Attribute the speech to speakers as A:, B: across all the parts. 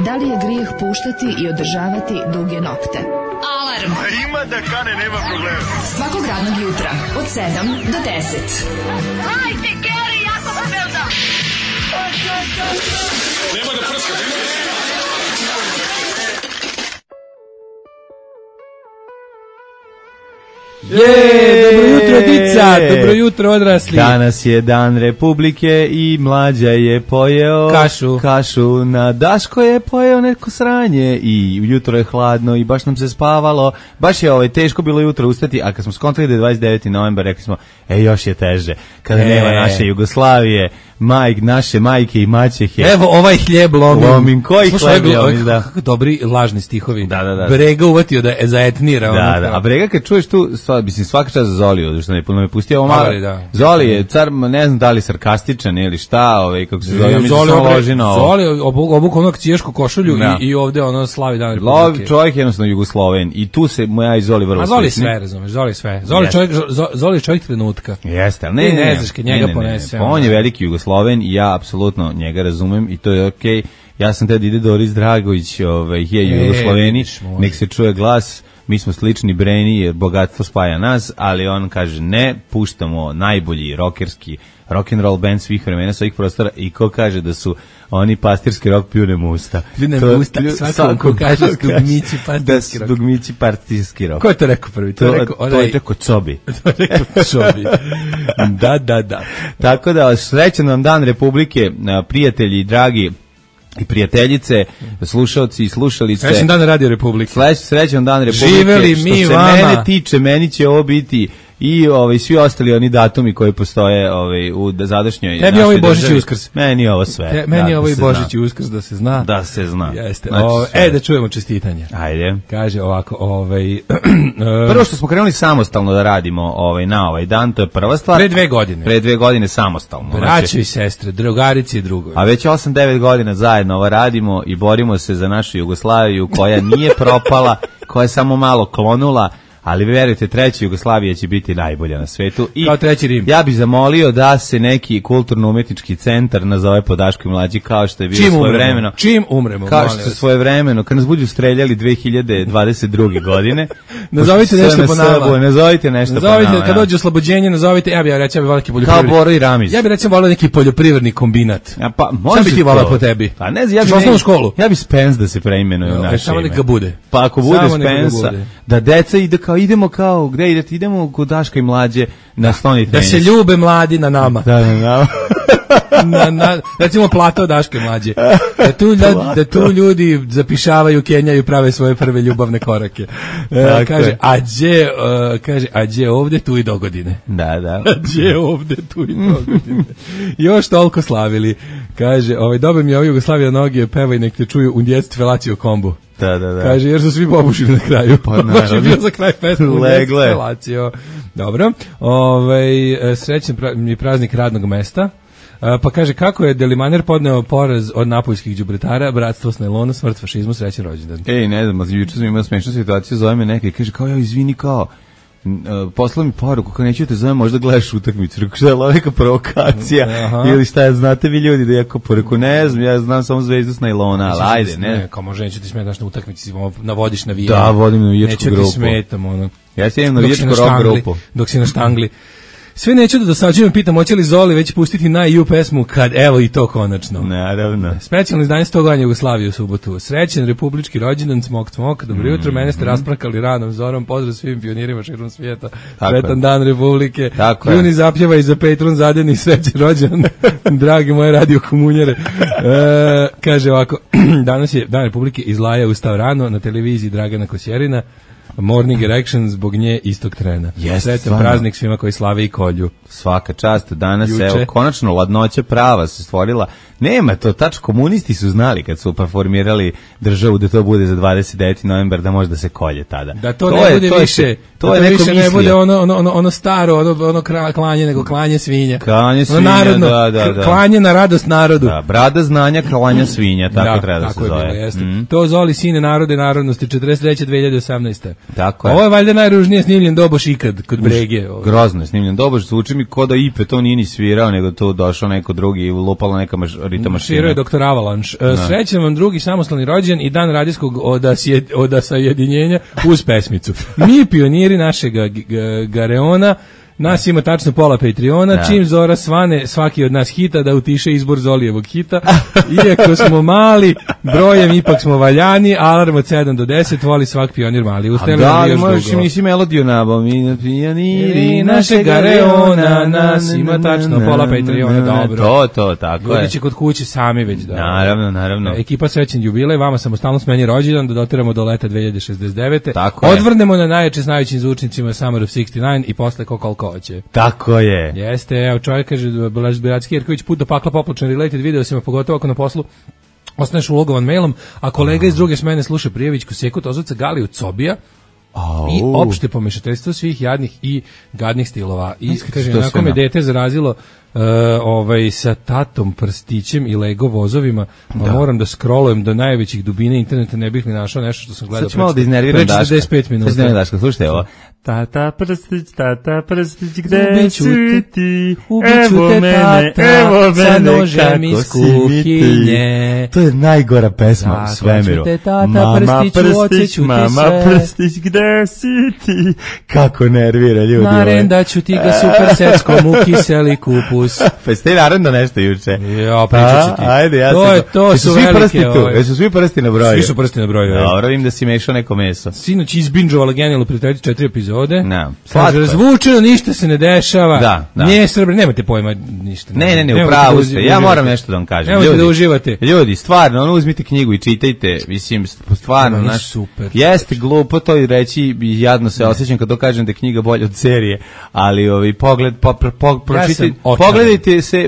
A: Da li je grijeh puštati i održavati duge nokte? Alarm!
B: Ima da kane, nema problema.
A: Svakog radnog jutra, od 7 do 10.
C: Hajde, Geri, jako se velda!
B: Nema da prska,
D: Dobro jutro, dica, dobro jutro, odrasli.
E: Danas je dan Republike i Mlađa je pojeo kašu, na Daško je pojeo neko sranje i jutro je hladno i baš nam se spavalo, baš je teško bilo jutro ustati, a kad smo skontali da je 29. novembar, rekli smo, još je teže, kada nema naše Jugoslavije, naše majke i maćehe.
D: Evo ovaj hljeb lomin.
E: Koji hljeb lomin, da.
D: Kako dobri lažni stihovi.
E: Da.
D: Brega uvatio da je zaetnira.
E: Da. A Brega kad čuješ tu, mislim, svaka čast za Zoliju, što ne pustio ovo malo. Zoli je car, ne znam da li sarkastičan ili šta, kako se zove, mi se samo loži na ovo.
D: Zoli obuk onog ciješku košulju i ovde slavi dan Republike.
E: Čovjek je jednostavno Jugosloven i tu se moja i Zoli vrlo
D: slični. A Zoli sve, razumeš, Zoli sve. Zoli čovjek trenutka.
E: Jeste, ali
D: ne znaš kad njega ponese.
E: On je veliki Jugosloven i ja apsolutno njega razumem i to je okej. Ja sam tada ide Doris Dragović, je Jugosloveni, nek se čuje glas. Mi smo slični Breni jer bogatstvo spaja nas, ali on kaže ne, puštamo najbolji rokerski rock'n'roll band svih vremena, svih prostora i ko kaže da su oni pastirski rock pljune musta.
D: Pljune musta, svako kaže dugmići pastirski rock.
E: Dugmići pastirski rock.
D: Ko je to rekao prvi?
E: To je rekao Cobi.
D: Da.
E: Tako da, srećan vam dan Republike, prijatelji, dragi i prijateljice, slušalci i slušalice.
D: Srećan dan Radio Republike.
E: Srećan dan Republike.
D: Živeli mi
E: što
D: vama.
E: Se mene tiče, meni će ovo biti i svi ostali oni datumi koji postoje u zadašnjoj našoj državi.
D: Meni ovo i Božić i Uskrs.
E: Meni ovo sve.
D: Meni ovo i Božić i Uskrs, da se zna.
E: Da se zna.
D: Jeste. Da čujemo čestitanje.
E: Ajde.
D: Kaže ovako,
E: prvo što smo krenuli samostalno da radimo na ovaj dan, to je prva stvar.
D: Pre 2 godine.
E: Pre 2 godine samostalno.
D: Braćo i sestre, drugarici i drugovi.
E: A već 8-9 godina zajedno ovo radimo i borimo se za našu Jugoslaviju koja nije propala, koja je samo malo klonula. Ali verujte, treća Jugoslavija će biti najbolja na svetu. I
D: kao treći Rim.
E: Ja bih zamolio da se neki kulturno-umetnički centar nazove po Daško i Mlađi, kao što je bilo svojevremeno.
D: Čim umremo.
E: Kao što je svojevremeno, kad nas budu streljali 2022. godine.
D: Nazovite nešto po nama.
E: Nazovite nešto po nama.
D: Kad dođe oslobođenje, nazovite, ja bih volio neki poljoprivredni.
E: Kao Boro i Ramiz.
D: Ja bih recimo volio neki poljoprivredni kombinat.
E: Pa
D: može. Šta bi ti volio po tebi?
E: Pa ne znam, ja bih Spence da se preimenuje u naše
D: samo
E: ime.
D: neka bude.
E: Pa ako bude Spence, da deca ide kao idemo kao gde idete, idemo kod Daška i Mlađe na stoni tenis.
D: Da se ljube mladi na nama.
E: Da, na nama.
D: Recimo plato Daške Mlađe. Da tu ljudi zapišavaju, kenjaju, prave svoje prve ljubavne korake. Kaže, ađe ovde, tu i dogodine.
E: Da.
D: Ađe ovde, tu i dogodine. Još toliko slavili. Kaže, dobar mi je Jugoslavija noge, pevaj nek te čuju u djetstve Lazio kombu.
E: Da.
D: Kaže, jer su svi pobušili na kraju.
E: Pa
D: baš je bio za kraj pesmu.
E: Legle.
D: Dobro. Srećan mi praznik radnog mesta. Pa kaže, kako je Delimaner podneo poraz od napoljskih đubretara, bratstvo s najlona, smrt fašizmu, srećan rođendan.
E: Ne znam, juče sam imao smešnu situaciju, zove me neka i kaže, kao izvini, poslao mi poruku, kao neću te zovem, možda gledaš utakmicu, rekao šta je loveka provokacija, ili šta, znate vi ljudi da ja poruku, ne znam, ja znam samo Zvezdu s najlona, ali ajde, ne.
D: Kao može, neću ti smetaš na utakmici, navodiš na vijenje.
E: Da, vodim na vijačku grupu.
D: Neću ti smetam,
E: Ja si idem na vijačku rock grupu.
D: Dok si na štangli. Sve neću da dosađujem, pitam, hoće li Zoli već pustiti na EU pesmu, kad evo i to konačno.
E: Naravno.
D: Specijalno izdanje 100 godina Jugoslavije u subotu. Srećen republički rođendan, smok, dobro jutro, mene ste rasprakali ranom zorom, pozdrav svim pionirima širom svijeta, sretan dan Republike, Juni zapjeva i za Patreon zadeni srećen rođendan, dragi moje radio komunjere. Kaže ovako, danas je dan Republike, iz Laja ustao rano na televiziji Dragana Kosjerina, Morning Erection zbog nje istog trena. Sretan praznik svima koji slave i kolju.
E: Svaka čast, danas evo, konačno ladnoća prava se stvorila. Nema to, komunisti su znali kad su formirali državu da to bude za 29. novembar, da može da se kolje tada.
D: Da to ne bude više, to je više ne bude ono staro, ono klanje, nego klanje svinja.
E: Klanje svinja, da.
D: Klanje na radost narodu.
E: Da, brada znanja, klanja svinja, tako treba da se zove.
D: To Zoli sine narode narodnosti, 43. 2018.
E: Tako je.
D: Ovo je valjda najružnije snimljen doboš ikad kod Brege.
E: Grozno je snimljen doboš, zvuči mi ko da Ipe to nije ni svirao, nego to došao neko drugi i lupala neka rita mašina.
D: Svirao je Dr. Avalanche. Srećan vam drugi samostalni rođendan i dan radijskog odasajedinjenja uz pesmicu. Mi pioniri našeg Gareona. Nas ima tačno pola Patreona, čim Zora svane svaki od nas hita da utiše izbor Zolijevog hita. Iako smo mali, brojem ipak smo valjani, alarm od 7 do 10, voli svak pionir mali.
E: A da li možeš im nisi melodiju nabao? Mi pioniri našeg Gareona, nas ima tačno pola Patreona, dobro. To, tako je.
D: Ljudi će kod kuće sami već da.
E: Naravno.
D: Ekipa srećen jubilej, vama samostalno smeni rođendan, da dotiramo do leta 2069.
E: Tako
D: odvrnemo na najjače s najvećim zvučnicima Summer of 69 i posle koliko hoće.
E: Tako je.
D: Jeste, evo čovjek kaže Blaž Biratski Jerković, put do pakla poplačan related video si pogotovo ako na poslu ostaneš ulogovan mailom, a kolega iz druge smene sluša Prijevićku Seku Tozovca Galiju Cobija i opšte pomešateljstvo svih jadnih i gadnih stilova. I kaže, onako me dete zarazilo sa tatom prstićem i Lego vozovima, moram da scrollujem do najvećih dubine interneta, ne bih ni našao nešto što sam gledao pre 45 minuta.
E: Sad ću malo da slušajte ovo. Tata prstić, gde si ti? Evo mene, sa nožem iz kuhinje. To je najgora pesma u svemiru. Mama prstić, gde si ti? Kako nervira ljudi.
D: Narendaću ti ga super seckom u kiseli kupus.
E: Pa ste narenda nešto juče.
D: Ja, pričat ću ti.
E: Ajde, ja
D: sam. To su velike.
E: Jesu svi prsti na broju?
D: Svi su prsti na broju.
E: Dobro, vidim da si mešao neko meso.
D: Sinoć izbinđovala genijalno prijateljicu 4 epizode.
E: Slatko.
D: Razvučeno, ništa se ne dešava.
E: Da.
D: Nije Srbe, nemate pojma ništa.
E: Ne, upravo ste. Ja moram nešto da vam kažem.
D: Nemojte da uživate.
E: Ljudi, stvarno, uzmite knjigu i čitajte. Mislim, stvarno, naš
D: super.
E: Jeste glupo to i reći, jadno se osjećam kad to kažem da je knjiga bolja od serije, ali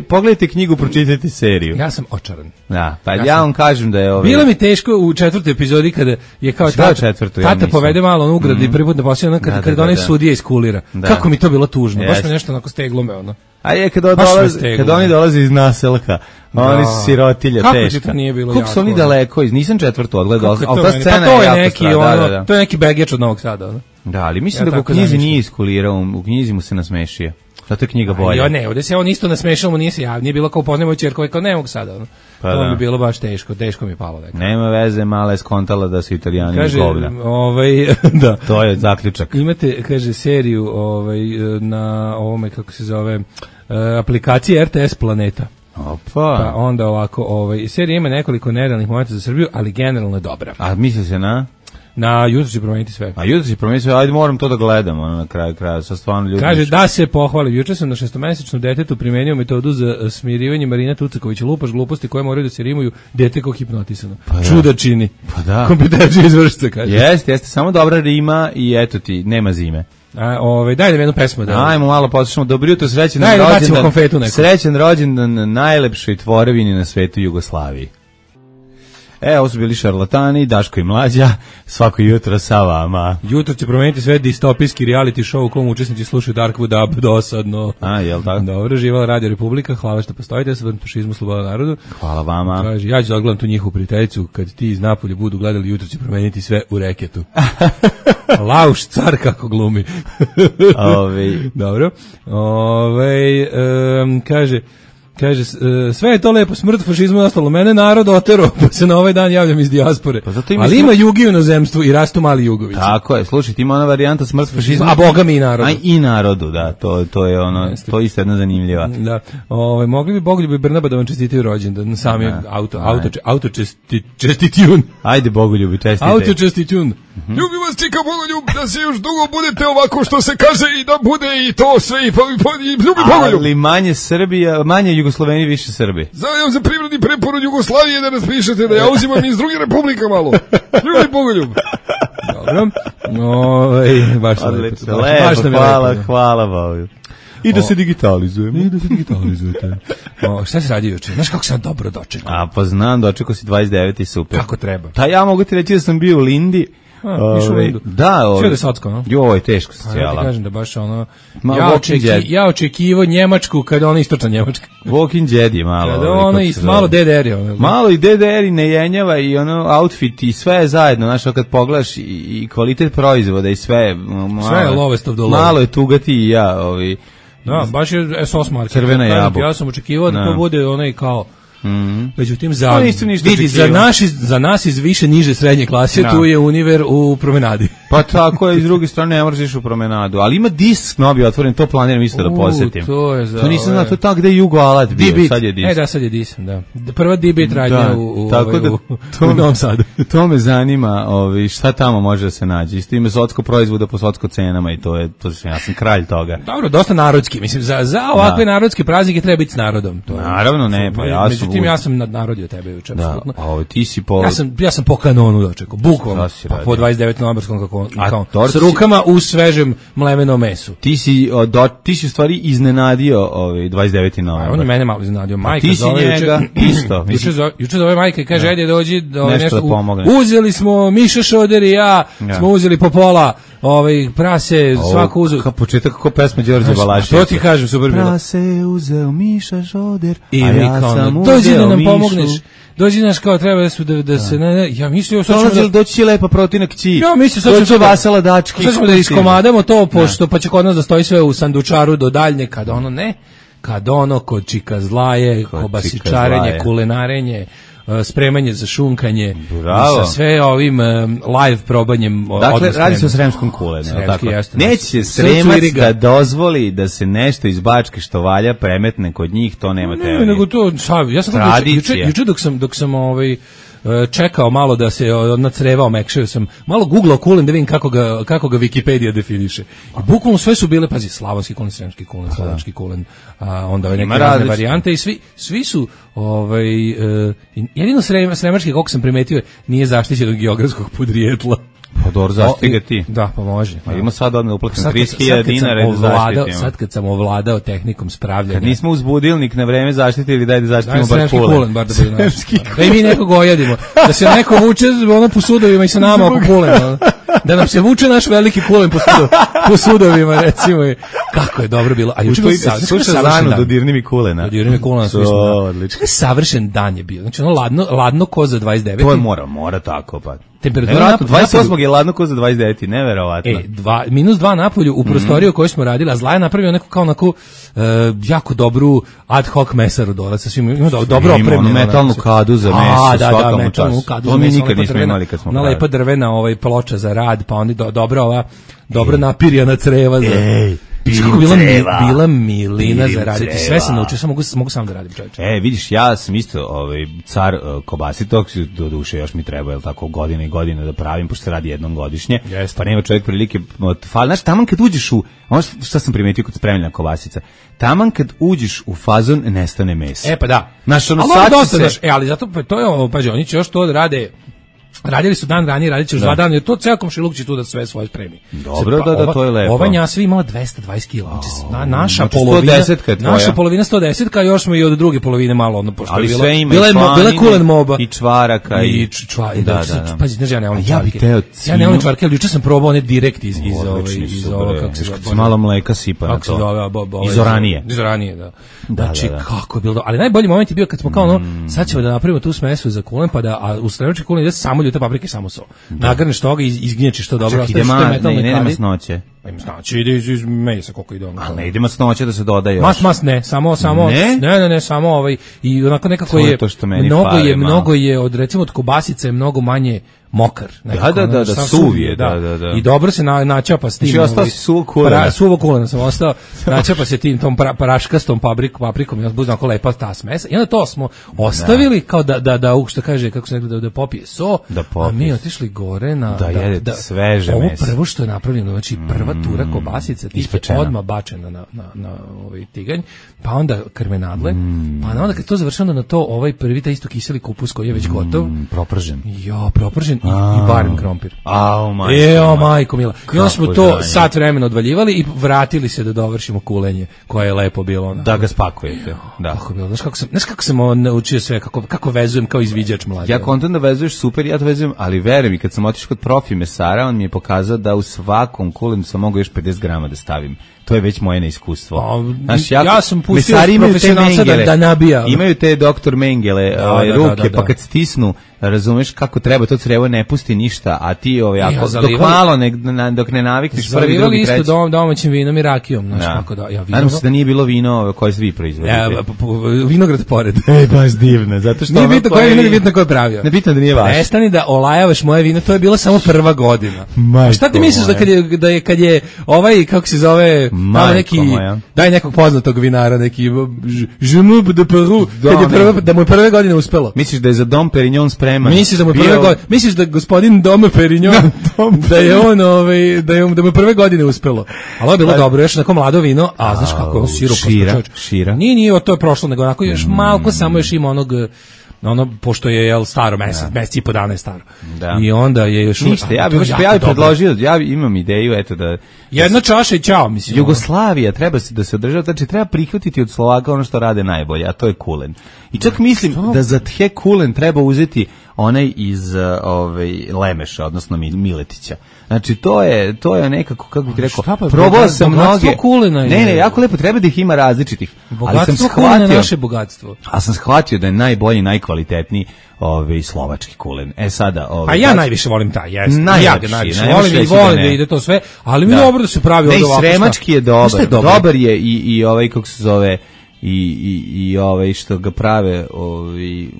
E: pogledajte knjigu, pročitajte seriju.
D: Ja sam očaran.
E: Da, pa ja vam kažem da je
D: bilo mi teško u 4. epizodi kada je kao tata povede malo on ugrad i prvi put da poslije kada onaj sudija iskulira. Kako mi to bilo tužno, baš me nešto onako steglome ono.
E: A je kad oni dolaze iz naselka, oni su sirotilje teška.
D: Kako ti to nije bilo jako?
E: Kako su oni daleko, nisam 4. odgledao, ali ta scena
D: je
E: jako
D: neki
E: strada.
D: To je neki begeč od Novog Sada.
E: Da, ali mislim da u knjizi nije iskulirao, u knjizi mu se nasmešio. Zato je knjiga bolja.
D: Jo, ne, ovdje se on isto nasmešao, mu nije se javno, nije bilo kao upoznajemo čerkove, kao ne mogu sada. To bi bilo baš teško mi je palo.
E: Nema veze, mala je skontala da su Italijani govna.
D: Da.
E: To je zaključak.
D: Imate, kaže, seriju na ovome, kako se zove, aplikacije RTS Planeta.
E: Opa.
D: Pa onda ovako, serija ima nekoliko nerealnih momenta za Srbiju, ali generalno je dobra.
E: A misli se
D: na jutro će promeniti sve.
E: A jutro će promeniti sve, ajde moram to da gledam na kraju kraja, sa stvarno ljudi.
D: Kaže da se pohvali, juče sam na 6-mesečnom detetu primenio metodu za smirivanje Marina Tucakovića, lupaš gluposti koje moraju da se rimuju, dete kao hipnotisano. Čuda čini.
E: Pa da.
D: Kompetencija izvršca, kaže.
E: Jeste, samo dobra rima i eto ti, nema zime.
D: Daj nam jednu pesmu.
E: Ajmo malo poslušamo. Dobro jutro, srećan rođendan najlepšoj tvorevini na svetu Jugoslaviji. Ovo su bili šarlatani, Daško i Mlađa, svako jutro sa vama.
D: Jutro će promeniti sve distopijski reality show u kom učesnici slušaju Darkwood Up dosadno.
E: Jel tako?
D: Dobro, živala Radio Republika, hvala što postojite, sa fašizmu, sloboda narodu.
E: Hvala vama.
D: Kaže, ja ću da odgledam tu njihovu prijateljicu, kad ti iz Napolja budu gledali, jutro će promeniti sve u reketu. Lauš, car kako glumi. Dobro. Kaže, sve je to lepo, smrt, fašizmu i ostalo. Mene narod otero, pa se na ovaj dan javljam iz dijaspore. Ali ima jugi u inozemstvu i rastu mali jugovići.
E: Tako je, slušajte, ima ona varijanta smrt, fašizmu.
D: A boga mi i narodu.
E: I narodu, da, to je ono, to je isto jedna zanimljiva.
D: Da, mogli bi Bogoljub i Brnaba da vam čestitaju rođendan, sami čestitjun.
E: Ajde Bogoljubi, čestite.
D: Auto čestitjun.
B: Ljubim vas, čika Bogoljub, da se još dugo budete ovako što se kaže i da bude i to sve i ljubi Bogoljub.
E: Ali manje Srbija, manje Jugosloveni, više Srbi.
B: Zavljam za privredni preporod Jugoslavije da nas pišete da ja uzimam iz drugih republika malo. Ljubi Bogoljub.
D: Dobro. Baš
E: lepo, hvala Bogu. I da se digitalizujemo.
D: Šta se radi juče? Znaš kako sam dobro dočekao?
E: Pa znam, dočekao si 29 i super.
D: Kako treba?
E: Ja mogu ti reći da sam bio u Lindi. Da,
D: sve da socko, no?
E: Joj, teško se cijela.
D: Ja ti kažem da baš ono, ja očekivo Njemačku kada ona istočna Njemačka.
E: Walking Dead je malo.
D: Kada ono i malo DDR-i.
E: Malo i DDR-i ne jenjava i ono outfit i sve je zajedno, znaš, kad pogledaš i kvalitet proizvoda i sve.
D: Sve je lowest of the low.
E: Malo je tugati i ja,
D: Da, baš je SOS market.
E: Crvena jabuka.
D: Ja sam očekivao da to bude onaj kao međutim,
E: vidi,
D: za nas iz više niže srednje klase, tu je Univer u promenadi.
E: Pa tako je, iz druge strane ne moraš ići u promenadu, ali ima disk novi otvoren, to planiram isto da posetim. To nisam znao, to je tako gde je Jugo Alat bio, sad je disk.
D: Da, sad je disk, da. Prva D-Beat radnja u Novom Sadu.
E: To me zanima, šta tamo može da se nađe. Isto ima socko proizvoda po socko cenama i ja sam kralj toga.
D: Dobro, dosta narodski, mislim, za ovakve narodske praznike treba biti s narodom.
E: Naravno, ne, pa ja sam...
D: Međutim, ja sam nadnarodio tebe juče, apsolutno.
E: A ti si po...
D: Ja sam po kanonu dočekao, bukvalno, po 29. novembarskom s rukama u svežem mlevenom mesu.
E: Ti si u stvari iznenadio 29. novembar.
D: On je mene malo iznenadio. Majka
E: ti si njega isto.
D: Juče zove majka i kaže, ajde dođi,
E: nešto da pomogne.
D: Uzeli smo Miša Šoder i ja, smo uzeli po pola prase, svako uzeo.
E: Kao početak kako pesma Đorđe Balaševića.
D: To ti kažem, super bilo.
E: Prase uzeo Miša Šoder,
D: a ja sam dođi da nam pomogneš. Dođi naš kao treba da se ja mislio sad ćemo
E: doći lepa protina kći.
D: Ja mislio sad
E: ćemo vasala dački.
D: Sad ćemo da iskomadamo to pošto pa će kod nas da stoji sve u sandučaru do daljnje kad ono kod čika zlaje, kobasičarenje, kulenarenje, spremanje za šunkanje, sa sve ovim live probanjem.
E: Dakle, radi se o sremskom kulenu. Neće Sremac da dozvoli da se nešto iz Bačke što valja premetne kod njih, to nema teorije.
D: Nego to, ja sam juče dok sam čekao malo da se nacrevao, mekšao sam malo googlao kulen da vidim kako ga Wikipedia definiše. I bukvalno sve su bile, pazi, slavonski kulen, sremski kulen, slovački kulen, onda neke razne varijante i svi su jedino sremački, kako sam primetio, nije zaštićen od geografskog podrijetla.
E: Pa dobro, zaštiti ga ti.
D: Da, pa može.
E: Pa ima sad odmah uplatim 30.000 dinara da zaštitimo.
D: Sad kad sam ovladao tehnikom spravljanja.
E: Kad nismo uz budilnik na vreme zaštitili, daj da zaštitimo bar kulen.
D: Da i mi nekog ojadimo. Da se neko vuče po sudovima i sa nama oko kulen. Da nam se vuče naš veliki kulen po sudovima, recimo. Kako je dobro bilo. A juče je
E: sluša Zanu dodirni mi kulena.
D: Dodirni mi kulena. Odlično. Savršen dan je bio. Znači ono ladno ko za 29.
E: To je mora tako pa.
D: Temperatura
E: 28. je ladno ko za 29. Neverovatno.
D: -2 napolju u prostoriju koju smo radili, a Zla je napravio neko kao onako jako dobru ad hoc mesaru dole sa svim, ima dobro opremljeno.
E: Metalnu kadu za meso,
D: svakamu času.
E: To mi nikad nismo imali kad smo
D: pravili. Lepa drvena ploča za rad, pa oni dobro napirjana creva za... Bila milina za raditi. Sve sam naučio, mogu sam da radim, čovječe.
E: Vidiš, ja sam isto car kobasi, tog do duše još mi treba, jel tako, godine i godine da pravim, pošto se radi jednom godišnje, pa nema čovjek prilike, znaš, taman kad uđeš u, ono što sam primetio kod spremljena kobasica, taman kad uđeš u fazon, nestane meso.
D: Pa da.
E: Znaš, ono
D: ali zato, to je, pađe, oni će još to da rade. Radili su dan ranije, radit će još 2 dana, jer to ceo komšiluk će tu da sve svoje spremi.
E: Dobro, to je lepo.
D: Ova njasva imala 220 kila, naša polovina 110, još smo i od druge polovine malo, pošto
E: ali
D: je
E: bila
D: kulen moba.
E: I čvaraka.
D: Pazi, znaš, ja ne volim čvarke. Ja ne volim čvarke, ali juče sam probao one direkt iz ovoga, kako se
E: zove. Malo mleka sipa na to. Iz oranije.
D: Iz oranije, da. Znači, kako je bilo. Ali najbolji moment je bio kad smo kao sad ćemo da napravimo tu smesu za kulen, pa da, a u sremački kulen ide samo ljute paprike i samo so. Nagrneš toga i izgnječiš to dobro.
E: Čak ide ne masnoće.
D: Ima znači ide iz mesa koliko ide ono.
E: A ne ide masnoće da se dodaje još.
D: Mas ne, samo ne, samo i onako nekako je mnogo je od recimo od kobasice je mnogo manje mokar.
E: Da, suv je, da.
D: I dobro se načapa s tim.
E: Znači ostao si
D: suvo kulena sam ostao, načapa se tim tom praškastom paprikom, ja buzna ako lepa ta smesa. I onda to smo ostavili kao da što kaže, kako se rekli, da popije so, a mi otišli gore na
E: da sveže meso.
D: Ovo prvo što je napravljeno, znači prva tura kobasica, ti je odmah bačena na ovaj tiganj, pa onda krmenadle, pa onda kad to završeno na to, prvi taj isto kiseli kupus koji je već gotov,
E: propržen.
D: Propržen i barem krompir. Majko mila. I onda smo to sat vremena odvaljivali i vratili se da dovršimo kulenje, koje je lepo bilo.
E: Da ga spakujete. Da.
D: Kako bilo? Znaš kako sam naučio sve, kako vezujem kao izviđač mlađe.
E: Ja kontam da vezuješ super, ja to vezujem, ali veruj mi, kad sam otišao kod profi mesara, on mi je pokazao da u svakom kulenu sam mogao još 50 grama da stavim. To je već moje neiskustvo.
D: Ja sam pustio profesionalca da nabija.
E: Imaju te doktor Mengele ruke, pa kad stisnu razumeš kako treba, to crevo ne pusti ništa, a ti dok malo dok ne navikneš prvi, drugi, treći.
D: Isto domaćim vinom i rakijom, znaš kako da. Ja
E: nadam se da nije bilo vino koje svi proizvodite.
D: Vinograd pored.
E: Baš divno, zato što
D: nije bitno koje vino, nije bitno ko je pravio.
E: Ne bitno da nije vaš.
D: Prestani da olajavaš moje vino, to je bila samo prva godina. Šta ti misliš da kad je ovaj, kako se zove, tamo neki, daj nekog poznatog vinara, neki Jean de Peru, da mu je prve godine uspelo.
E: Misliš da je za Dom Perignon spreman?
D: Misliš da gospodin Dom Perignon da je on da mu prve godine uspelo. Ali je bilo dobro, još onako mlado vino, a znaš kako je on sirup.
E: Šira.
D: Nije, to je prošlo, nego onako još malko samo još ima onog pošto je staro mesec i po dana je staro. Da. I onda je još
E: ništa, ja bih predložio, ja imam ideju da
D: jedna čaša i ćao, mislim.
E: Jugoslavija treba da se održava, znači treba prihvatiti od Slovaka ono što rade najbolje, a to je kulen. I čak mislim da za tje kulen treba uzeti onaj iz Lemeša, odnosno Miletića. Znači to je nekako, kako bih rekao, probao sam mnoge. Ne, jako lepo, treba da ih ima različitih.
D: Bogatstvo kulena je naše bogatstvo.
E: A sam shvatio da je najbolji, najkvalitetniji slovački kulen. Sada
D: a ja najviše volim taj, jesam. Ja ga najviše volim da ide to sve, ali mi je dobro da se pravi ovako.
E: Ne, sremački je dobar. Dobar je i kako se zove i što ga prave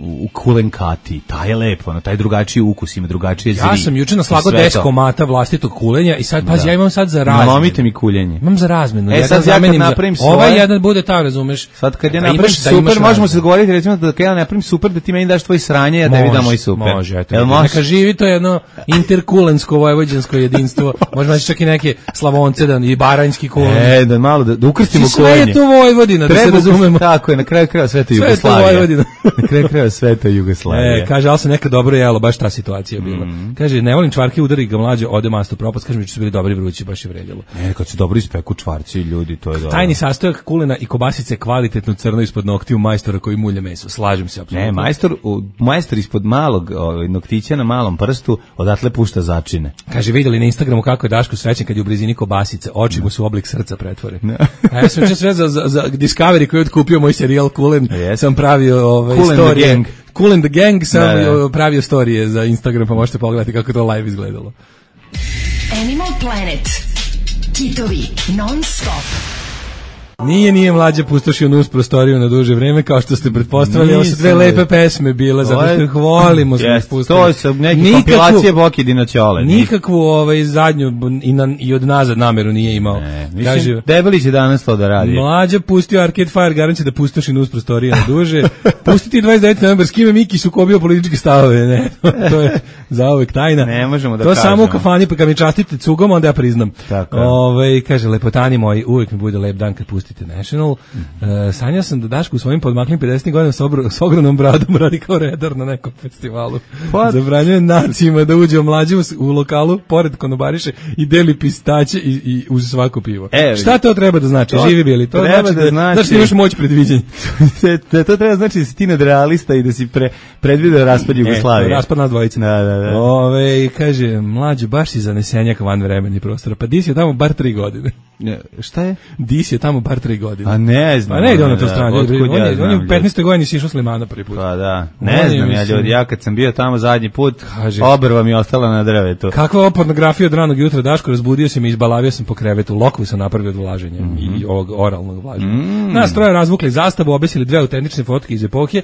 E: u kulenkati, taj je lepo, taj drugačiji ukus ima, drugačije zri.
D: Ja sam juče naslagao 10 komata vlastitog kulenja i sad, pazi, ja imam sad za razmenu.
E: Nalomite mi kuljenje.
D: Imam za razmenu.
E: Sad ja kad napravim svoje...
D: Ovaj jedan bude ta, razumeš?
E: Sad kad ja napravim super, možemo se dogovoriti, recimo da kad ja napravim super, da ti meni daš tvoj sranje, ja tebi dam moj super.
D: Može, neka živi to jedno interkulensko vojvođansko jedinstvo. Možemo naći čak i neke Slavonce i baranjski kulen.
E: Da malo da ukrstimo kulenje.
D: Sve je to Vojvodina, da se razumemo.
E: Tako je, na kraju kraja sve to Jugoslavija. Na kraju kraja sve to Jugoslavija.
D: Kaže, ali se nekad dobro jelo, baš ta situacija bila. Kaže, ne volim čvarke, udari ga mlađe, ode masto propast, kaže mi da su bili dobri vrući, baš je vredjelo.
E: Kad se dobro ispeku čvarci, ljudi, to je dobro.
D: Tajni sastojak kulena i kobasice kvalitetno crno ispod noktiju majstora koji mulja meso. Slažem se apsolutno.
E: Ne, majstor ispod malog noktića na malom prstu odatle pušta začine.
D: Kaže, vidjeli na Instagramu kako je Daško srećan kad je u blizini kobasice, oči mu su oblik srca pretvore. A ja sam sve za Discovery koji je otkupio moj serijal Kulen, sam pravio storije. Cool and the Gang sam pravio storije za Instagram, pa možete pogledati kako to live izgledalo.
A: Animal Planet. Kitovi non stop.
D: Nije mlađe pustošio nus prostoriju na duže vreme, kao što ste pretpostavili. Ovo su dve lepe pesme bile, zato što ih volimo.
E: To su neke kompilacije Boki Dinoćole.
D: Nikakvu zadnju i od nazad nameru nije imao.
E: Mislim, Debelić je danas to da radi.
D: Mlađe pustio Arcade Fire, garancija da pustoši nus prostorije na duže. Pustiti 29. novembar, s kime Miki sukobio političke stavove, ne? To je zauvek tajna.
E: Ne možemo da
D: kažemo. To samo u kafani, pa kad mi častite cugom, onda ja priznam. Kaže, lepotani moji, uvijek mi bude lep dan kad pustite National. Sanjao sam da Daško u svojim podmaklim 50. godina s ogromnom bradom radi kao redar na nekom festivalu. Zabranjuje nacima da uđe mlađe u lokalu, pored konobariše i deli pistaće i uz svako pivo. Šta to treba da znači? Živi bili. To znači da imaš moć predviđenja.
E: To treba znači da si ti nadrealista i da si predvideo raspad Jugoslavije.
D: Raspad nas dvojica.
E: Da.
D: Kaže, mlađe, baš si zanesenjak van vremeni prostora. Pa Dis je tamo bar 3 godine.
E: Šta je?
D: Dis je tamo bar 3 godine.
E: A ne znam.
D: A ne ide on na to strane. On je u 15. godini si išao Slimana prvi put.
E: Pa da. Ne znam ja ljudi. Ja kad sam bio tamo zadnji put, obrva mi je ostala na drvetu.
D: Kakva ova pornografija od ranog jutra, Daško, razbudio se mi, izbalavio sam po krevetu. Lokvu sam napravio od vlaženja i ovog oralnog vlaženja. Nas troje razvukli zastavu, obesili 2 autentične fotke iz epohe,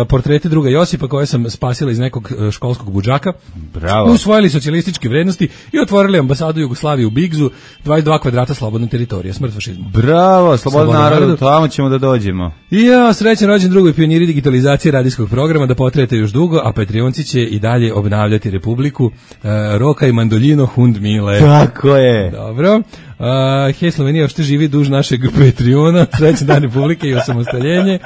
D: portrete druga Josipa koje sam spasila iz nekog školskog budžaka.
E: Bravo.
D: Usvojili socijalističke vrednosti i otvorili ambasadu Jugoslavije u Bigzu, 22 kvadrata slobodne teritorije, smrt fašizmu.
E: Bravo, slobodno narodu, tamo ćemo da dođemo.
D: Ja, srećan rođen drugoj pioniri digitalizacije radijskog programa, da potrajete još dugo, a Patreonci će i dalje obnavljati Republiku. Roka i Mandoljino Hund Mile.
E: Tako je.
D: Dobro. Hej Slovenija, što živi duž našeg Patreona, srećan dan Republike i osamostaljenje.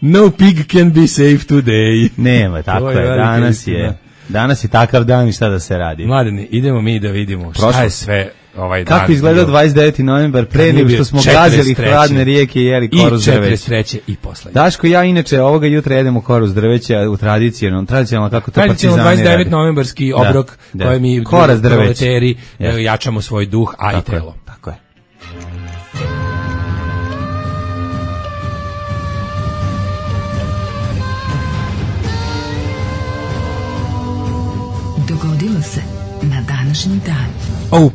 D: No pig can be safe today.
E: Nema, tako je, danas je takav dan i šta da se radi.
D: Mladeni, idemo mi da vidimo šta je sve ovaj dan.
E: Kako izgleda 29. novembar, pre nego što smo gazili hladne rijeke i jeli koru s drveća.
D: I 43. i poslednje.
E: Daško, ja inače ovoga jutra jedemo koru s drveća u tradicionalno kako to partizani radi.
D: 29. novembarski obrok koji mi proleteri jačamo svoj duh, a i telo.
E: Tako je.
A: Dogodilo se na današnji dan.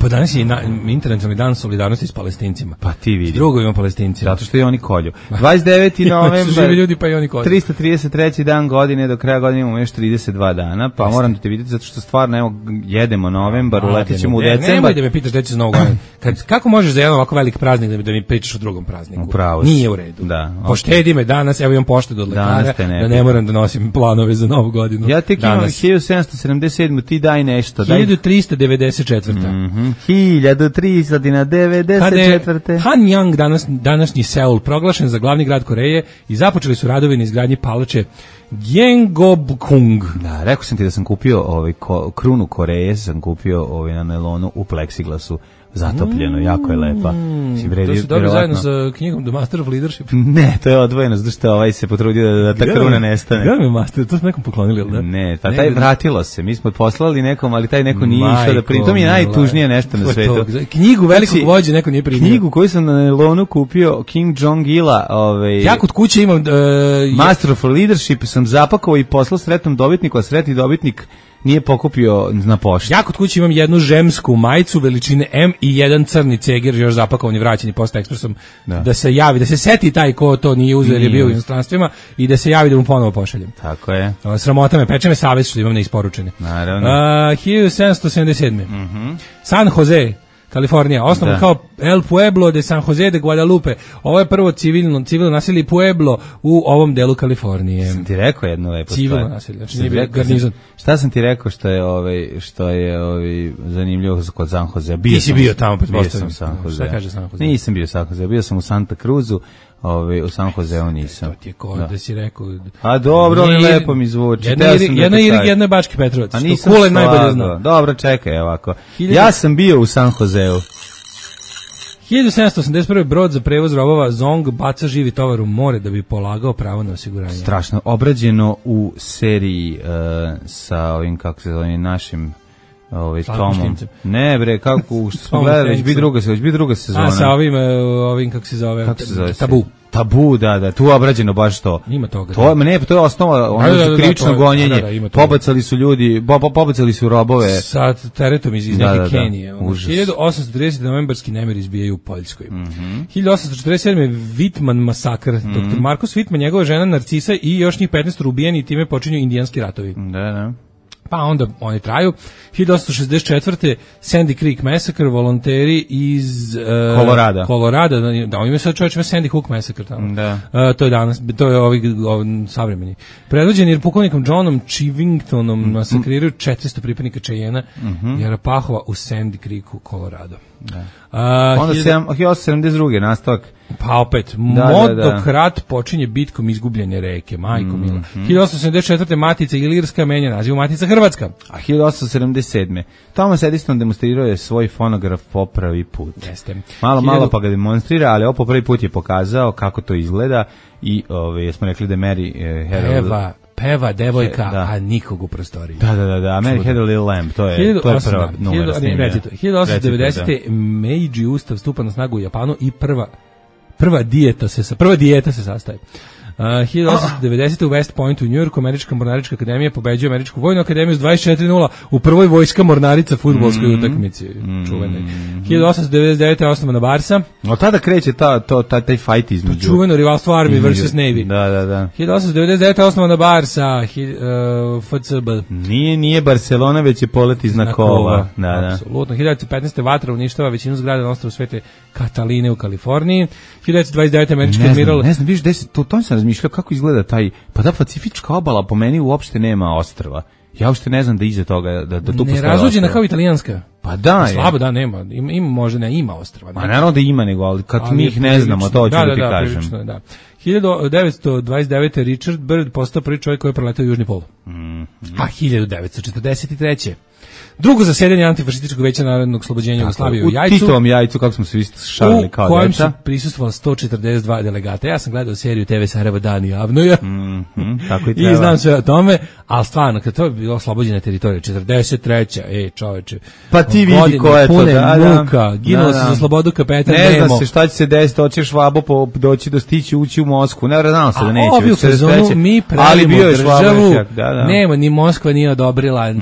D: Pa danas je internacionalni dan solidarnosti s Palestincima.
E: Pa ti vidi.
D: S drugovima Palestincima.
E: Zato što i oni kolju. 29. novembar.
D: Živi ljudi pa i oni kolju.
E: 333. dan godine, do kraja godine imamo još 32 dana, pa moram da te vidjeti zato što stvarno evo jedemo novembar, uletit ćemo u decembar.
D: Nemoj da me pitaš gde će za Novu godinu. Kako možeš za jedan ovako veliki praznik da mi pričaš o drugom prazniku?
E: Upravo.
D: Nije u redu.
E: Da.
D: Poštedi me danas, evo imam poštedu od lekara, da ne moram da nosim planove za Novu godinu.
E: Ja tek imam 1777, ti daj nešto.
D: 1394.
E: 1394.
D: Hanyang, današnji Seul, proglašen za glavni grad Koreje i započeli su radovi na izgradnji palače Gyeongbokgung.
E: Da, rekao sam ti da sam kupio krunu Koreje, sam kupio na melonu u pleksiglasu. Zatopljeno, jako je lepa.
D: To su dobili zajedno sa knjigom The Master of Leadership?
E: Ne, to je odvojeno, zato što se potrudio da ta kruna nestane.
D: Gledam je Master, to smo nekom poklonili, ili da?
E: Ne, taj vratilo se, mi smo poslali nekom, ali taj neko nije išao da primi. To mi je najtužnije nešto na svetu.
D: Knjigu velikog vođe neko nije primio.
E: Knjigu koju sam na nelonu kupio, Kim Jong-ila.
D: Ja kod kuće imam...
E: Master of Leadership sam zapakovao i poslao sretnom dobitniku, a sretni dobitnik nije pokupio na pošti.
D: Ja kod kuće imam jednu žemsku majicu veličine M i jedan crni ceger još zapakovan i vraćen Post Expressom da se javi, da se seti taj ko to nije uzeo jer je bio u inostransttvima i da se javi da mu ponovo pošaljem.
E: Tako je.
D: Sramota me, peče me savest što imam neisporučene.
E: Naravno.
D: 1777. San Jose, Kalifornija, osnovan kao El Pueblo de San Jose de Guadalupe. Ovo je prvo civilno naselje Pueblo u ovom delu Kalifornije.
E: Sam ti rekao jedno lepo stvar.
D: Civilno naselje, znači nije bio garnizon.
E: Šta sam ti rekao što je zanimljivo kod San Jose?
D: Nisi bio tamo, pretpostavljam.
E: San Jose.
D: Šta kaže San Jose?
E: Nisam bio San Jose, bio sam u Santa Cruzu. U San Joseu nisam.
D: To ti je da si rekao.
E: A dobro, ali lepo mi zvuči.
D: Jedna je Bački Petrovac.
E: A nisam
D: Kule najbolje zna.
E: Dobro, čekaj ovako. Ja sam bio u San Joseu.
D: 1781. brod za prevoz robova Zong baca živi tovar u more da bi polagao pravo na osiguranje.
E: Strašno. Obrađeno u seriji sa ovim, kako se zove, našim Tomom. Ne bre, kako smo gledali, već bi druga sezona.
D: A sa ovim kako se zove? Tabu.
E: Tabu, da, tu je obrađeno baš to.
D: Ima toga.
E: To je osnova, ono krivično gonjenje. Pobacali su ljudi, pobacali su robove.
D: Sa teretom iz neke Kenije. 1830. novembarski nemiri izbijaju u Poljskoj. 1847. Whitman masakr. Dr. Marcus Whitman, njegova žena Narcisa i još njih 15 ubijeni i time počinju indijanski ratovi.
E: Da.
D: Pa onda oni traju. 1864. Sandy Creek Massacre, volonteri iz Kolorada. Da, oni imaju sad čovječ, ima Sandy Hook Massacre tamo.
E: Da.
D: To je danas, to je ovi savremeni. Predvođeni pukovnikom Johnom Chivingtonom masakriraju 400 pripadnika Cheyenne i Arapahova u Sandy Creeku, Kolorado.
E: Da. Onda 1872. nastavak.
D: Pa opet, Modokrat počinje bitkom izgubljene reke, majko mila. 1874. Matica Ilirska menja naziv Matica Hrvatska.
E: A 1877. Thomas Edison demonstrirao je svoj fonograf po prvi put.
D: Jeste.
E: Malo pa ga demonstrira, ali po prvi put je pokazao kako to izgleda i jesmo rekli da Mary
D: peva devojka, a nikog u prostoriji.
E: Da, Mary Had a Little Lamb, to je prva numera snimljena.
D: 1890. Meiji Ustav stupa na snagu u Japanu i prva dijeta se sastaje. 1890. u West Pointu u Njujorku Američka mornarička akademija pobeđuje Američku vojnu akademiju s 24:0 u prvoj vojska mornarica fudbalskoj utakmici. Čuvenoj. 1899. osnovana Barsa.
E: Od tada kreće taj fight između.
D: Čuveno rivalstvo Army vs. Navy.
E: Da.
D: 1899. osnovana Barsa, FCB.
E: Nije Barcelona, već je polet iz znakova. Da.
D: Apsolutno. 1915. vatra uništava većinu zgrada na ostrvu Svete Kataline u Kaliforniji. 1929. američki admiral...
E: Ne znam, vidiš, to sam razmišljao kako izgleda taj... Pa da Pacifička obala po meni uopšte nema ostrva. Ja uopšte ne znam da iza toga, da tu postoje ostrva.
D: Nerazuđena kao italijanska.
E: Pa da je.
D: Slabo da nema, možda ne ima ostrva.
E: Ma naravno da ima, nego, ali kad mi ih ne znamo, to ću da ti kažem.
D: Prilično, da. 1929. Richard Byrd postao prvi čovjek koji je preletao Južni pol. A 1943. Drugo zasedanje antifašističkog veća narodnog oslobođenja Jugoslavije u Jajcu.
E: U Titovom Jajcu, kako smo se šalili kao deca. U kojem su
D: prisustvovali 142 delegata. Ja sam gledao seriju TV Sarajevo Dan i Avnoja.
E: Tako i treba.
D: I znam sve o tome, ali stvarno, kad to je bilo oslobođena teritorija, 43. Čoveče.
E: Pa ti vidi ko je to.
D: Muka, ginulo se za slobodu kapetan Nemo.
E: Ne zna se šta će se desiti, hoćeš Švabo doći do stići, ući u Moskvu. Ne znao se da neće.
D: Ovi u fazonu, mi pravimo državu, nema, ni Moskva nije odobrila,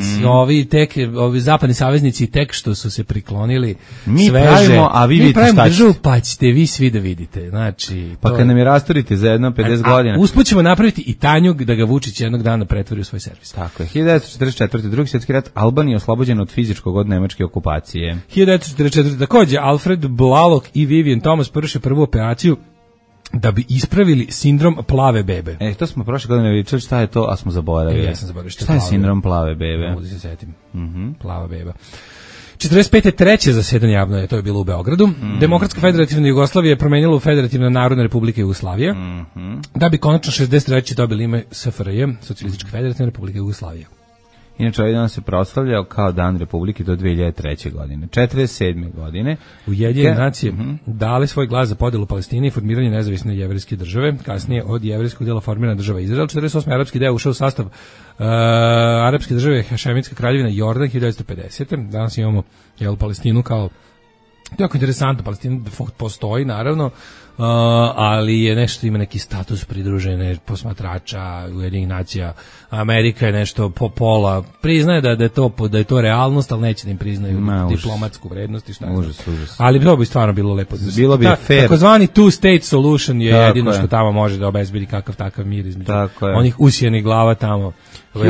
D: ovi zapadni saveznici tek što su se priklonili
E: mi
D: sveže.
E: Pravimo, a vi vidite šta
D: državu, pa ćete vi svi da vidite. Znači,
E: pa kad nam je rastorite za jedno 50 godina.
D: Usput ćemo napraviti i Tanjug da ga Vučić jednog dana pretvori u svoj servis.
E: Tako je. 1944. Drugi svjetski rat, Albanija je oslobođena od fizičkog od nemačke okupacije.
D: 1944. takođe Alfred Blalock i Vivian Thomas prše prvu operaciju da bi ispravili sindrom plave bebe.
E: To smo prošle godine vidjeli šta je to, a smo zaboravili.
D: Ja sam zaboravio
E: šta je sindrom plave bebe.
D: Mogu da se setim. Plava beba. 45. treće zasedanje javno to je bilo u Beogradu. Demokratska federativna Jugoslavija je promenila u Federativna narodna republika Jugoslavija, da bi konačno 63. dobili ime SFRJ, Socijalistička federativna republika Jugoslavija.
E: Inače, ovaj dan se proslavljao kao dan Republike do 2003. godine. 47. godine.
D: Ujedinjene nacije dale svoj glas za podelu Palestine i formiranje nezavisne jevrejske države. Kasnije od jevrejskog dela formirana država Izrael. 48. arapski deo ušao u sastav arapske države Hašemitska kraljevina Jordan 1950. Danas imamo Palestinu kao jako interesantno. Palestina postoji, naravno, ali je nešto, ima neki status pridružene posmatrača Ujedinjenih nacija. Amerika je nešto pola priznaje da je to realnost, ali neće da im priznaju diplomatsku vrednost i šta.
E: Užas.
D: Ali to bi stvarno bilo lepo.
E: Bilo bi fair.
D: Takozvani two-state solution je jedino što tamo može da obezbedi kakav mir između onih usijenih glava tamo.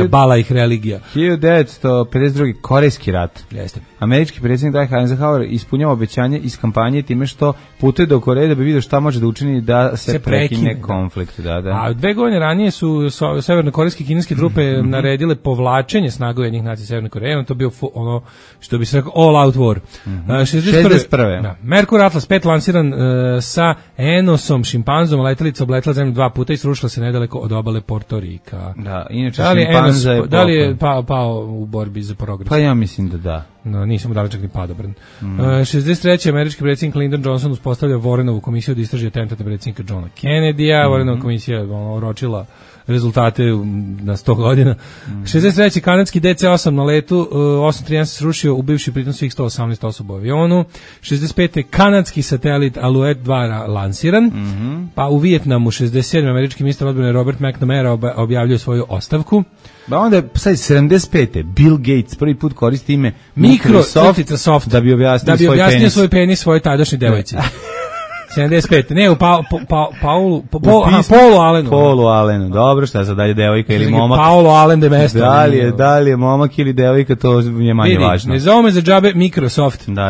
D: Bala ih religija.
E: 1952. Korejski rat.
D: Jeste.
E: Američki predsjednik Dwight Eisenhower ispunjava obećanje iz kampanje time što putuje do Koreje da bi vidio šta može da učini da se prekine konflikt. Da.
D: A 2 godine ranije su severnokorejske i kineske trupe naredile povlačenje snaga Ujedinjenih nacija Severne Koreje. To bio ono što bi se rekao all out war.
E: 61.
D: Da. Merkur Atlas 5 lansiran sa Enosom, šimpanzom, letelica obletela zemlju 2 puta i srušila se nedaleko od obale Porto Rika.
E: Da, inače
D: da li je pao u borbi za progres?
E: Pa ja mislim da da.
D: No, nisam dali čak ni padobrn. 63. američki predsjednik Lyndon Johnson uspostavlja Warrenovu komisiju da istraži atentat predsjednika Johna Kennedy-a. Warrenova komisija oročila rezultate na 100 godina. 63. kanadski DC-8 na letu 831 se srušio, ubivši pritom svih 118 osoba u avionu. 65. kanadski satelit Alouette 2 lansiran. Pa u Vijetnamu 67. američki ministar odbrane Robert McNamara objavljuje svoju ostavku.
E: Ba onda sad 75. Bill Gates prvi put koristi ime
D: Microsoft
E: da bi objasnio
D: svoj penis svojoj tadašnjoj devojci. 75. Ne, u Paulu Allenu.
E: Dobro, šta sad dalje, devojka ili momak?
D: Paolo Allen de mesto.
E: Da li je momak ili devojka, to je manje važno.
D: Ne zove me za džabe Microsoft.
E: Da.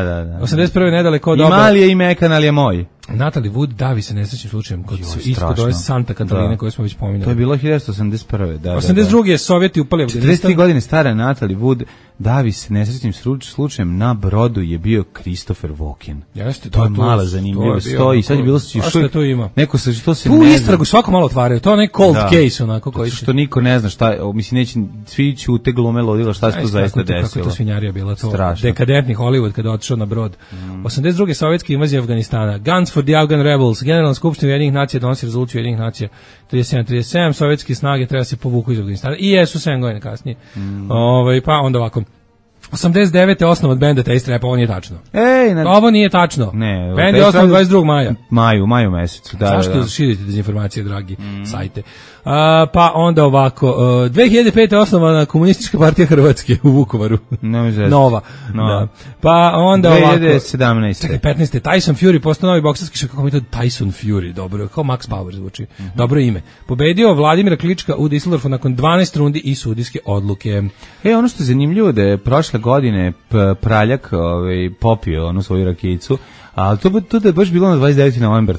D: 81. nedaleko od
E: Ima li je i mekan, ali je moj.
D: Natalie Wood davi se nesrećnim slučajem ispod ove Santa Katarine koje smo već pominjali.
E: To je bilo 1981.
D: 82. je Sovjeti upali Afganistan.
E: 43 godine stara Natalie Wood davi se nesrećnim slučajem na brodu je bio Christopher Walken.
D: Jeste,
E: to je mala zanimljiva stoji. Sad je bilo
D: što to ima.
E: Neko se to se
D: tu istragu svako malo otvaraju. To je neki cold case onako koji
E: što niko ne zna šta, mislim neće svi ćute glume ludila šta se to zaista desilo.
D: Kako to svinjarija bila to. Dekadentni Hollywood kada otišao na brod. 82. sovjetska invazija Afganistana. Guns for the Afghan Rebels. Generalna skupština Ujedinjenih nacija donosi rezoluciju Ujedinjenih nacija 37. Sovjetske snage treba se povuku iz Afganistana. I jesu 7 godina kasnije. Pa onda ovako. 89. osnov od benda Taste Rap, ovo nije tačno. Ovo nije tačno.
E: Ne,
D: bend je osnov 22. maja.
E: Maju mesecu, da.
D: Zašto širite dezinformacije, dragi sajte? Pa onda ovako, 2005. osnovana Komunistička partija Hrvatske u Vukovaru. Nova. Da. Pa onda
E: 2017.
D: 15. Tyson Fury postao novi bokserski šampion, kako mi to Tyson Fury, dobro, kao Max Power zvuči. Dobro ime. Pobedio Vladimira Klička u Düsseldorfu nakon 12 rundi i sudijske odluke.
E: Ono što je zanimljivo da je prošle godine Praljak popio onu svoju rakijicu, ali to da je baš bilo na 29. novembar,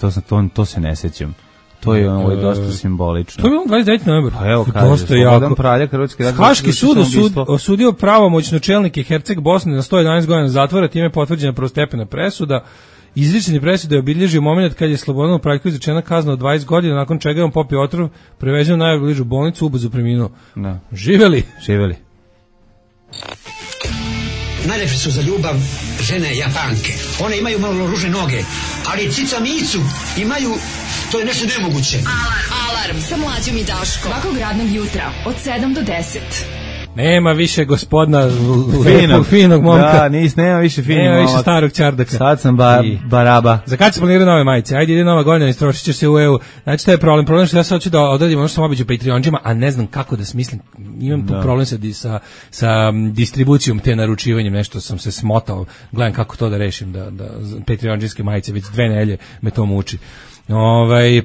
E: to se ne sećam. To je dosta simbolično.
D: To je bilo 29. novembar.
E: Pa evo kaže, Slobodan Praljak,
D: Haški sud osudio pravomoćno čelnike Herceg Bosne na 111 godina zatvora, time je potvrđena prvostepena presuda. Izrečeni presuda je obilježio moment kad je Slobodanu Praljku izrečena kazna od 20 godina, nakon čega je on popio otrov, prevezen u najbližu bolnicu, ubrzo preminuo. Živeli.
F: najlepše su za ljubav žene Japanke. One imaju malo ružne noge, ali cica Micu imaju, to je nešto nemoguće.
A: Alarm sa Mlađom i Daškom. Svakog radnog jutra od 7 do 10.
D: Nema više gospodina
E: finog
D: momka.
E: Da, nema više finog momka.
D: Nema više starog čardaka.
E: Sad sam baraba.
D: Za kad se planiraju nove majice? Ajde, ide nova godina, istrošit će se u EU. Znači, to je problem. Problem što ja sad hoću da odradim ono što sam obiđu Patreonđima, a ne znam kako da smislim. Imam tu problem sa distribucijom te naručivanjem. Nešto sam se smotao. Gledam kako to da rešim. Da Patreonđinske majice već 2 nedelje me to muči.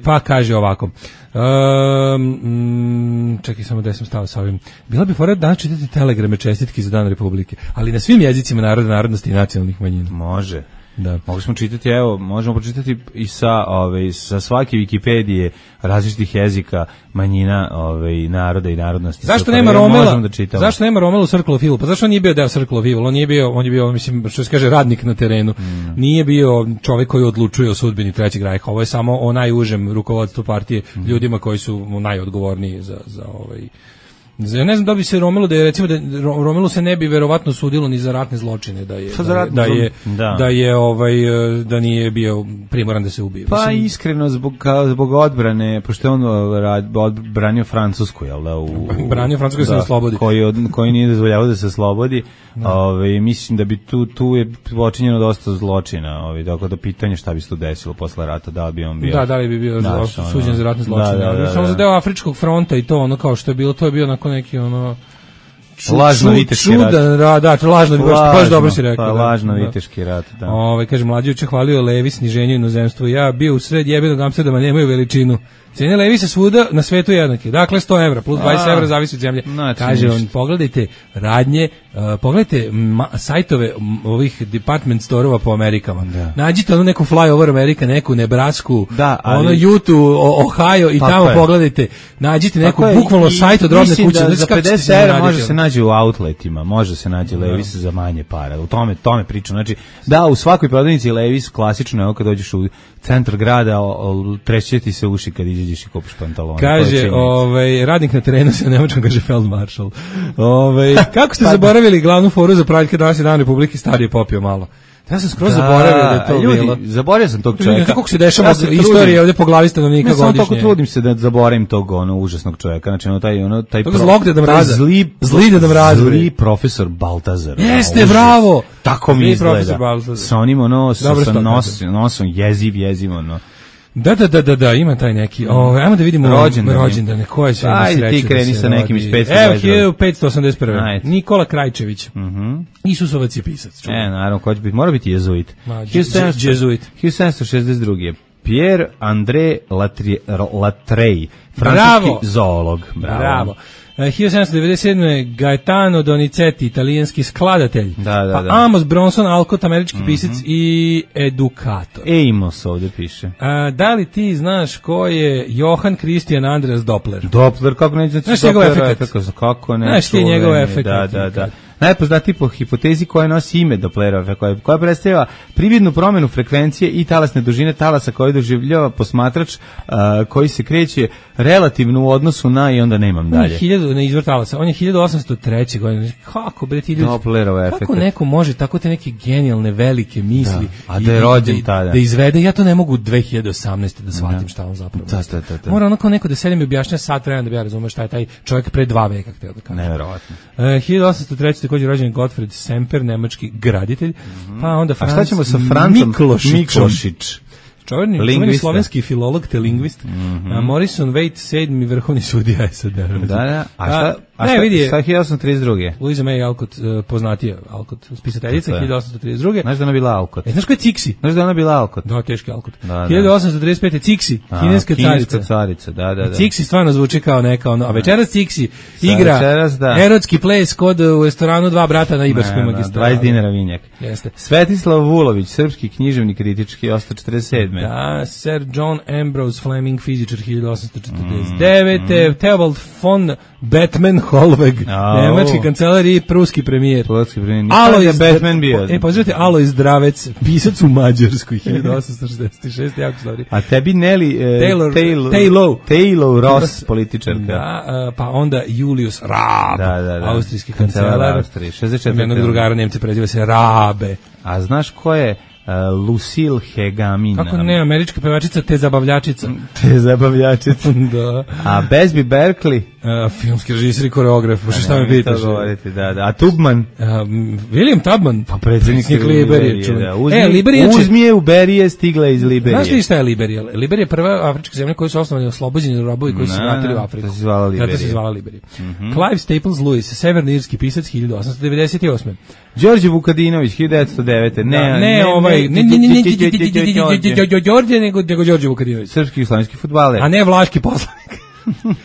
D: Pa kaže ovako. Čekaj samo da sam stao sa ovim. Bila bi fora danas čitati telegrame čestitki za Dan Republike, ali na svim jezicima naroda, narodnosti i nacionalnih manjina.
E: Može.
D: Da.
E: Možemo čitati, možemo pročitati i sa svake Wikipedije različitih jezika manjina, naroda i narodnosti.
D: Zašto nema Romela? Zašto nema Romela u Circle of Evil? Pa zašto on nije bio deo Circle of Evil? On je bio, mislim, što se kaže, radnik na terenu. Nije bio čovjek koji odlučuje o sudbini Trećeg rajha. Ovo je samo o najužem rukovodstvu partije, ljudima koji su najodgovorniji za ja ne znam da bi se Romelu, da je recimo da Romelu se ne bi verovatno sudilo ni za ratne zločine, da nije bio primoran da se ubije.
E: Pa iskreno zbog odbrane, pošto je on odbranio Francusku, jel da?
D: Branio Francusku da se oslobodi.
E: Koji nije dozvoljavao da se oslobodi. Mislim da bi tu je počinjeno dosta zločina, tako da pitanje šta bi se tu desilo posle rata, da li bi on bio.
D: Da li bi bio suđen za ratne zločine. Samo za deo Afričkog fronta i to ono kao što je bilo, to je bio onako neki
E: lažno viteški rat.
D: Da, lažno, baš dobro si rekao.
E: Pa lažno viteški rat, da.
D: Kaže, mlađi juče hvalio Levi sniženje inozemstvu. Ja bio u sred jebenog Amsterdama, nemaju veličinu. Cijene Levi se svuda na svetu jednake. Dakle, 100 evra plus 20 evra zavisi od zemlje. Kaže on, pogledajte radnje, pogledajte sajtove ovih department store-ova po Amerikama. Nađite ono neku flyover Amerika, neku Nebrasku, ono Utah, Ohio i tamo pogledajte. Nađite neku bukvalno sajt od robne kuće.
E: Za 50 evra može se naći u outletima, može se naći Levis za manje para. U tome pričam. Znači, da, u svakoj prodavnici Levis klasično, evo kad dođeš u centar grada, treće ti se uši kad izađeš i kupiš pantalone.
D: Kaže, radnik na terenu se nemačkom kaže Feldmaršal. Kako ste zaboravili glavnu foru za praljke danas je Dan Republike, stari je popio malo. Ja sam skroz zaboravio da je to bilo.
E: Zaboravio sam tog čovjeka.
D: Kako se dešava istorija ovdje po glavi stanovnika godišnje.
E: Ne, samo tako trudim se da zaboravim tog užasnog čovjeka. Znači, zli profesor Baltazar.
D: Jeste, bravo!
E: Tako mi izgleda. Sa onim nosom jeziv, ono.
D: Da, ima taj neki. Ajmo da vidimo rođendane. Ko je sve sreće?
E: Ajde, ti kreni sa nekim iz 522.
D: Evo, 1581. Nikola Krajčević. Isusovac je pisac.
E: Naravno, ko će biti? Mora biti jezuit.
D: Jezuit.
E: 1762. Pierre André Latreille, francuski zoolog.
D: Bravo. 1797. Gaetano Donizetti, italijanski skladatelj.
E: Da.
D: Amos Bronson Alcott, američki pisac i edukator.
E: Amos ovdje piše.
D: Da li ti znaš ko je Johann Christian Andreas Doppler?
E: Doppler, kako neće znači
D: Doppler efekt?
E: Kako ne?
D: Znaš ti njegov efekt?
E: Da. Najpoznatiji po hipotezi koja nosi ime Dopplerova, koja predstavlja prividnu promjenu frekvencije i talasne dužine talasa koju doživljava posmatrač koji se kreće relativno u odnosu na i onda nemam dalje.
D: Izvor talasa, on je 1803. godine. Kako bre ti ljudi?
E: Dopplerova efekt.
D: Kako neko može tako te neke genijalne velike misli
E: a da je rođen tada.
D: Da izvede, ja to ne mogu 2018. da shvatim šta on zapravo.
E: Da.
D: Mora onako neko da sedim i objašnja sat vremena da bi ja razumeo šta je taj čovjek pre 2 veka hteo da kaže.
E: Neverovatno.
D: 1803. također rođen Gottfried Semper, nemački graditelj. Pa onda
E: a šta ćemo sa Francom Miklošić?
D: Čuveni slovenski filolog te lingvist. Morrison Waite, 7. vrhovni sudija SAD.
E: Da. A šta 1832.
D: Louisa May Alcott, poznatija Alcott, spisateljica, 1832.
E: Znaš da ona bila Alcott?
D: Znaš ko je Cixi?
E: Znaš da ona bila Alcott?
D: Da, teški Alcott. 1835. Cixi, kineska
E: carica. Da.
D: Cixi stvarno zvuči kao neka ono, a večeras Cixi igra erotski ples kod u restoranu Dva brata na Ibarskoj magistrali.
E: 20 dinara vinjak.
D: Jeste.
E: Svetislav Vulović, srpski književnik kritički, 1847.
D: Da, Sir John Ambrose Fleming, fizičar, 1849. Theobald von Batman Holweg, nemački kancelar i pruski premijer.
E: Alojz Batman bio.
D: Pozdravite, Alojz Zdravec, pisac u Mađarskoj, 1866, jako stvari.
E: A tebi Nelly Taylor Ross, političarka.
D: Da, pa onda Julius Raab, austrijski kancelar.
E: Austrije, 64.
D: Jednog drugara Nemce preziva se Rabe.
E: A znaš ko je Lucille Hegamin?
D: Kako ne, američka pevačica te zabavljačica. Da.
E: A Busby Berkeley?
D: Filmski režisir i koreograf, šta me pitaš?
E: A Tubman?
D: William Tubman,
E: pa predsjednik
D: Liberije.
E: Uzmi je u Berije, stigla iz Liberije.
D: Znaš li šta je Liberija? Liberija je prva afrička zemlja koja su osnovani oslobođeni robovi koji su vratili u Afriku.
E: Zato se
D: zvala Liberija. Clive Staples Lewis, severnoirski pisac, 1898.
E: Đorđe Vukadinović, 1909.
D: Ne, Đorđe, nego Đorđe Vukadinović.
E: Srpski i slovenski fudbaler.
D: A ne vlaški poslanik.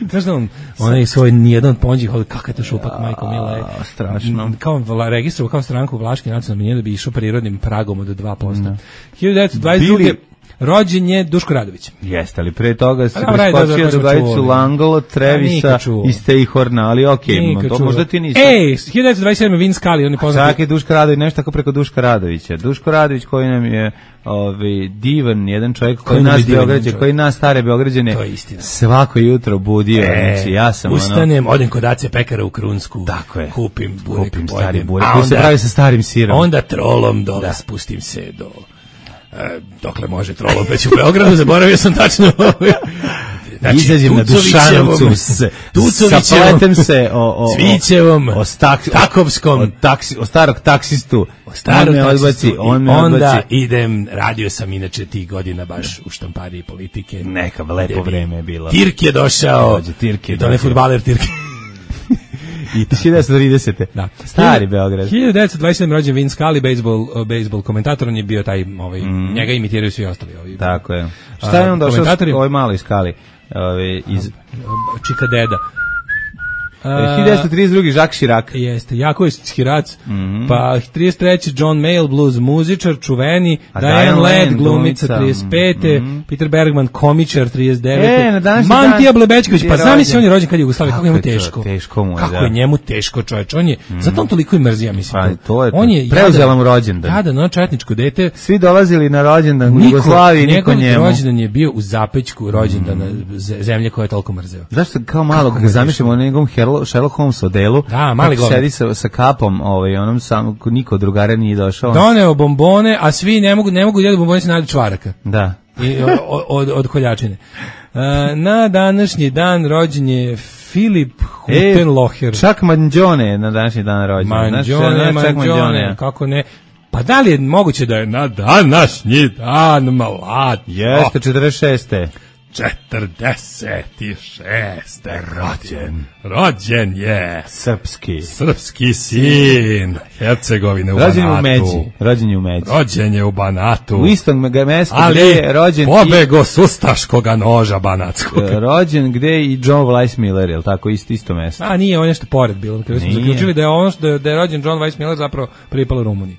D: Znaš da on je svoj nijedan ponđih, kakav je to šupak, majko mila.
E: Strašno.
D: Kao registrovao kao stranku vlaški nacionalni manjine da bi išao prirodnim pragom od 2%. 1922. Rođen je Duško Radović.
E: Jeste, ali pre toga se preskočio drugajicu Langolo, Trevisa i Stejhorna, ali okej, to možda ti nisi.
D: 1927. Vince Scully, on je poznat.
E: Čak je Duško Radović, nešto tako preko Duška Radovića. Duško Radović koji nam je divan, jedan čovjek koji nas stare Beograđane svako jutro budio. Znači, ja sam
D: ustanem, odem kod Ace Pekara u Krunsku, kupim
E: stari burek, koji se pravi sa starim sirom.
D: Onda trolom dole spustim se do... dokle može trolom već u Beogradu, zaboravio sam tačno.
E: Znači, izađem na Dušanovcu, sapletem se
D: Cvićevom, Takovskom,
E: o starog taksistu, on me odbaci.
D: Onda idem, radio sam inače tih godina baš u štampariji politike.
E: Neka lepo vreme je bilo.
D: Tirk je došao, i to ne fudbaler Tirk.
E: I 1930.
D: Da.
E: Stari Beograd.
D: 1927. rođen Vince Scully, bejsbol komentator, on je bio taj, njega imitiraju svi ostali.
E: Tako je. Šta je on došao ovaj mali Scully? Iz
D: Čika Deda.
E: 1932. Jacques Chirac.
D: Jeste, Jaković Chirac. Pa 33. John Mayall, blues muzičar, čuveni. Diane Ladd, glumica, 35. Peter Bergman, komičar, 39. Mantija Blebečković, pa zamisli on je rođen kad je Jugoslavija, kako je njemu teško. Kako je njemu teško, čoveč. On je, zato on toliko i mrzi, ja mislim.
E: On je preuzela mu rođendan.
D: Jadan, četničko dete.
E: Svi dolazili na rođendan u Jugoslaviji, niko njemu.
D: Njegov rođendan je bio u Zapećku rođendana zemlje koja je toliko mrzeo.
E: Zašto kao malo ga zamišljamo na njegovom Sherlock Holmes odelu, sedi sa kapom, onom samo, niko od drugara nije došao.
D: Doneo bombone, a svi ne mogu jedi bombone, se nadi čvaraka.
E: Da.
D: I od koljačine. Na današnji dan rođen je Filip Hutenloher.
E: Čak Manđone na današnji dan rođen.
D: Manđone, kako ne. Pa da li je moguće da je na današnji dan mlad?
E: Jeste, 46.
D: 46. Rođen je srpski sin Hercegovine u
E: Banatu.
D: Rođen je u Banatu.
E: U istom mestu
D: gde
E: je rođen
D: pobego s ustaškoga noža banatskog.
E: Rođen gde je i John Weissmiller, je li tako, isto mesto?
D: A nije, on nešto pored bilo. Kada smo zaključili da je ono da je rođen John Weissmiller zapravo pripalo Rumuniji.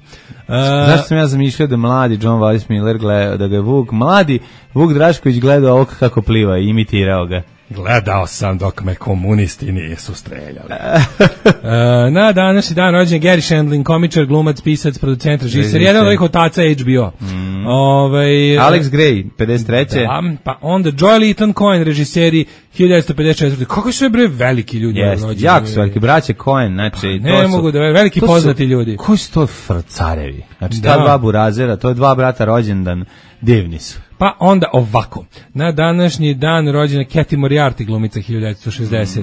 E: Zašto sam ja zamišljao da mladi John Weissmiller gleda, da ga je mladi Vuk Drašković gledao ovog kako pliva i imitirao ga.
D: Gledao sam dok me komunisti nisu streljali. Na današnji dan rođen Gary Shandling, komičar, glumac, pisac, producent, režiser, jedan od ovih otaca HBO.
E: Alex Gray, 53.
D: Da, pa onda Joel Eaton Cohen, režiseri, 1954. Kako su bre veliki ljudi rođeni?
E: Jako su veliki, braće Cohen, znači...
D: Ne mogu da veliki poznati ljudi.
E: Koji su to carevi? Znači, ta dva burazera, to je dva brata rođendan, divni su.
D: Pa onda ovako, na današnji dan rođena Kathy Moriarty, glumica, 1960.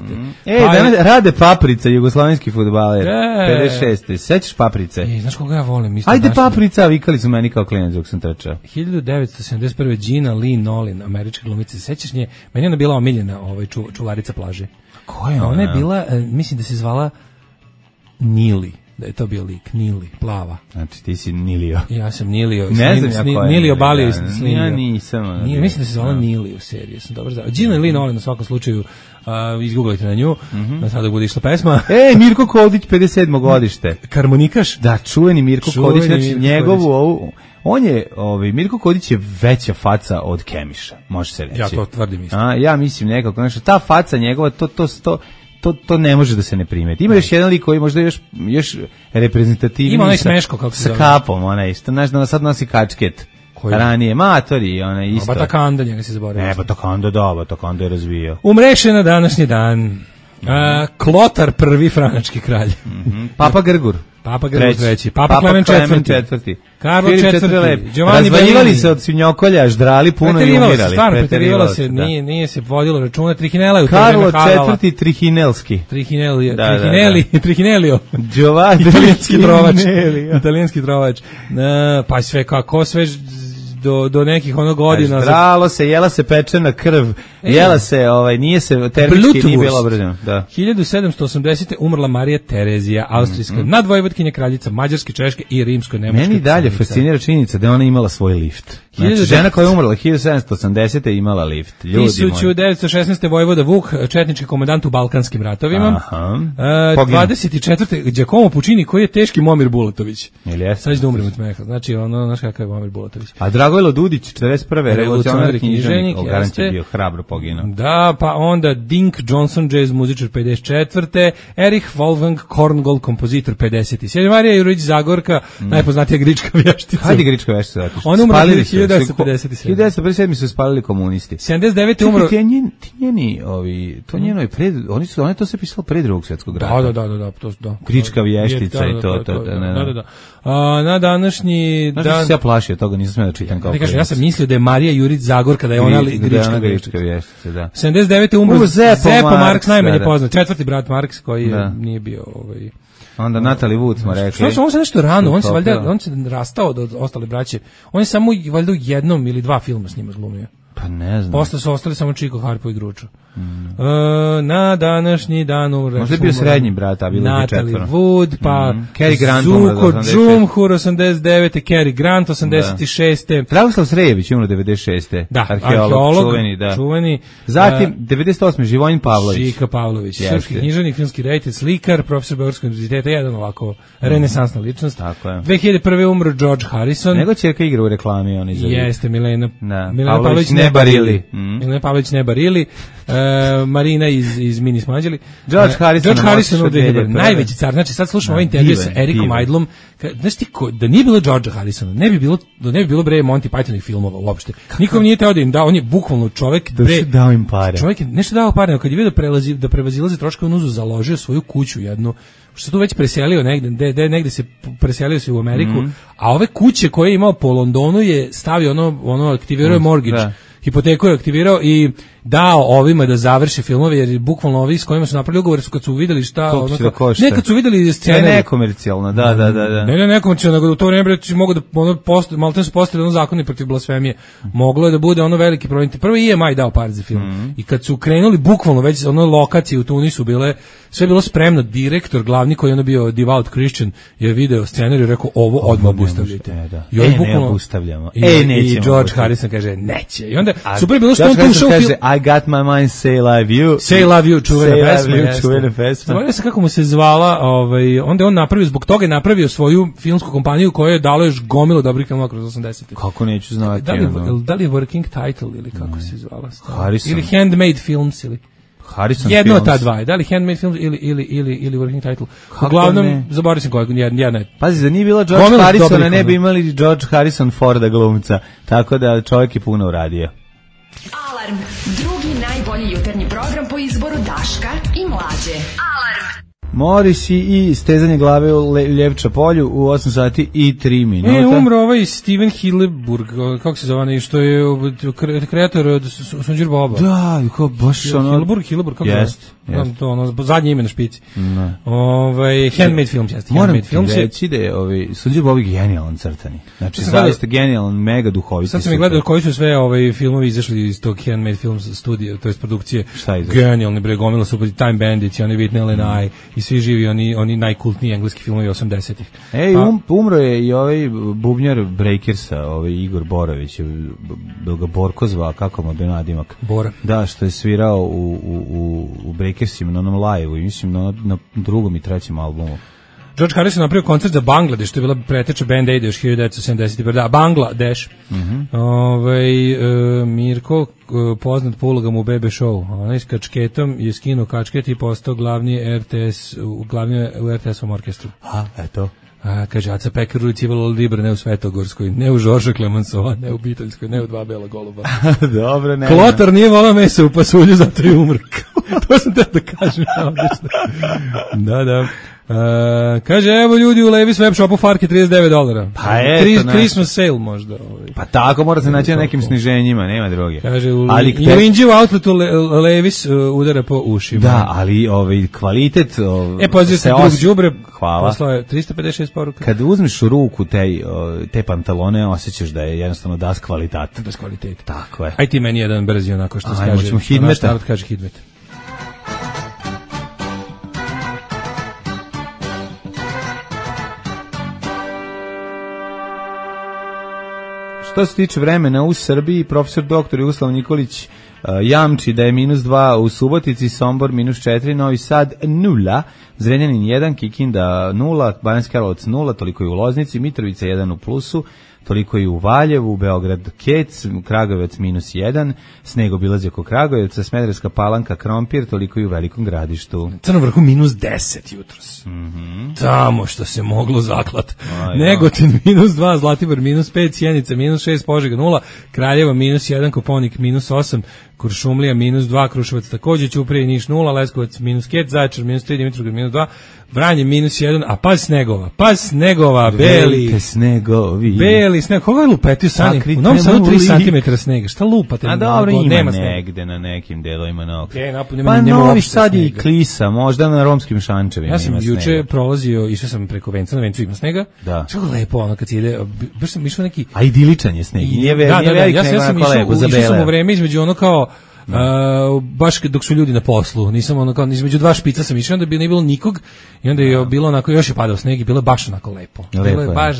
E: Rade Paprica, jugoslavenski fudbaler, 56. Sećaš Paprice?
D: Znaš koga ja volim?
E: Ajde Paprica, vikali su meni kao klinac dok sam trčao.
D: 1971. Gina Lee Nolin, američka glumica, sećaš nje? Meni je ona bila omiljena čuvarica plaže.
E: Ko je ona?
D: Ona je bila, mislim da se zvala Nili. Da je to bio lik, Nili, plava.
E: Znači ti si Nilio.
D: Ja sam Nilio.
E: Ne znam ja ko je.
D: Nilio Balio i Slinio.
E: Ja nisam.
D: Mislim da se zvala Nili u seriji, sam dobro znao. Gina Lee Nolin na svakom slučaju, izgooglajte na nju, na sada bude išla pesma.
E: Mirko Kodić, 57. godište.
D: Harmonikaš?
E: Da, čuveni Mirko Kodić, znači njegovu ovu... On je, Mirko Kodić je veća faca od Kemiša, može se reći.
D: Ja to tvrdim isto.
E: Ja mislim nekako, znači ta faca njegova, to ne može da se ne primeti. Ima još jedan lik koji možda još reprezentativniji.
D: Ima onaj Smeško, kako se
E: zove. Sa kapom, onaj, što znaš da sad nosi kačket. Ranije, Matori, onaj isto.
D: Batakanda, njega se zaboravio.
E: Batakanda je razvijao.
D: Umreše na današnji dan. Klotar prvi franački kralj.
E: Papa Grgur.
D: Papa Grgur treći. Papa Klemen četvrti. Karlo četvrti.
E: Razvaljivali se od svinjokolja, ždrali puno i umirali.
D: Stvarno, preterivalo se, nije se vodilo računa. Trihinela je u
E: Karlo četvrti Trihinelski.
D: Trihinelio.
E: Giovanni
D: Italijanski trovač. Pa sve kako, sve do nekih godina.
E: Zdralo se, jela se pečena krv, jela se, nije se termički nije bilo obrađeno. Da.
D: 1780. umrla Marija Terezija, austrijska nadvojvodkinja, kraljica Mađarske, Češke i Rimsko-Nemačke.
E: Meni dalje fascinira činjenica da je ona imala svoj lift. Znači, žena koja je umrla 1780. je imala lift.
D: 1916. vojvoda Vuk, četnički komandant u Balkanskim ratovima. 24. Giacomo Puccini, koji je teški Momir Bulatović. Sad ću da umrem od smeha. Znači, znaš kakav je Momir Bulatović.
E: A Dragojlo Dudić, 41. revolucionarni književnik, garant je bio hrabro poginuo.
D: Da, pa onda Dink Johnson, jazz muzičar, 54. Erich Wolfgang Korngold, kompozitor, 57. Marija Jurić Zagorka, najpoznatija grička vještica.
E: Hajde grička vještica.
D: On umro 1957.
E: 1957. su spalili komunisti.
D: 79. umro.
E: Oni to se pisalo pre Drugog svjetskog rata.
D: Da.
E: Grička vještica i to.
D: Da. Na današnji dan...
E: Znaš da se ja plašio toga, nisam smeo da čitam kao
D: ja sam mislio da je Marija Jurić Zagorka, da je ona grička
E: vještica, da.
D: 79. umro Zeppo Marks, najmanje poznat, četvrti brat Marks, koji nije bio...
E: Onda Natalie Wood smo rekli.
D: On se nešto rano, on se rastao od ostale braće. On je samo valjda u jednom ili dva filma s njima glumio.
E: Pa ne znam.
D: Posle su ostali samo Chico, Harpo i Gručo. Na današnji dan umre.
E: Možda je bio srednji brat, a bilo je
D: Natalie
E: četvoro.
D: Wood, pa
E: Cary Grant
D: Zuko Džumhur 89. Cary Grant 86.
E: Dragoslav Srejević umro 96.
D: Da,
E: arheolog čuveni. Zatim 98. Živojin Pavlović.
D: Žika Pavlović, srpski književnik, filmski reditelj, slikar, profesor Beogradskog univerziteta, jedan ovako renesansna ličnost.
E: Tako je.
D: 2001. umro George Harrison.
E: Nego ćerka igra u reklami, on izavio.
D: Jeste, Milena
E: Pavlović Nebarili.
D: Milena Pavlović Nebarili. Marina iz Mini Smađeli.
E: George Harrison
D: najveći car. Znači sad slušamo ovaj intervju sa Erikom Idlom. Znaš ti da nije bilo George Harrisona, ne bi bilo bre Monty Pythonovih filmova uopšte. Nikom nije teo da im da, on je bukvalno čovjek bre
E: dao im pare.
D: Čovjek je nešto dao pare, kad je vidio da prevazilaze troškove, on založio svoju kuću jednu, što tu već preselio negde se preselio se u Ameriku, a ove kuće koje je imao po Londonu je stavio ono aktivirao mortgage. Hipoteku je aktivirao i dao ovima da završe filmove, jer bukvalno ovi s kojima su napravili ugovor su kad su videli šta nekad su videli scene
E: nekomercijalno, da.
D: Ne nekomercijalno, nego u to vrijeme mogu da maltene su postavili zakoni protiv blasfemije. Moglo je da bude veliki problem. Prvo je EMI dao par za film. I kad su krenuli bukvalno već lokacije u Tunisu bile, sve je bilo spremno, direktor glavni koji je bio devout Christian je video scenarij i rekao ovo odmah obustavljajte. I on bukvalno
E: obustavljamo.
D: I George Harrison kaže neće. I onda super je bilo što on tu ušao
E: I got my mind, say love you.
D: Say love you, čuvena pesma. Zaboravio sam kako mu se zvala, onda je on napravio, zbog toga je napravio svoju filmsku kompaniju koja je dalo još gomilu dobrih filmova kroz 80.
E: Kako neću znati.
D: Da li je Working Title ili kako se zvala?
E: Harrison.
D: Ili Handmade Films ili...
E: Harrison
D: jedno od ta dva, da li Handmade Films ili Working Title. Uglavnom, zaboravio sam koja jedna je.
E: Pazi, da nije bilo George Harrisona, ne bi imali George Harrison Forda glumca, tako da čovjek je puno uradio.
A: Alarm, drugi najbolji jutarnji program po izboru Daška i Mlađe. Alarm.
E: Morisi i stezanje glave u Ljevča polju u 8 sati i 3 minuta.
D: Umro ovaj Steven Hillenburg, kako se zove, što je kreator od Sunđer Boba.
E: Da, kao baš ono...
D: Hillenburg, kako je? To zadnje ime na špici. Handmade Films, jeste.
E: Moram ti reći da je Sunđer Bob genijalan crtani. Znači, zaista genijalan, mega duhoviti.
D: Sad sam mi gledao koji su sve filmovi izašli iz tog Handmade Films studija, to je produkcije.
E: Šta je izašli?
D: Genijalni bre, gomila su Time Bandits i oni Whitney and I i svi živi oni najkultniji engleski filmovi 80-ih.
E: Umro je i ovaj bubnjar Breakersa, Igor Borović, bil ga Borko zvao, kako mu je nadimak?
D: Bora.
E: Da, što je svirao u Breakersima na onom live-u, mislim na drugom i trećem albumu.
D: George Harrison napravio koncert za Bangladeš, to je bila preteča Band Aid još 1971. Da, Bangladeš. Mirko, poznat po ulogama u Bebe Show. Onaj s kačketom je skinuo kačket i postao glavni u RTS-ovom orkestru.
E: Eto.
D: Kaže, Aca Pekar u Civil Libre, ne u Svetogorskoj, ne u Žorža Clemenceau, ne u Biteljskoj, ne u Dva bela goluba.
E: Dobro, ne.
D: Klotar nije volao mesa u pasulju, zato je umro. To sam te da kažem. Da. Kaže, evo ljudi u Levi's web shopu farke $39.
E: Pa eto,
D: Christmas sale možda.
E: Pa tako mora se naći na nekim sniženjima, nema druge.
D: Kaže, u Inđi u outletu Levi's udara po ušima.
E: Da, ali kvalitet
D: poziv se drug đubre.
E: Hvala.
D: Poslao je 356 poruka.
E: Kad uzmeš u ruku te pantalone, osjećaš da je jednostavno das kvalitet.
D: Das kvalitet.
E: Tako je.
D: Aj ti meni jedan brzi onako što se kaže.
E: Ajmo, Hidmeta.
D: Narod kaže Hidmet.
E: Što se tiče vremena u Srbiji, profesor dr. Jugoslav Nikolić jamči da je -2 u Subotici, Sombor -4, Novi Sad 0, Zrenjanin 1, Kikinda 0, Banjski Karlovac 0, toliko je u Loznici, Mitrovica 1 u plusu, toliko je u Valjevu, Beograd Kec, Kragujevac -1, sneg obilazi oko Kragujevca, Smederevska Palanka, Krompir, toliko je u Velikom Gradištu.
D: Crnom Vrhu -10 jutros. Tamo što se moglo zaklat. Negotin -2, Zlatibor -5, Sjenica -6, Požega 0, Kraljevo -1, Koponik -8, Kuršumlija -2, Kruševac takođe, Ćuprija i Niš 0, Leskovac -5, Zaječar -3, Dimitrovgrad -2, Vranje -1, a paz snegova, beli
E: snegovi.
D: Beli sneg, koga je lupetio Sani? U Novom Sadu 3 cm snega, šta lupate?
E: A dobro, ima negde na nekim delovima Novog.
D: Pa
E: Novi Sad i klisa, možda na romskim šančevima.
D: Ja sam juče prolazio, išao sam preko Venca, na Vencu ima snega.
E: Da.
D: Što je lepo ono kad se ide, baš sam išao neki...
E: A idiličan je sneg.
D: Ja sam išao u vreme između ono kao baš dok su ljudi na poslu, nisam ono kao između dva špica sam išao, onda bi ne bilo nikog i onda je bilo onako, još je padao sneg i bilo je baš onako lepo. Bilo je baš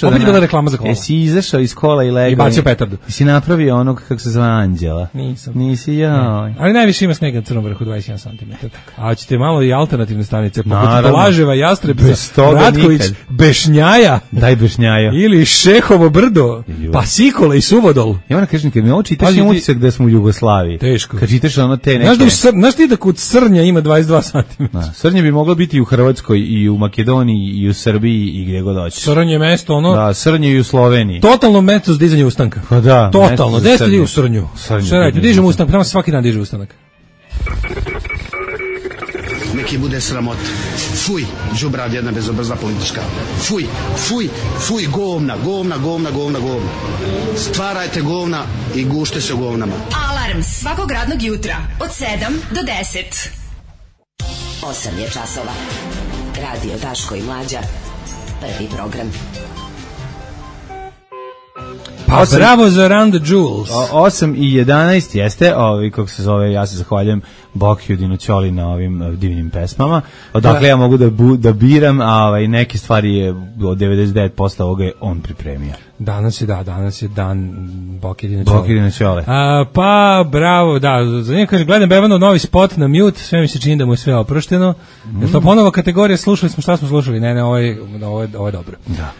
D: opet je bila reklama za kola.
E: Jesi izašao iz kola i legao?
D: I bacio petardu.
E: Jesi napravio onog kako se zove Anđela?
D: Nisam.
E: Nisi
D: ja. Ali najviše ima snega na Crnom Vrhu, 21 cm. A ćete malo i alternativne stanice, poput Blaževa, Jastrebca, Ratković, Bešnjaja.
E: Daj Bešnjaja.
D: Ili Šehovo brdo, pa Sikole i Suvodol.
E: Ja moram kažem, kad mi ovo čitaš, imam utisak da smo u Jugoslaviji.
D: Teško.
E: Kad čitaš ono te neke...
D: Znaš ti da kod Srnja ima 22 cm?
E: Srnje bi moglo biti i u Hrvatskoj, i u Makedoniji, i u Srbiji, i gdje god hoćeš.
D: Srnje je mesto, ono...
E: Da, Srnje i u Sloveniji.
D: Totalno mesto za dizanje ustanka.
E: Pa da.
D: Totalno. Gde ste li u Srnju? Šta radite? Dižemo ustanka, tamo se svaki dan diže ustanak.
G: Neki bude sramot. Fuj, đubrad jedna bezobrazna politička. Fuj, fuj, fuj, govna. Stvarajte govna i gušte se u govnama.
A: Alarm svakog radnog jutra od 7 do 10.
H: 8 je časova. Radio Daško i Mlađa. Prvi program.
D: Pa bravo za Run the Jewels.
E: 8 i 11 jeste, kako se zove, ja se zahvaljujem Bokiju Dinoćoli na ovim divnim pesmama. Odakle ja mogu da biram, a neke stvari je od 99% ovoga je on pripremio.
D: Danas je dan Bokiju Dinoćole. Pa bravo, da, za njega kaže, gledam Bevanov novi spot na mute, sve mi se čini da mu je sve oprošteno. Je to ponovo kategorija, slušali smo šta smo slušali? Ne, ovo je dobro.
E: Da.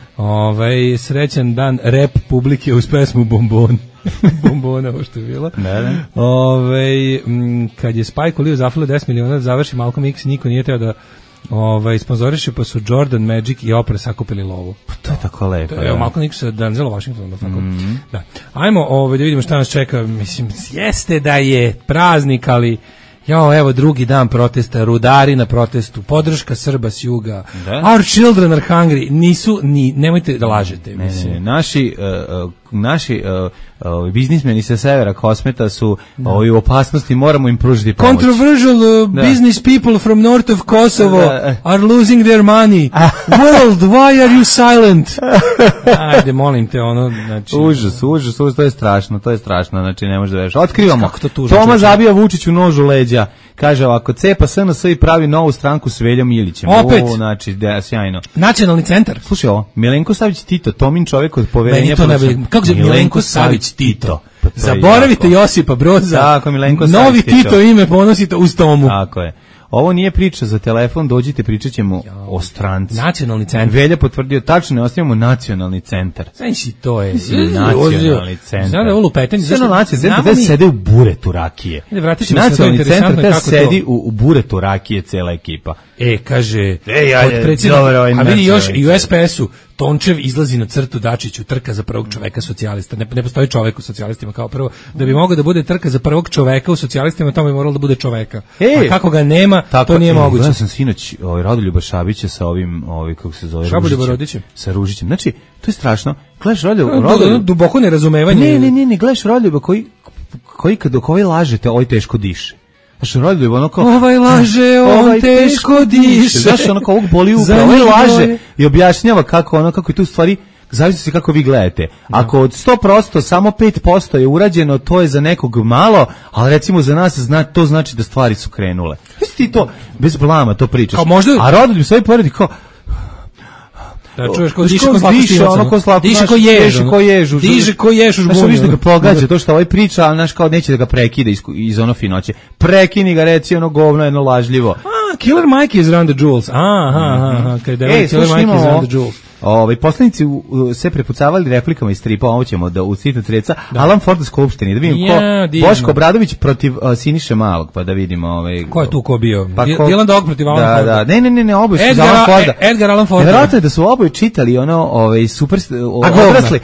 D: Srećan dan rap publike uz pesmu Bombon. Bombona, ovo što je bilo. Kad je Spike Lee zafalio 10 miliona da završi Malcolm X, niko nije teo da sponzoriše, pa su Jordan, Magic i Oprah sakupili lovu.
E: To je tako lepo.
D: Evo, Malcolm X sa Denzel Washington. Da. Ajmo da vidimo šta nas čeka. Mislim, jeste da je praznik, ali evo drugi dan protesta, rudari na protestu, podrška Srba s juga. Our children are hungry. Nisu ni, nemojte da lažete.
E: Ne. Naši biznismeni sa severa Kosmeta su u opasnosti, moramo im pružiti pomoć.
D: Controversial business people from north of Kosovo are losing their money. World, why are you silent? Ajde, molim te, znači...
E: Užas, to je strašno, znači ne može da veš. Otkrivamo,
D: kako to tužno,
E: Toma zabija Vučiću nož u leđa, kaže ovako, cepa SNS i pravi novu stranku s Veljom Ilićem.
D: Opet?
E: Znači, sjajno.
D: Nacionalni centar.
E: Slušaj ovo, Milenko Savić Tito, Tomin čovjek od poverenja...
D: Kako se Milenko Savić Tito? Zaboravite Josipa Broza.
E: Tako, Milenko
D: Savić Novi Tito ime ponosite uz Tomu.
E: Tako je. Ovo nije priča za telefon, dođite, pričat ćemo o stranci.
D: Nacionalni centar.
E: Velja potvrdio, tačno ne ostavimo nacionalni centar.
D: Znači, to je
E: nacionalni centar.
D: Znam da je ovo lupetanje.
E: Nacionalni centar da sede u buretu rakije. Nacionalni centar da sedi u buretu rakije cela ekipa.
D: Kaže, a vidi još i u SPS-u Tončev izlazi na crtu Dačiću, trka za prvog čoveka socijalista. Ne postoji čovek u socijalistima kao prvo. Da bi mogao da bude trka za prvog čoveka u socijalistima, tamo bi moralo da bude čoveka. A kako ga nema, to nije moguće.
E: Ja sam sinoć Rodoljuba Šabića sa ovim, kako se zove,
D: Ružićem.
E: Sa Ružićem. Znači, to je strašno. Gledaš Rodoljuba...
D: Duboko nerazumevanje.
E: Ne, gledaš Rodoljuba koji kad dok ovaj lažete, ovaj teško diše. Znaš, Rodoljuba, ono kao...
D: Ovaj laže, on teško diše.
E: Znaš, ono kao ovog boli upravo, ovaj laže i objašnjava kako je tu stvari, zavisi se kako vi gledate. Ako od 100% samo 5% je urađeno, to je za nekog malo, ali recimo za nas to znači da stvari su krenule. Jesi ti to, bez blama to pričaš. A Rodoljub sve poredi kao...
D: Da čuješ ko diše ko jež u žbunju.
E: Znaš, da ga pogađa to što ovaj priča, ali znaš kao neće da ga prekida iz ono finoće. Prekini ga, reci ono govno, jedno lažljivo.
D: Killer Mike is around the jewels. Kada je Killer Mike is around the jewels.
E: Poslanici se prepucavali replikama iz stripa, ovo ćemo da u citat reca, Alan Ford u skupštini, da vidim Boško Obradović protiv Siniše Malog, pa da vidimo
D: ko je tu ko bio? Dylan Dog protiv Alan Forda.
E: Ne, oboje su za Alan Forda.
D: Edgar Allan Ford.
E: Vjerojatno je da su oboje čitali super odrasli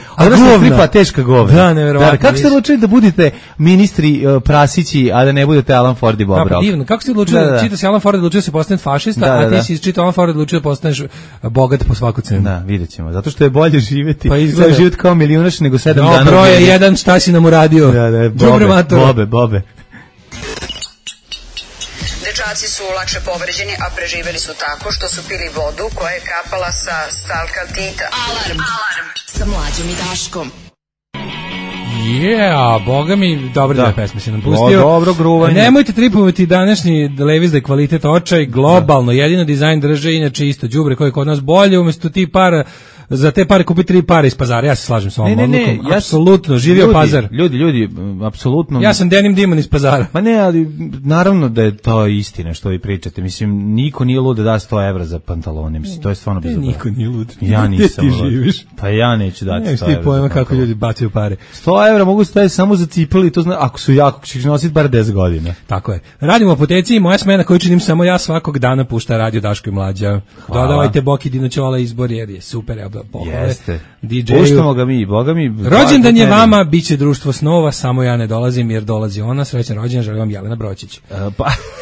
E: stripa, teška govna.
D: Da, neverovatno.
E: Kako ste odlučili da budete ministri Prasići, a da ne budete Alan Ford i Bob Rock?
D: Divno, kako ste odlučili da čita se Alan Ford, odlučio se postaneš fašista, a ti si čitao Alan Ford, odlučio postaneš bogat po svaku cenu.
E: Vidjet ćemo, zato što je bolje živjeti, život kao milijunaš nego 7 dana.
D: Broj je jedan, šta si nam uradio?
E: Bobe.
I: Dečaci su lakše povređeni, a preživeli su tako što su pili vodu koja je kapala sa stalkaltita.
A: Alarm sa Mlađom i Daškom.
D: Boga mi, dobre dve pesme si nam pustio.
E: Dobro gruvanje.
D: Nemojte tripovati današnji Levi's da je kvalitet očaj, globalno, jedino dizajn drže, inače isto đubre koje je kod nas bolje, umjesto ti para, za te pare kupi 3 pare iz pazara. Ja se slažem s ovom odlukom. Apsolutno, živio pazar.
E: Ljudi, apsolutno.
D: Ja sam Denim Dimon iz pazara.
E: Pa ne, ali naravno da je to istina što vi pričate. Mislim, niko nije lud da da 100 evra za pantalone. Mislim, to je stvarno bezobrazno.
D: Niko nije lud.
E: Ja nisam.
D: Ti živiš.
E: Pa ja neću dati 100 evra.
D: Ti pojma kako ljudi bacaju pare.
E: 100 evra mogu staviti samo za cipeli, to zna, ako su jako, ćeš nositi bar 10 godina.
D: Tako je. Radimo apoteci i moja smena koju činim samo ja svakog dana pušta Radio Daško i Mlađa. Dodavajte Boki Dinoćola izbor jer je super.
E: Jeste.
D: Puštamo
E: ga mi, boga mi.
D: Rođendan je vama, bit će društvo snova, samo ja ne dolazim jer dolazi ona. Srećan rođendan, želim vam Jelena Bročić.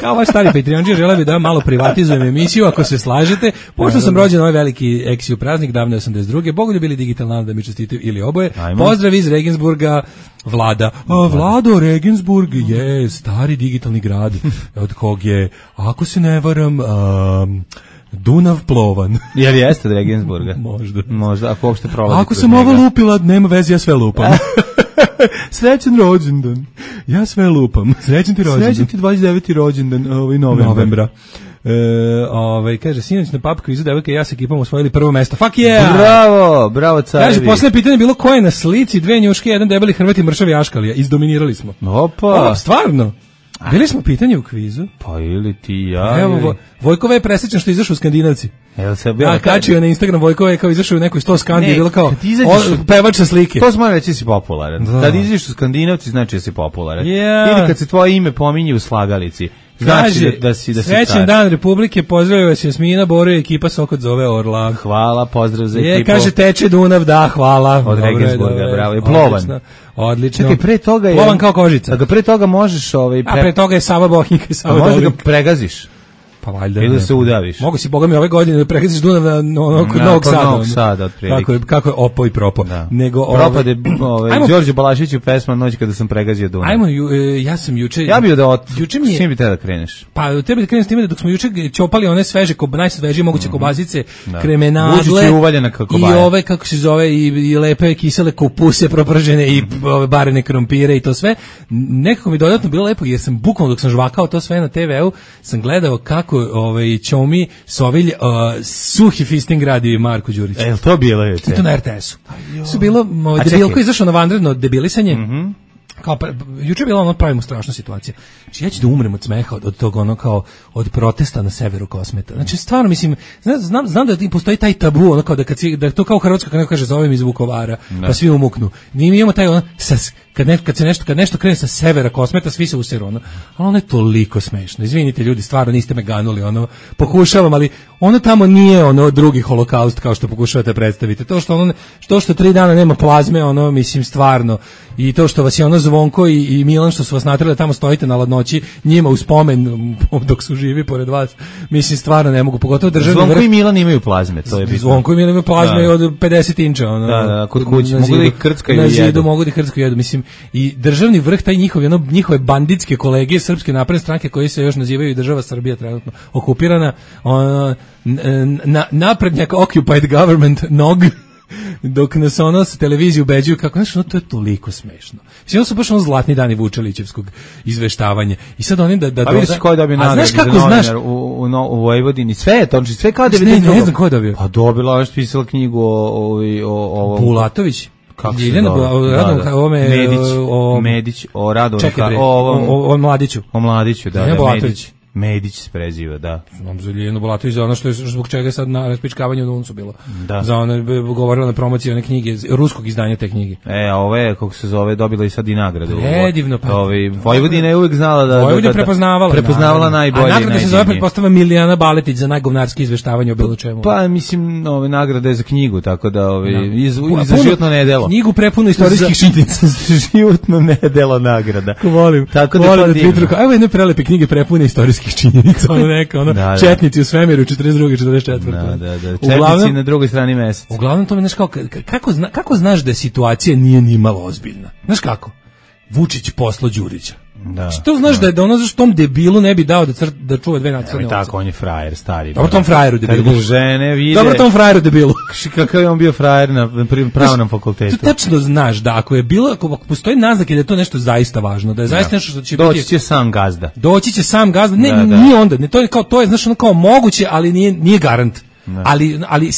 D: Kao vaš stari Patreonđija, želim da malo privatizujem emisiju, ako se slažete. Pošto sam rođen ovaj veliki eksiju praznik, davno 82. Bogoljubili digitalno da mi čestitaju ili oboje. Pozdrav iz Regensburga, Vlada. Vlado, Regensburg je stari digitalni grad od kog je, ako se ne varam, Dunav plovan.
E: Jel jeste od Regensburga?
D: Možda,
E: ako uopšte prolazi.
D: Ako sam ovo lupila, nema veze, ja sve lupam. Srećan rođendan. Ja sve lupam. Srećan ti rođendan. Srećan ti 29. rođendan novembra. Kaže, sinoć na pub kvizu devojke i ja sa ekipom osvojili prvo mesto. Fuck yeah!
E: Bravo carevi.
D: Kaže, poslednje pitanje je bilo ko je na slici, 2 njuške, 1 debeli Hrvat i mršavi Aškalija. Izdominirali smo.
E: Opa!
D: Stvarno? Bili smo pitanje u kvizu.
E: Pa ili ti ja.
D: Evo, Vojkova je presečan što izašao u Skandinavci.
E: Ja
D: kačio na Instagram, Vojkova je kao izašao u nekoj 100 Skandiji, bilo kao pevač sa slike.
E: To smo reći si popularan. Kad izađeš u Skandinavci, znači da si popularan. Ili kad se tvoje ime pominje u slagalici. Znači da si
D: srećan dan Republike, pozdravlja vas Jasmina, Boro i ekipa Sokot zove Orla.
E: Hvala, pozdrav za ekipu.
D: Kaže, teče Dunav, da, hvala.
E: Od Regensburga, bravo, je plovan.
D: Odlično.
E: Čekaj, pre toga je...
D: Plovan kao kožica.
E: Da ga pre toga možeš...
D: A pre toga je Sava Bohinjka i Sava Dolinka.
E: Možeš ga pregaziš.
D: Pa valjda.
E: Ili se udaviš.
D: Mogu si, boga mi, ove godine da pregaziš Dunav kod Novog Sada.
E: Otprilike.
D: Kako je opo i propo.
E: Propade Đorđe Balašiću pesma Noć kada sam pregazio Dunav.
D: Ja sam juče...
E: Ja bio da s čim bi te da kreneš?
D: Pa tebi da krenem s time da dok smo juče ćopali one sveže, najsvežije moguće kobazice, kremenadle i ove, kako se zove, i lepe kisele kupuse propržene i barene krompire i to sve. Nekako mi dodatno bilo lepo jer sam bukvalno dok sam žvakao to sve na TV-u, sam gledao kako Ćomi Sovilj suhi fisting radi Marko Đurić.
E: Jel to bilo juče?
D: I to na RTS-u. Su bilo debilko izašao na vanredno debilisanje. kao juče je bila ono pravimo strašna situacija. Znači ja ću da umrem od smeha od tog ono kao od protesta na severu Kosmeta. Znači stvarno mislim znam da postoji taj tabu ono kao da to kao Hrvatska kad neko kaže zovem iz Vukovara pa svi umuknu. Mi imamo taj ono kad nešto krene sa severa Kosmeta svi se useru ono. Ali ono je toliko smešno. Izvinite ljudi, stvarno niste me ganuli ono. Pokušavam, ali ono tamo nije ono drugi holokaust kao što pokušavate predstaviti. To što 3 dana nema plazme, ono mislim stvarno i to što vas je ono Zvonko i Milan što su vas naterali da tamo stojite na ladnoći njima u spomen dok su živi pored vas, mislim stvarno ne mogu, pogotovo državni
E: Zvonko
D: vrh.
E: I Milan imaju plazme, to je bitno.
D: Zvonko i Milan imaju plazme od 50 inča ono.
E: Da, kod kuće mogu da ih krckaju
D: na
E: i jedu.
D: zidu mogu da ih krckaju jedu, mislim i državni vrh taj njihove banditske kolege Srpske napredne stranke koji se još nazivaju država Srbija trenutno okupirana, naprednjak occupied government nog dok nas ono sa televizije ubeđuju kako, znaš, ono, to je toliko smešno. Mislim, ono su baš ono zlatni dani Vučelićevskog izveštavanja. I sad oni da
E: pa vidiš ko je dobio nagradu za novinar u Vojvodini. Sve je to, sve kao 92.
D: Ne znam ko je dobio.
E: Pa dobila, ona je pisala knjigu o
D: Bulatović.
E: Kako se zove? Medić, o Radu,
D: o Mladiću.
E: O Mladiću, da,
D: Bulatović.
E: Medić se preziva, da.
D: Znam za Ljiljanu Bulatović, za ono što je zbog čega je sad na raspičkavanju u Nuncu bilo.
E: Da.
D: Za ono govorila na promociji one knjige, ruskog izdanja te knjige.
E: A ove, kako se zove, dobila i sad i nagradu.
D: Predivno.
E: Vojvodina je uvijek znala da...
D: Vojvodina prepoznavala
E: najbolje.
D: A nagrada se zove, pretpostavlja, Milijana Baletić za najgovnarski izveštavanje o bilo čemu.
E: Pa, mislim, nagrada je za knjigu, tako da za životno nedelo.
D: Knjigu prepunu istorijskih činjenica.
E: Za životno nedelo nagrada.
D: Volim.
E: Tako da
D: evo jedne prelepe knjige prepune istorijskih činjenica, ono neka, četnici u svemiru 42. 44.
E: Da. Četnici na drugoj strani meseca.
D: Uglavnom to mi, znaš, kako znaš da situacija nije ni malo ozbiljna? Znaš kako? Vučić poslo Đurića.
E: Da.
D: Što znaš da je ono zašto tom debilu ne bi dao da čuva 2 nacionalne ovce?
E: Tako, on je frajer, stari.
D: Dobro tom frajeru debilu.
E: Kad žene vide...
D: Dobro tom frajeru debilu.
E: Kakav je on bio frajer na pravnom fakultetu.
D: Ti tačno znaš da ako postoji naznake da je to nešto zaista važno, da je zaista nešto što će
E: doći će sam gazda.
D: Doći će sam gazda. Ne, nije onda. Ne, to je znaš ono kao moguće, ali nije garant. Ali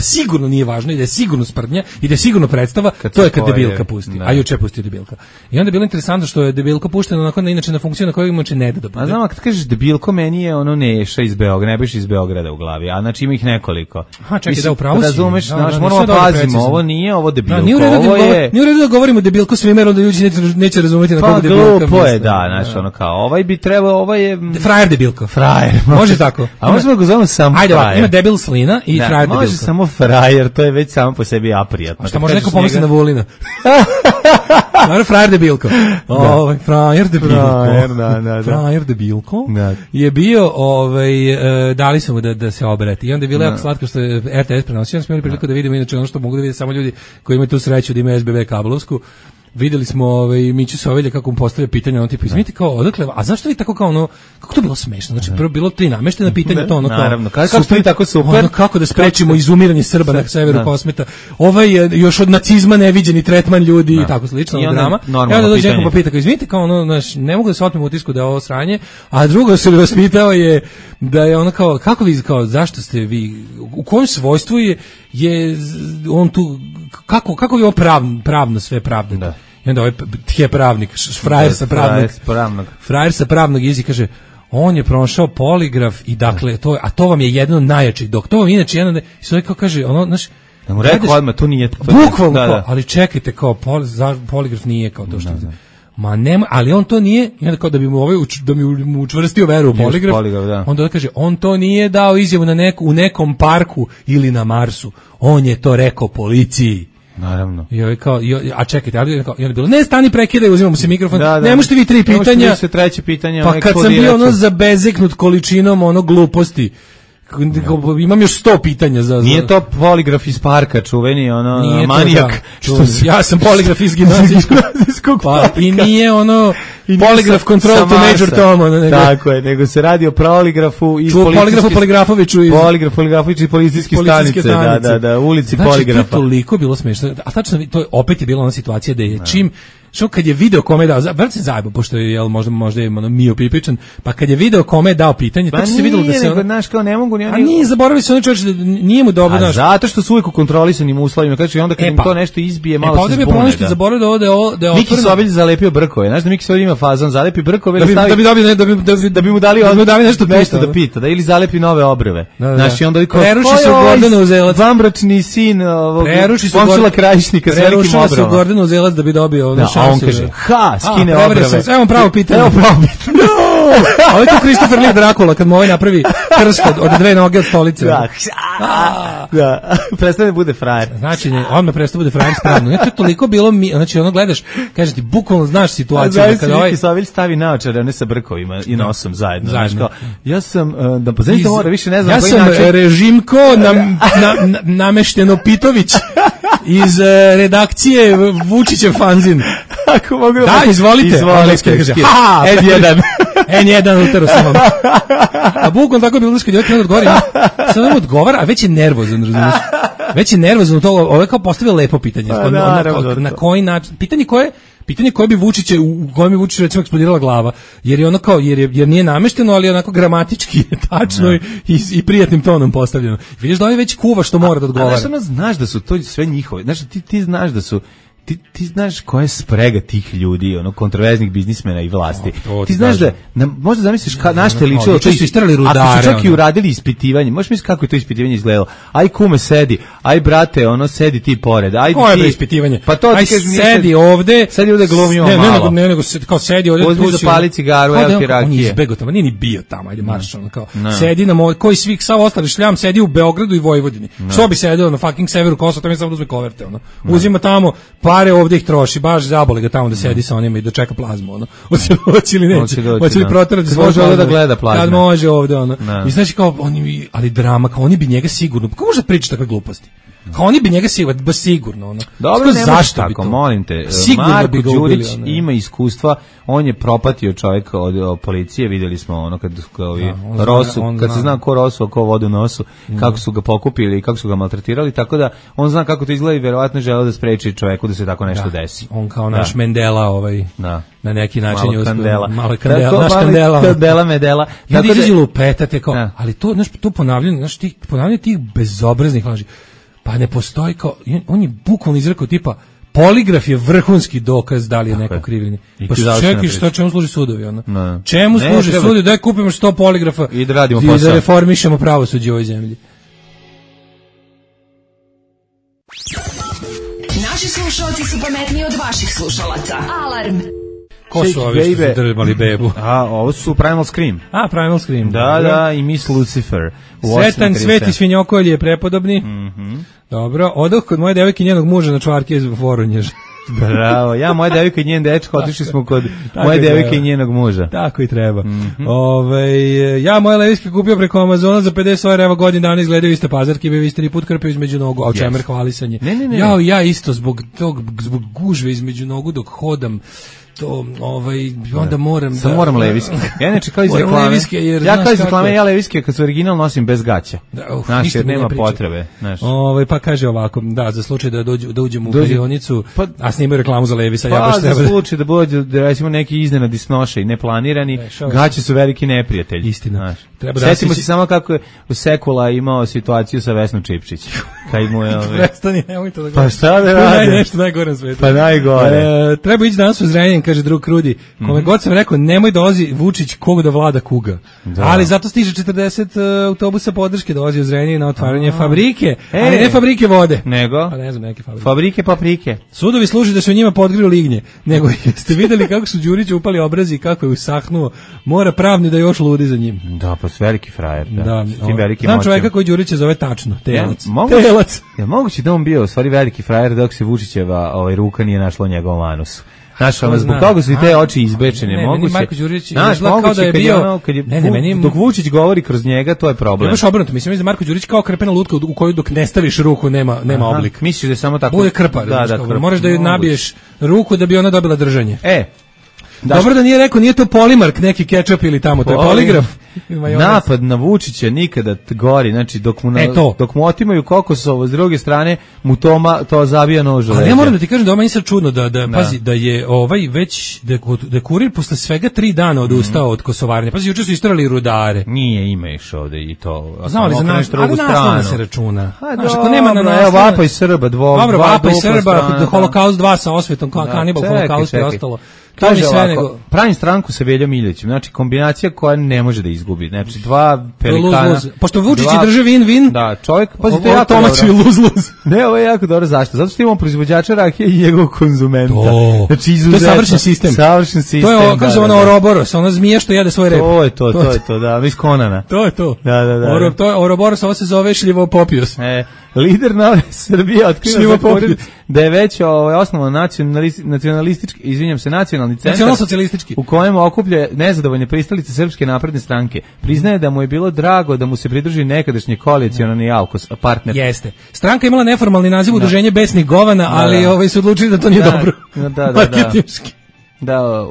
D: sigurno nije važno i da je sigurno sprdnja i da je sigurno predstava, to je kad debilka pusti. A juče pusti debilka. I onda je bilo interesantno što je debilka puštena onako inače na funkciju na kojoj inače ne da bude.
E: A znam, kad kažeš debilko, meni je ono Neša iz Beograda, ne biš iz Beograda u glavi, a znači ima ih nekoliko.
D: Aha, čekaj, da upravo si.
E: Razumeš, moramo pazimo, ovo nije ovo debilko,
D: nije u redu da govorimo debilko svima, jer onda ljudi neće razumeti na koga debilka.
E: Pa glupo je, da, znači ono kao, ovaj bi trebao, ovaj je...
D: Frajer debilko.
E: Frajer.
D: Može tako.
E: A možemo ga zovemo sam frajer.
D: Ajde, ima debil Slina i frajer debilko.
E: Može samo frajer, to je već samo po sebi aprijatno.
D: Šta može neko pomisli na Vulina? Naravno, frajer debilko. Frajer debilko. Frajer debilko je bio, dali su mu da se obrati. I onda je bilo jako slatko što je RTS prenosio. Onda smo imali priliku da vidimo, inače ono što mogu da vide samo ljudi koji imaju tu sreću da imaju SBB kablovsku. Videli smo Miću Sovelja kako mu postavlja pitanje, on tipa, izvinite, kao, odakle, a zašto vi tako kao ono, kako to bilo smešno? Znači, prvo bilo 3 nameštena pitanja, to ono kao,
E: naravno, kako ste tako super,
D: ono, kako da sprečimo izumiranje Srba na severu Kosmeta, još od nacizma neviđeni tretman ljudi i tako slično, drama. I onda dođe neko pa pita, kao, izvinite, kao ono, ne mogu da se otmem utisku da je ovo sranje, a drugo se vas pitao je da je ono kao, kako vi, kao, zašto ste vi, u kojem svojstvu je on tu, kako vi ovo pravno sve pravdate? I onda ovaj je pravnik, frajer sa pravnog jezika kaže, on je prošao poligraf i dakle, to vam je jedno od najjačih, dok to vam inače jedno, i sve kao kaže, ono, znaš,
E: da mu rekao odmah, to nije...
D: Bukvalno, ali čekajte, kao, poligraf nije kao to što... Ma nema, ali on to nije, i onda kao da bi mu učvrstio veru u poligraf, onda kaže, on to nije dao izjavu u nekom parku ili na Marsu, on je to rekao policiji.
E: Naravno.
D: A čekajte, ali je bilo, ne, stani, prekidaj, uzimamo se mikrofon, ne možete vi 3 pitanja.
E: Ne možete treće pitanje.
D: Pa kad sam bio ono zabezeknut količinom ono gluposti, imam još 100 pitanja za...
E: Nije to poligraf iz parka, čuveni, ono, manijak.
D: Ja sam poligraf iz gimnazijskog parka. I nije ono... Poligraf control to Major Tom.
E: Tako je, nego se radi o poligrafu iz
D: Poligrafoviću iz
E: policijske stanice, da, ulici poligrafa.
D: Znači, to je toliko bilo smešno. A tačno, to opet je bila ona situacija da je čim što kad je video kome je dao, brat se zajebo, pošto je, jel, možda je Mio Pipičan, pa kad je video kome je dao pitanje, to se videlo da se
E: on... Znaš, kao ne mogu ni oni...
D: A nije, zaboravili se oni čovječ da nije mu dobro, znaš.
E: Zato što su uvijek u kontrolisanim uslovima, kaže, onda kad im to nešto izbije, malo se zbune.
D: Pa ovdje bi problem što zaboravili da je
E: Miki Sovilj zalepio brkove, znaš da Miki Sovilj ima fazon, zalepi brkove, da bi mu dali nešto da pita, da ili zalepi nove obrve. Znaš, i onda
D: preruši se Gordana Uzelac.
E: Vambračni sin Momčila Krajišnika s velikim obrvama.
D: Preruši se Gordana Uzelac da bi dobio šansu.
E: A on kaže, skine obrve.
D: Evo pravo pitanje. Ovo je tu Christopher Lee Dracula, kad mu ovaj napravi krst od dve noge od stolice.
E: Da, prestane bude frajer.
D: Znači, on me prestane bude frajer spravno. Znači, toliko bilo znači, ono gledaš, kaže ti, bukvalno znaš situaciju.
E: Kada ovaj... Miki Sovilj stavi naočare, one sa brkovima i nosom zajedno. Ja sam, da pozavite mora, više ne znam
D: ja
E: koji način.
D: Ja sam Režimko Namešteno Pitović iz redakcije Vučićev fanzin.
E: Ako mogu
D: da, izvolite.
E: N1.
D: N1 utero sam vam. A bukvalno tako je bilo kad je ovaj odgovori. Sad vam odgovara, a već je nervozan, razumiješ? Već je nervozan to, ovo je kao postavio lepo pitanje. Na koji način, pitanje koje bi Vučiće, u kojem bi Vučić recimo eksplodirala glava, jer je ono kao, jer nije namešteno, ali onako gramatički je tačno i prijatnim tonom postavljeno. Vidiš da ovaj već kuva što mora da odgovara.
E: A znaš da su to sve njihove, znaš ti znaš da su, ti znaš koja je sprega tih ljudi, ono, kontroverznih biznismena i vlasti. Ti znaš da, možda zamisliš na što je ličilo,
D: to su istrali rudare.
E: Ako su čak i uradili ispitivanje, možeš misliti kako je to ispitivanje izgledalo. Aj kume sedi, aj brate, ono, sedi ti pored. Aj
D: koje je ispitivanje?
E: Pa to ti kažeš,
D: sedi ovde
E: glumimo malo.
D: Ne, nego kao sedi ovde.
E: Uzmi za pali cigaru, evo ti rakije.
D: On je izbegao tamo, nije ni bio tamo, ajde marš, ono kao. Sedi na koji svih sav ostali šljam sedi u Beogradu i Vojvodini. Što bi sedio na fucking severu Kosova, tamo samo uzme koverte, ono. Uzima tamo pare, ovde ih troši, baš zabole ga tamo da sedi sa onima i da čeka plazmu, ono. Hoće ili neće? Hoće li proterati svoje
E: može ovdje da gleda plazmu?
D: Kad može ovdje, ono. I znači kao, ali drama, kao oni bi njega sigurno, kako može pričati takve gluposti? Kao oni bi njega sigurno, ono.
E: Dobro, ne može tako, molim te. Marko Đurić ima iskustva, on je propatio čovjeka od policije, vidjeli smo ono kad se zna ko Rosu, a ko vodu nosu, kako su ga pokupili i kako su ga maltretirali, tako da on zna kako to izgleda i verovatno želeo da spreči čovjeku da se tako nešto desi.
D: On kao naš Mandela, na neki način je
E: Kandela.
D: Malo Kandela, naš Kandela.
E: Kandela Medela.
D: Ljudi izađu lupetate kao, ali to, znaš, to ponavljanje tih bezobraznih laži, pa ne postoji kao, on je bukvalno izrekao tipa, poligraf je vrhunski dokaz da li je neko kriv ili ne. Pa čekaj, čemu služi sudovi, ono? Čemu služi sudovi? Daj kupimo 100 poligrafa
E: i da radimo posao.
D: I da reformišemo pravosuđe u ovoj zemlji.
A: Naši slušalci su pametniji od vaših slušalaca. Alarm!
D: Ko su ovi što su drbali bebu?
E: Ovo su Primal Scream.
D: Primal Scream.
E: Da, i Miss Lucifer.
D: Sretan Sveti Svinjokolj je prepodobni. Dobro, odoh kod moje devojke i njenog muža na čvarke iz Voronježa.
E: Bravo, ja, moja devojka i njen dečko, otišli smo kod moje devojke i njenog muža.
D: Tako i treba. Ja moje leviske kupio preko Amazona za 50 €, evo godin dana izgledaju iste pazarke, vi ste ni put krpio između nogu, a o čemer hvalisanje.
E: Ne.
D: Ja isto zbog gužve između nogu dok hodam, to, onda moram
E: da... moram leviske. Ja neče kao iz reklame. Ja leviske kad su original nosim bez gaća. Znaš, jer nema potrebe.
D: Pa kaže ovako, da, za slučaj da uđemo u perionicu, a snimaju reklamu za Levisa.
E: Pa za slučaj da bude, recimo, neki iznenadi snoše i neplanirani, gaće su veliki neprijatelji.
D: Istina.
E: Sjetimo se samo kako je u Sekula imao situaciju sa Vesnom Čipčić. Kaj mu je...
D: Prestani, nemoj to da
E: gledam. Pa šta da radi?
D: Nešto najgore na svetu.
E: Pa najgore.
D: Treba ići danas u Zrenjanin, kaže drug Krudi. Kome god sam rekao, nemoj dolazi Vučić koga da vlada kuga. Ali zato stiže 40 autobusa podrške, dolazi u Zrenjanin na otvaranje fabrike, ali ne fabrike vode.
E: Nego?
D: Pa ne znam, neke fabrike.
E: Fabrike paprike.
D: Sudovi služi da se u njima podgriju lignje. Nego jeste vidjeli kako su Đuriću upali obrazi i kako je usahnuo. Mora pravni da još ludi za njim.
E: Da, pa veliki frajer. Da.
D: Znam čovjeka koji Đurića zove tačno, Telac.
E: Je moguće da on bio u stvari veliki frajer dok se Vučićeva ruka nije našla u njegovom anusu. Znaš, zbog toga su i te oči izbečene. Znaš, moguće dok Vučić govori kroz njega, to je problem.
D: Imaš obrnuto, mislim da Marko Đurić kao krpena lutka u koju dok ne staviš ruku nema oblik.
E: Misliš da je samo tako?
D: Bude krpa, moraš da joj nabiješ ruku da bi ona dobila držanje. Dobro da nije rekao, nije to Polimark, neki kečap ili tamo, to je poligraf.
E: Napad na Vučića nikada gori, znači dok mu otimaju Kokosovo, s druge strane mu to zabija nož u leđa.
D: Ali ja moram da ti kažem da meni sad čudno pazi, da je već, da kurir posle svega 3 dana odustao od kosovarnja. Pazi, juče su istrali rudare.
E: Nije, ima još ovde i to.
D: Znam li za naslovno se računa.
E: Znaš, ako nema na naslovno. Evo, Vapaj Srba,
D: Dobro, Vapaj Srba, Holokaust 2 sa osvetom, Kanibal Holokaust i ostalo.
E: Kaže ovako, pravim stranku sa Veljom Iljećem, znači kombinacija koja ne može da izgubi, znači dva pelikana.
D: Pošto Vučić drži win-win,
E: da, čovjek, pazi, to je jako dobro.
D: Luz-luz.
E: Ne, ovo je jako dobro, zašto? Zato što imamo proizvođača rakije i njegovog konzumenta.
D: Znači, izuzetno. To je savršen sistem.
E: Savršen sistem,
D: to je, kako se ono, Ouroboros, ona zmija što jede svoj rep.
E: To je to, da, iz Konana.
D: To je to.
E: Da.
D: To je Ouroboros, ovo se zove Šljivopopius.
E: Lider Nove Srbije otkriva da je već osnovan nacionalistički, izvinjam se, nacionalni centar
D: nacionalsocijalistički
E: u kojem okuplja nezadovoljne pristalice Srpske napredne stranke. Priznaje da mu je bilo drago da mu se pridruži nekadašnji koalicionalni partner.
D: Jeste. Stranka imala neformalni naziv udruženje besnih govana, ali su odlučili da to nije dobro.
E: Da,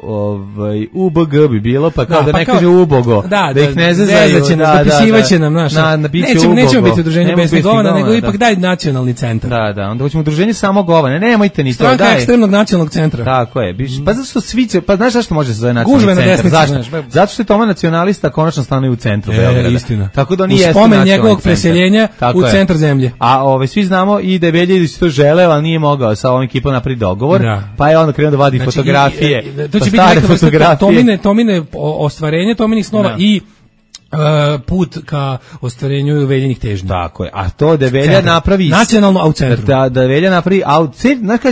E: UBG bi bilo, pa kao da ne kaže ubogo, da ih ne zezaju,
D: dopisivaće nam, znaš, nećemo biti udruženje besnih govana, nego ipak daj nacionalni centar.
E: Da, onda hoćemo udruženje samo govana, nemojte ni to, daj.
D: Stranka ekstremnog nacionalnog centra.
E: Tako je, pa zato što svi će, pa znaš zašto može se zove nacionalni centar, zašto? Zato što je Toma nacionalista konačno stanuje u centru Beograda.
D: Istina.
E: Tako da on i jeste
D: nacionalni centar. U spomen
E: njegovog
D: preseljenja u centar zemlje.
E: A svi znamo i da je Velja Ilić to želeo, ali nije mogao sa ovim ekipom napraviti dogovor, pa je onda krenuo da vadi fotografije.
D: To će biti neka Tomine ostvarenje Tominih snova i put ka ostvarenju Veljinih težnji.
E: Tako je. A to da Velja napravi
D: nacionalno u centru.
E: Da Velja napravi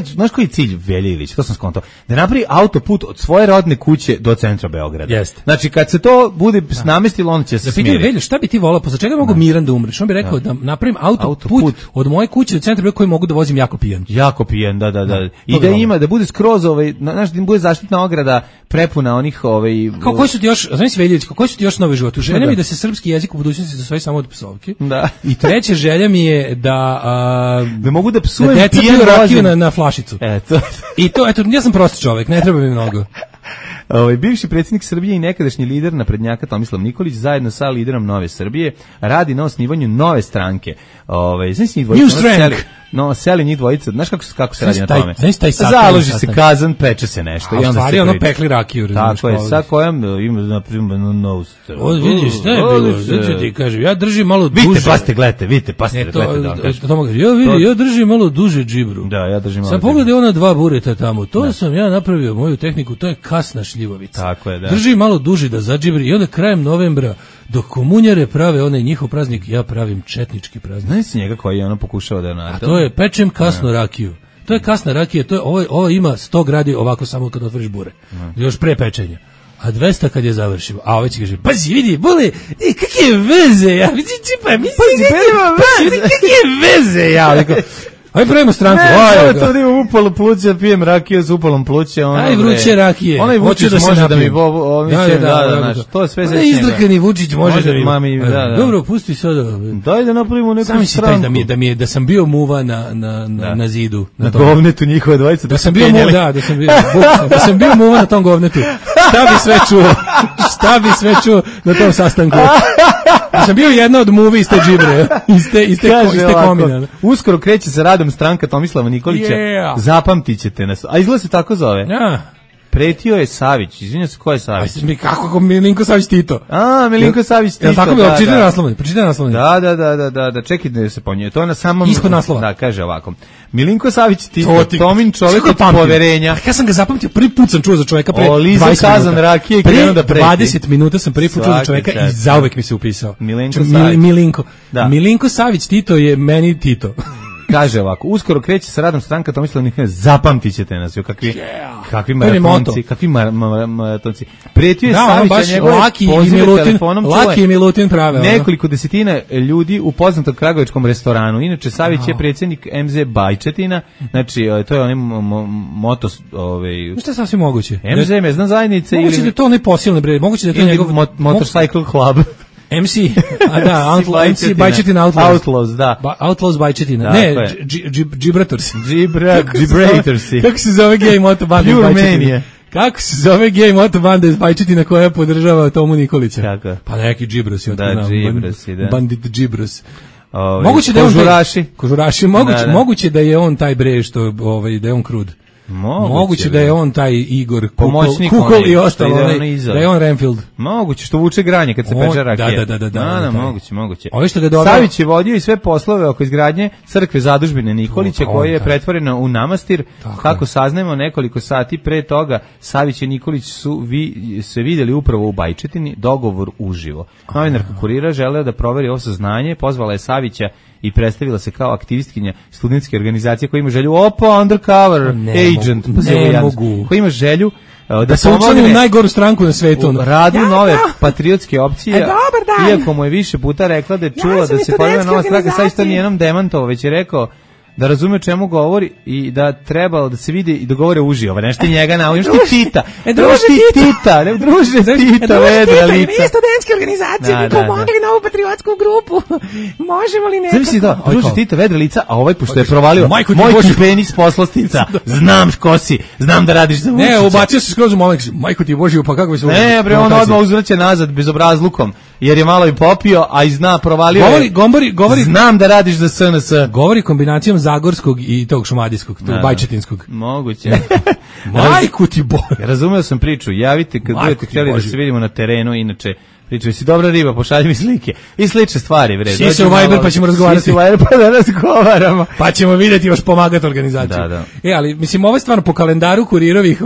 E: znaš koji je cilj Velje Ilić? To sam skontao. Da napravi autoput od svoje rodne kuće do centra Beograda.
D: Jeste.
E: Znači kad se to bude namestilo, on će se smiriti.
D: Velju, šta bi ti volao? Posle čega mogu miran da umreš? On bi rekao da napravim autoput od moje kuće do centra Beograda koji mogu da vozim jako pijan.
E: Jako pijan, da. I da ima da bude skroz znaš, da bude zaštitna ograda prepuna onih
D: Kao koji su ti još, znači Veljić, koji su ti još nove živote? Želja mi da se srpski jezik u budućnosti zasvoji samo od psovki.
E: Da.
D: I treća želja mi je da
E: mogu da psujem
D: pijan rakiju na flašicu.
E: Eto.
D: I to, ja sam prosti čovjek, ne treba mi mnogo.
E: Bivši predsjednik Srbije i nekadašnji lider naprednjaka Tomislav Nikolić zajedno sa liderom Nove Srbije radi na osnivanju nove stranke. Znači njih dvojica, seli njih dvojica, znaš kako se radi na tome? Založi se kazan, peče se nešto.
D: A u stvari ono pekli rakiju.
E: Tako je, sa kojom ima, na primjer,
D: vidiš, šta je bilo? Znači ti kažem, ja držim malo duže.
E: Vidite, pazite, gledajte.
D: Ja držim malo duže džibru.
E: Da, ja držim malo.
D: Sad pogledaj ona 2 bureta tamo, to sam ja napravio moju tehniku, to je kasna šljivovica.
E: Tako je, da.
D: Držim malo duže da zadžibri i onda krajem novembra dok komunjare prave onaj njihov praznik, ja pravim četnički praznik.
E: Znaš si njega koji je ono pokušao da
D: A to je pečem kasnu rakiju. To je kasna rakija, ovo ima 100 gradi ovako samo kad otvoriš bure. Još pre pečenja. A 200 kad je završimo. A ovaj će kaže, pazi, vidi, bole, kakve veze, ja, vidi, kakve veze, ja, aj pravimo stranku.
E: To da imam upalo pluće, pijem rakiju s upalom pluće.
D: Aj vruće rakije.
E: Onaj Vučić može da mi to je sve za njega.
D: Izdrkani Vučić može da mi. Dobro, pusti sada.
E: Daj da napravimo neku stranku.
D: Sami da sam bio muva na zidu.
E: Na govnetu njihove dvojice.
D: Da sam bio muva, da sam bio muva na tom govnetu. Šta bi sve čuo na tom sastanku. Da sam bio jedna od muvi iz te džibre, iz te komina.
E: Uskoro kreće se radom stranka Tomislava Nikolića. Zapamtit ćete nas. A izgleda se tako zove. Pretio je Savić. Izvinjam se, ko je Savić?
D: Kako Milinko Savić Tito?
E: Milinko Savić Tito.
D: Tako mi pročitaj naslovni.
E: Da, čekaj da se ponje. To je na samom
D: ispod naslova.
E: Da, kaže ovako. Milinko Savić Tito, Tomin čovjek od poverenja.
D: Ja sam ga zapamtio, prvi put sam čuo za čovjeka pre 20
E: minuta. Kazan rakije i krenuo da preti.
D: 20 minuta sam prvi put čuo za čovjeka i zauvek mi se upisao. Milinko Savić Tito je meni Tito.
E: Kaže ovako, uskoro kreće sa radom stranka Tomislav Nikolić, zapamtit ćete nas, kakvi maratonci, Pretio je Savića njegove pozive telefonom,
D: Laki i Milutin prave.
E: Nekoliko desetina ljudi u poznatom kragujevačkom restoranu. Inače, Savić je predsjednik MZ Bajčetina, znači, to je onaj moto...
D: Što je sasvim moguće?
E: MZ mezna zajednica ili...
D: Moguće da je to onaj posilni bred, moguće da je to njegov...
E: Motorcycle Club.
D: MC Bajčetina
E: Outlaws, da.
D: Outlaws Bajčetina. Ne, Gibrators.
E: Gibrators.
D: Kako se zove gej moto band Bajčetina? Kako se zove gej moto banda iz Bajčetina koja podržava Tomu Nikolića?
E: Kako?
D: Pa neki džibrosi.
E: Da, džibrosi, da.
D: Bandit džibros. Moguće da je Kožuraši, moguće da je on taj bre što da je on krud. Moguće da je on taj Igor Kukol i ostalo, da je on Renfield.
E: Moguće što vuče granje kad se peče rakija.
D: Da,
E: moguće.
D: Savić
E: je vodio i sve poslove oko izgradnje crkve zadužbine Nikolića koja je pretvorena u manastir. Kako saznajemo nekoliko sati pre toga, Savić i Nikolić su se vidjeli upravo u Bajčetini, dogovor uživo. Novinarka Kurira želeo da proveri ovo saznanje, pozvala je Savića i predstavila se kao aktivistkinja studentske organizacije koja ima želju undercover agent, koja ima želju
D: da se učlani u najgoru stranku na svetu.
E: Radu nove patriotske opcije, iako mu je više puta rekla da je čula da se formira nova stranka, sad isto nijednom demantovo, već je rekao da razume čemu govori i da trebalo da se vidi i dogovore uživo. Nešto njega nauči. Što ti Tita? Druže Tita, vedra lica.
D: Mi studentske organizacije bi pomogli na ovu patriotsku grupu. Možemo li nekako?
E: Zamisli da, druže Tita, vedra lica, a ovaj pošto je provalio moj penis poslastica. Znam ko si, znam da radiš za Vučića.
D: Ne, ubacio se skroz u moment. Majko ti Božiju, pa kako bi se...
E: Ne, bre, on odmah uzvraća nazad bezobrazlukom, jer je malo i popio, a i zna, provalio je.
D: Govori.
E: Znam da radiš za SNS.
D: Govori kombinacijom zagorskog i tog šumadijskog, tog bajčetinskog.
E: Moguće.
D: Majku ti Bože.
E: Razumeo sam priču. Javite kad budete htjeli da se vidimo na terenu, inače pričaju si dobra riba, pošalji mi slike. I slične stvari, bre.
D: Si se u Viber pa ćemo razgovarati.
E: Si se u Viber pa da razgovaramo.
D: Pa ćemo vidjeti još pomagati organizaciju.
E: Da.
D: Ali, mislim, ovo je stvarno po kalendaru Kurirovih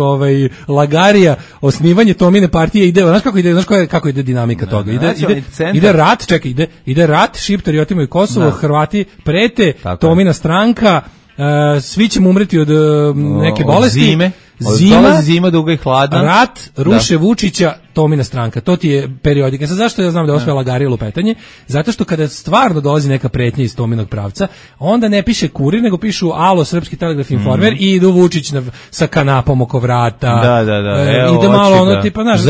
D: lagarija, osnivanje Tomine partije ide, znaš kako ide dinamika toga? Ide rat, ide rat, Šiptari otimaju Kosovo, Hrvati prete, Tomina stranka, svi ćemo umreti od neke bolesti.
E: Zima duga i hladna.
D: Rat, ruše Vučića, Tomina stranka. To ti je periodika. Sad zašto ja znam da je ovo sve lagarije lupetanje? Zato što kada stvarno dolazi neka pretnja iz Tominog pravca, onda ne piše Kurir, nego pišu Alo, Srpski telegraf informer i idu Vučić sa kanapom oko vrata.
E: Da.
D: Ide malo ono tipa, znaš,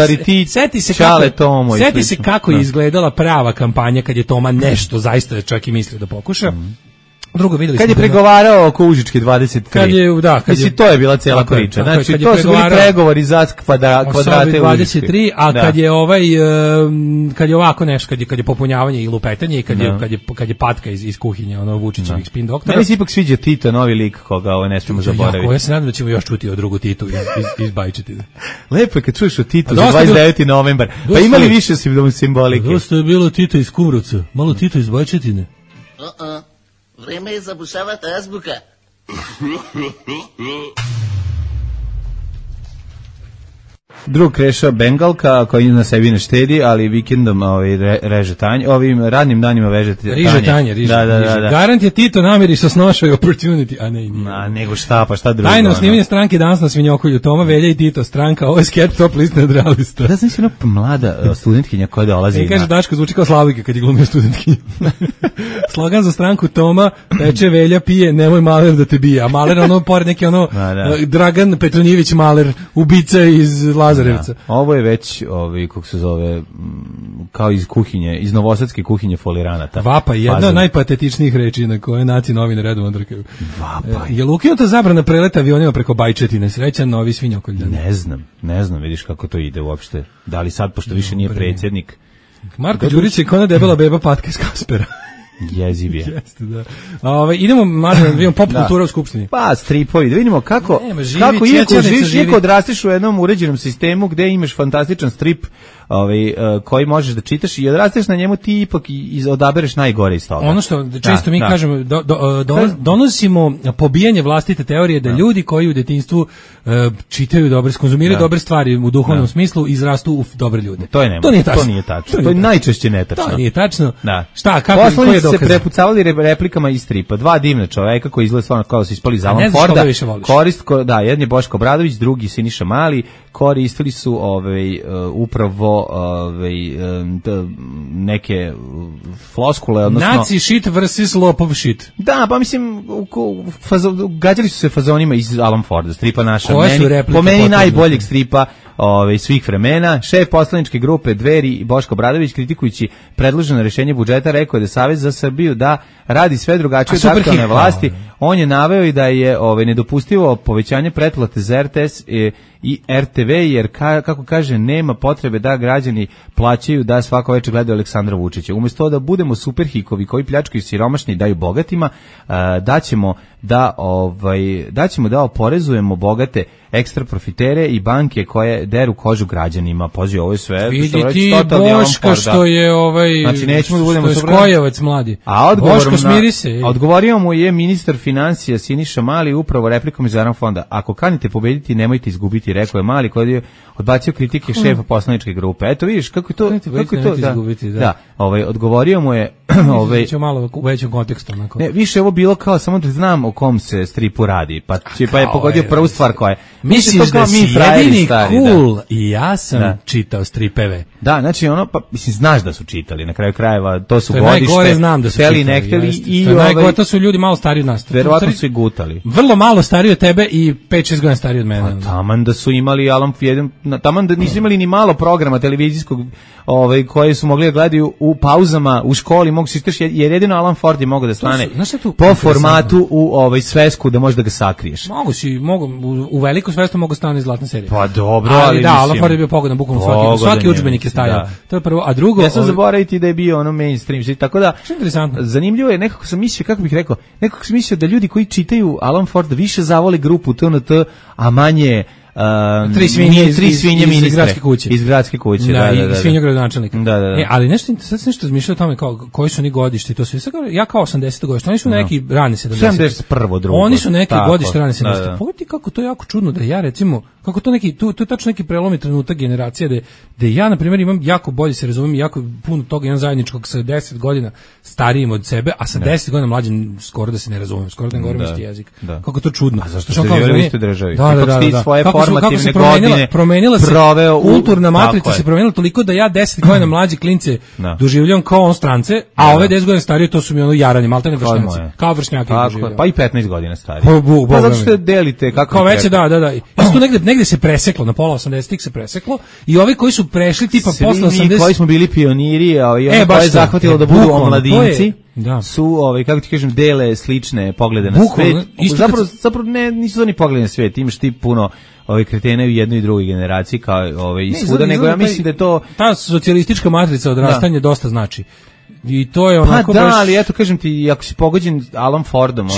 E: seti
D: se kako je izgledala prava kampanja kad je Toma nešto zaista čak i mislio da pokuša. Drugo, videli
E: kad je pregovarao oko Užičke 23. To je bila cijela priča. Znači, to su bili pregovori za kvadrate Užičke.
D: 23, a kad je ovako nešto, kad je popunjavanje i lupetanje i kad je patka iz kuhinje, ono Vučićevih spin doktora.
E: Meni se ipak sviđa Tito, novi lik koga ovo ne smemo zaboraviti.
D: Ja se nadam da ćemo još čuti o drugu Titu iz Bajčetina.
E: Lepo je kad čuješ o Titu za 29. novembar. Pa imali više simbolike.
D: Dosta je bilo Tito iz Kumrovca, malo Tito iz Bajčetine.
J: Vreme je zabušavati azbuka.
E: Drug Kreša Bengalka koji na sebi ne štedi, ali vikendom reže tanje, ovim radnim danima veže tanje.
D: Riže tanje. Da. Garant je Tito namiri sa snošaju opportunity, a ne i nije.
E: Nego šta drugo.
D: Tajno osnivanje stranke danas na Svinjokolju, Toma, Velja i Tito, stranka, ovo je skept top list nadrealista.
E: Da znam si ona mlada studentkinja koja dolazi.
D: Kaže Daško, zvuči kao Slavika kad je glumio studentkinja. Slogan za stranku Toma, peče, Velja, pije, nemoj Maler da te bije. A Maler ono pored neki Dragan Petronjević Maler, ubica iz Lazarevca.
E: Ovo je već, kako se zove, kao iz kuhinje, iz novosadske kuhinje foliranata.
D: Vapa, jedna od najpatetičnijih reči na koje naci novine redovno drkaju.
E: Vapa.
D: Je li ukinuta zabrana preleta avionima preko Bajčetine? Srećan novi Svinjokoljan.
E: Ne znam, vidiš kako to ide uopšte. Da li sad, pošto više nije predsjednik.
D: Marko Đurić je kona debela beba patka iz Kaspera.
E: Jeziv je.
D: Jeste, da. Idemo, Marko, da vidimo pop kultura u Skupštini.
E: Pa, stripovi, da vidimo kako iako odrastiš u jednom uređenom sistemu gde imaš fantastičan strip koji možeš da čitaš i odrasteš na njemu, ti ipak odabereš najgore iz toga.
D: Ono što često mi kažemo, donosimo pobijanje vlastite teorije da ljudi koji u detinjstvu čitaju dobre, konzumiraju dobre stvari u duhovnom smislu, izrastu u dobre ljude. To nije tačno.
E: To je najčešće netačno.
D: To nije tačno.
E: Šta, kako je dokaz? Poslanici se prepucavali replikama iz stripa. Dva divna čoveka koji izgleda stvarno kao da su ispali iz Alan Forda. Jedan je Boško Obradović, drugi Siniša Mali. Koristili su upravo neke floskule, odnosno
D: Nazi shit versus lopov shit.
E: Da, pa mislim gađali su se fazonima iz Alan Forda, stripa naša. Po meni najboljeg stripa svih vremena. Šef poslaničke grupe Dveri Boško Obradović, kritikujući predloženo rješenje budžeta, rekao je da Savez za Srbiju da radi sve drugačije od aktualne vlasti, On je naveo i da je nedopustivo povećanje pretplate za RTS i RTV, jer kako kaže, nema potrebe da građani plaćaju da svako večer gledaju Aleksandra Vučića. Umesto da budemo superhikovi koji pljačkaju siromašni i daju bogatima, daćemo da oporezujemo bogate ekstra profitere i banke koje deru kožu građanima. Pazi, ovo je sve.
D: Vidi ti Boška što je
E: znači, nećemo da budemo
D: skojevac mladi. Boško, smiri se.
E: Odgovorio mu je ministar financija Siniša Mali upravo replikom iz Aram fonda. Ako kanite pobediti, nemojte izgubiti, rekao je Mali, koji je odbacio kritike šefa poslaničke grupe. Eto vidiš kako je to da. Odgovorio mu je
D: malo u većem kontekstu onako.
E: Ne, više ovo bilo kao samo da znam o kom se stripu radi, pa je pogodio prvu stvar koja je.
D: Misliš da si jedini cool i ja sam čitao stripeve.
E: Da, znači znaš da su čitali, na kraju krajeva, to su godište.
D: Najgore znam da su čitali. Najgore, to su ljudi malo stariji od nas.
E: Verovatno su i gutali.
D: Vrlo malo stariji od tebe i 5-6 godina stariji od mene.
E: Pa taman da su imali taman da nisu imali ni malo programa televizijskog koje su mogli da gledaju u pauzama, u školi, mogu se istraš, jer jedino Alan Ford je mogao da stane po formatu u svesku da možeš da ga sakriješ.
D: U veliku svesku mogu stane zlatna serija.
E: Pa dobro, ali
D: da, Alan Ford je bio pogodan bukvalno svaki udžbenik je stajao. To je prvo, a drugo...
E: Ja sam zaboraviti da je bio mainstream, tako da zanimljivo je, nekako sam mislio, kako bih rekao, nekako sam mislio da ljudi koji čitaju Alan Ford više zavole grupu TNT, a manje
D: tri svinje
E: iz gradske kuće.
D: I svinjogradonačelnika.
E: Da.
D: Ali sad nešto razmišljao o tome koji su oni godište, to sve. Ja kao 80 godište, oni su neki rani 70.
E: 71. drugo.
D: Oni su neki godište rani 70. Pogledaj kako to je jako čudno da ja recimo, kako to neki, tu je tačno neki prelomni trenutak generacije da ja na primjer imam jako bolje se razumijem, jako puno toga imam zajedničkog sa 10 godina starijim od sebe, a sa 10 godina mlađim skoro da se ne razumijem, skoro da ne govorim isti jezik. Kako to čudno.
E: A zašto ste živjeli u istoj državi?
D: Da. Kako se promenila se kulturna matrica se promenila toliko da ja 10 godina mlađi klince doživljavam kao on strance, a ove 10 godina starije to su mi jaranje, maltene vršnjaci. Kao vršnjaki doživljavam.
E: Pa i 15 godina stariji. Pa zato što delite kako.
D: Kao veće, da. Isto negde se preseklo, na pola 80-ih se preseklo i ovi koji su prešli tipa posle 80.
E: Svi koji smo bili pioniri, a i oni koji je zahvatilo da budu omladinci. Su, kako ti kažem, dele slične poglede na svet. Zapravo nisu oni poglede na svet, imaš ti puno kretene u jednoj i drugoj generaciji kao i svuda, nego ja mislim da je to...
D: Ta socijalistička matrica odrastanja dosta znači. I to je onako
E: baš... ali eto kažem ti, ako si pogođen Alan Fordom,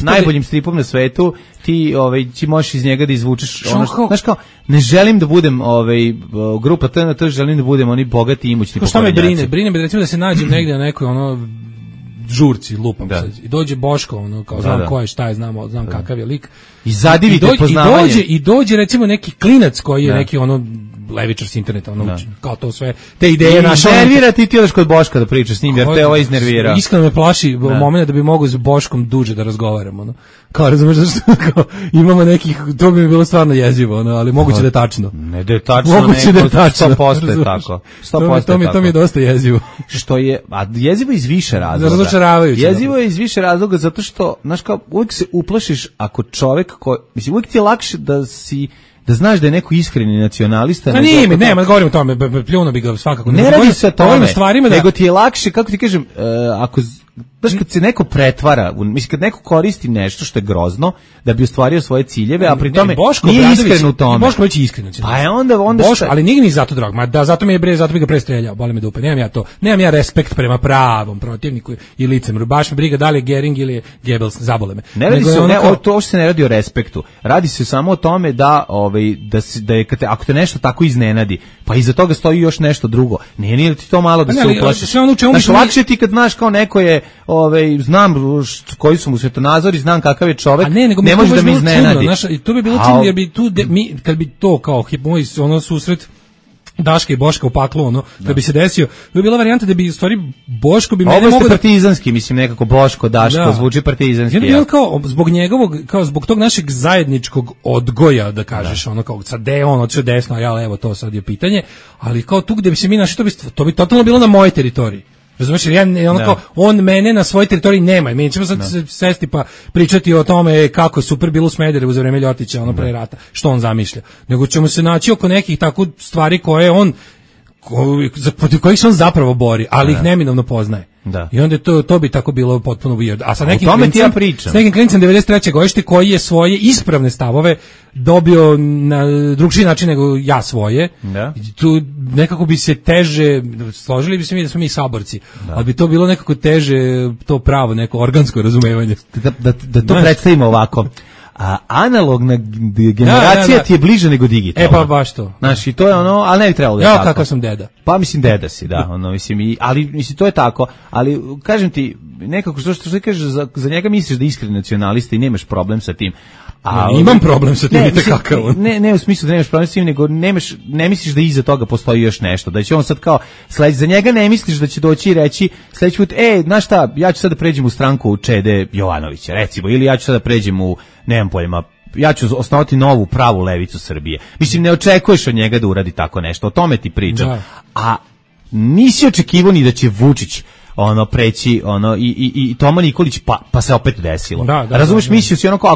E: najboljim stripom na svetu, ti možeš iz njega da izvučeš znaš kao, ne želim da budem grupa TNT, želim da budem oni bogati i imućni pokvarenjaci.
D: Šta me brine recimo da se nađem negde na nekoj žurci, lupam se. I dođe Boško, kao znam ko je, šta je, znam kakav je lik.
E: I zadivite poznavanje.
D: I dođe recimo neki klinac koji je neki levičar s interneta, kao to sve, te ideje naše.
E: Nervira ti odeš kod Boška da pričaš s njim, jer te ovo iznervira.
D: Iskreno me plaši moment da bi mogao s Boškom duže da razgovaramo. Kao, razumeš, imamo nekih, to bi mi bilo stvarno jezivo, ali moguće da je tačno.
E: Ne da je tačno, moguće da je tačno. 100% je tako. 100%
D: to mi je dosta jezivo.
E: Što je, a jezivo iz više razloga.
D: Razočaravajuće.
E: Jezivo je iz više razloga zato što, znaš kao, uvijek se uplašiš ako čovek mislim, uvijek ti je lakše da znaš da je neko iskreni nacionalista.
D: Ne, govorim o tome, pljuno bi ga svakako.
E: Ne radi se o tome, nego ti je lakše, kako ti kažem, ako... Znaš, kad se neko pretvara, mislim, kad neko koristi nešto što je grozno da bi ostvario svoje ciljeve, a pri tome nije iskren u tome.
D: Boško već je iskren.
E: Pa je onda
D: Boško, ali nije ni zato drag, zato bi ga prestreljao, boli me dupe. Nemam ja respekt prema pravom protivniku i licemru. Baš me briga da li je Gering ili je Goebbels, zabole me.
E: Ne radi se, to se ne radi o respektu. Radi se samo o tome da je ako te nešto tako iznenadi, pa iza toga stoji još nešto drugo. Nije ti to malo da se uplašiš. Znaš, lakše ti kad znaš kao neko je znam koji su mu svetonazori, znam kakav je čovek, ne može da me iznenadi.
D: To bi bilo čudno, jer bi tu, kad bi to kao moj susret Daška i Boška u paklu, da bi se desio, bi bila varijanta da bi u stvari Boško bi mene mogao... Ovo
E: ste partizanski, mislim, nekako Boško, Daško, zvuči partizanski.
D: Ja kao zbog njegovog, kao zbog tog našeg zajedničkog odgoja, da kažeš, kao sad gde je on odšao desno, a ja levo, to sad je pitanje, ali kao tu gde bi se mi našli, to bi totalno bilo na mojoj teritoriji. Razumiješ, on mene na svojoj teritoriji nema. Mi ćemo sad sesti pa pričati o tome kako je super bilo u Smederevu za vreme Ljotića, pre rata, što on zamišlja. Nego ćemo se naći oko nekih tako stvari koje on, protiv kojih se on zapravo bori, ali ih neminovno poznaje.
E: Da.
D: I onda to bi tako bilo potpuno weird. A sa nekim
E: klincem,
D: s nekim klincem 93. godište koji je svoje ispravne stavove dobio na drugčiji način nego ja svoje.
E: Da.
D: Tu nekako bi se teže, složili bi se mi da smo mi saborci, ali bi to bilo nekako teže, to pravo, neko organsko razumevanje.
E: Da to predstavimo ovako. A analogna generacija ti je bliže nego digitalna.
D: Pa baš to.
E: Znaš, i to je ono, ali ne bi trebalo da je
D: tako.
E: Ja
D: kakav sam deda.
E: Pa mislim deda si, da, ono, mislim, ali mislim, to je tako, ali kažem ti, nekako što ti kažeš, za njega misliš da je iskren nacionalista i nemaš problem sa tim.
D: Imam problem sa tim,
E: ne u smislu da nemaš problem sa tim, nego ne misliš da iza toga postoji još nešto, da će on sad kao za njega ne misliš da će doći i reći sledeći put, znaš šta, ja ću sad da pređem u stranku Čede Jovanovića, recimo, ili ja ću sad da pređem u, nemam pojma, ja ću osnovati novu pravu levicu Srbije. Mislim, ne očekuješ od njega da uradi tako nešto, o tome ti pričam. Da. A nisi očekivao ni da će Vučić preći i Toma Nikolić pa se opet desilo. Razumeš, mislio si kao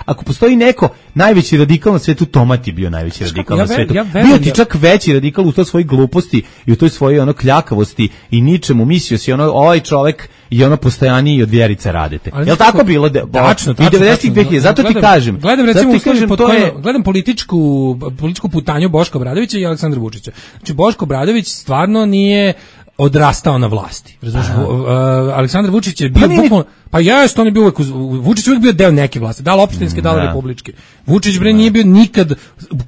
E: ako postoji neko najveći radikal na svetu, Toma ti bio najveći radikal na svetu. Bio ti čak veći radikal u toj svojoj gluposti i u toj svojoj kljakavosti i ničemu, mislio si ovaj čovek i postojaniji od Vjerice Radete. Jel tako bilo?
D: Tačno.
E: I 90-ih 2000, zato ti kažem.
D: Gledam političku putanju Boška Obradovića i Aleksandra Vučića. Znači, Boško Obradović stvarno nije odrastao na vlasti. Razumiješ? Aleksandar Vučić je bio bukvalno, pa on je bio uvek, Vučić uvek bio deo neke vlasti, da li opštinske, da li republičke. Vučić nije bio nikad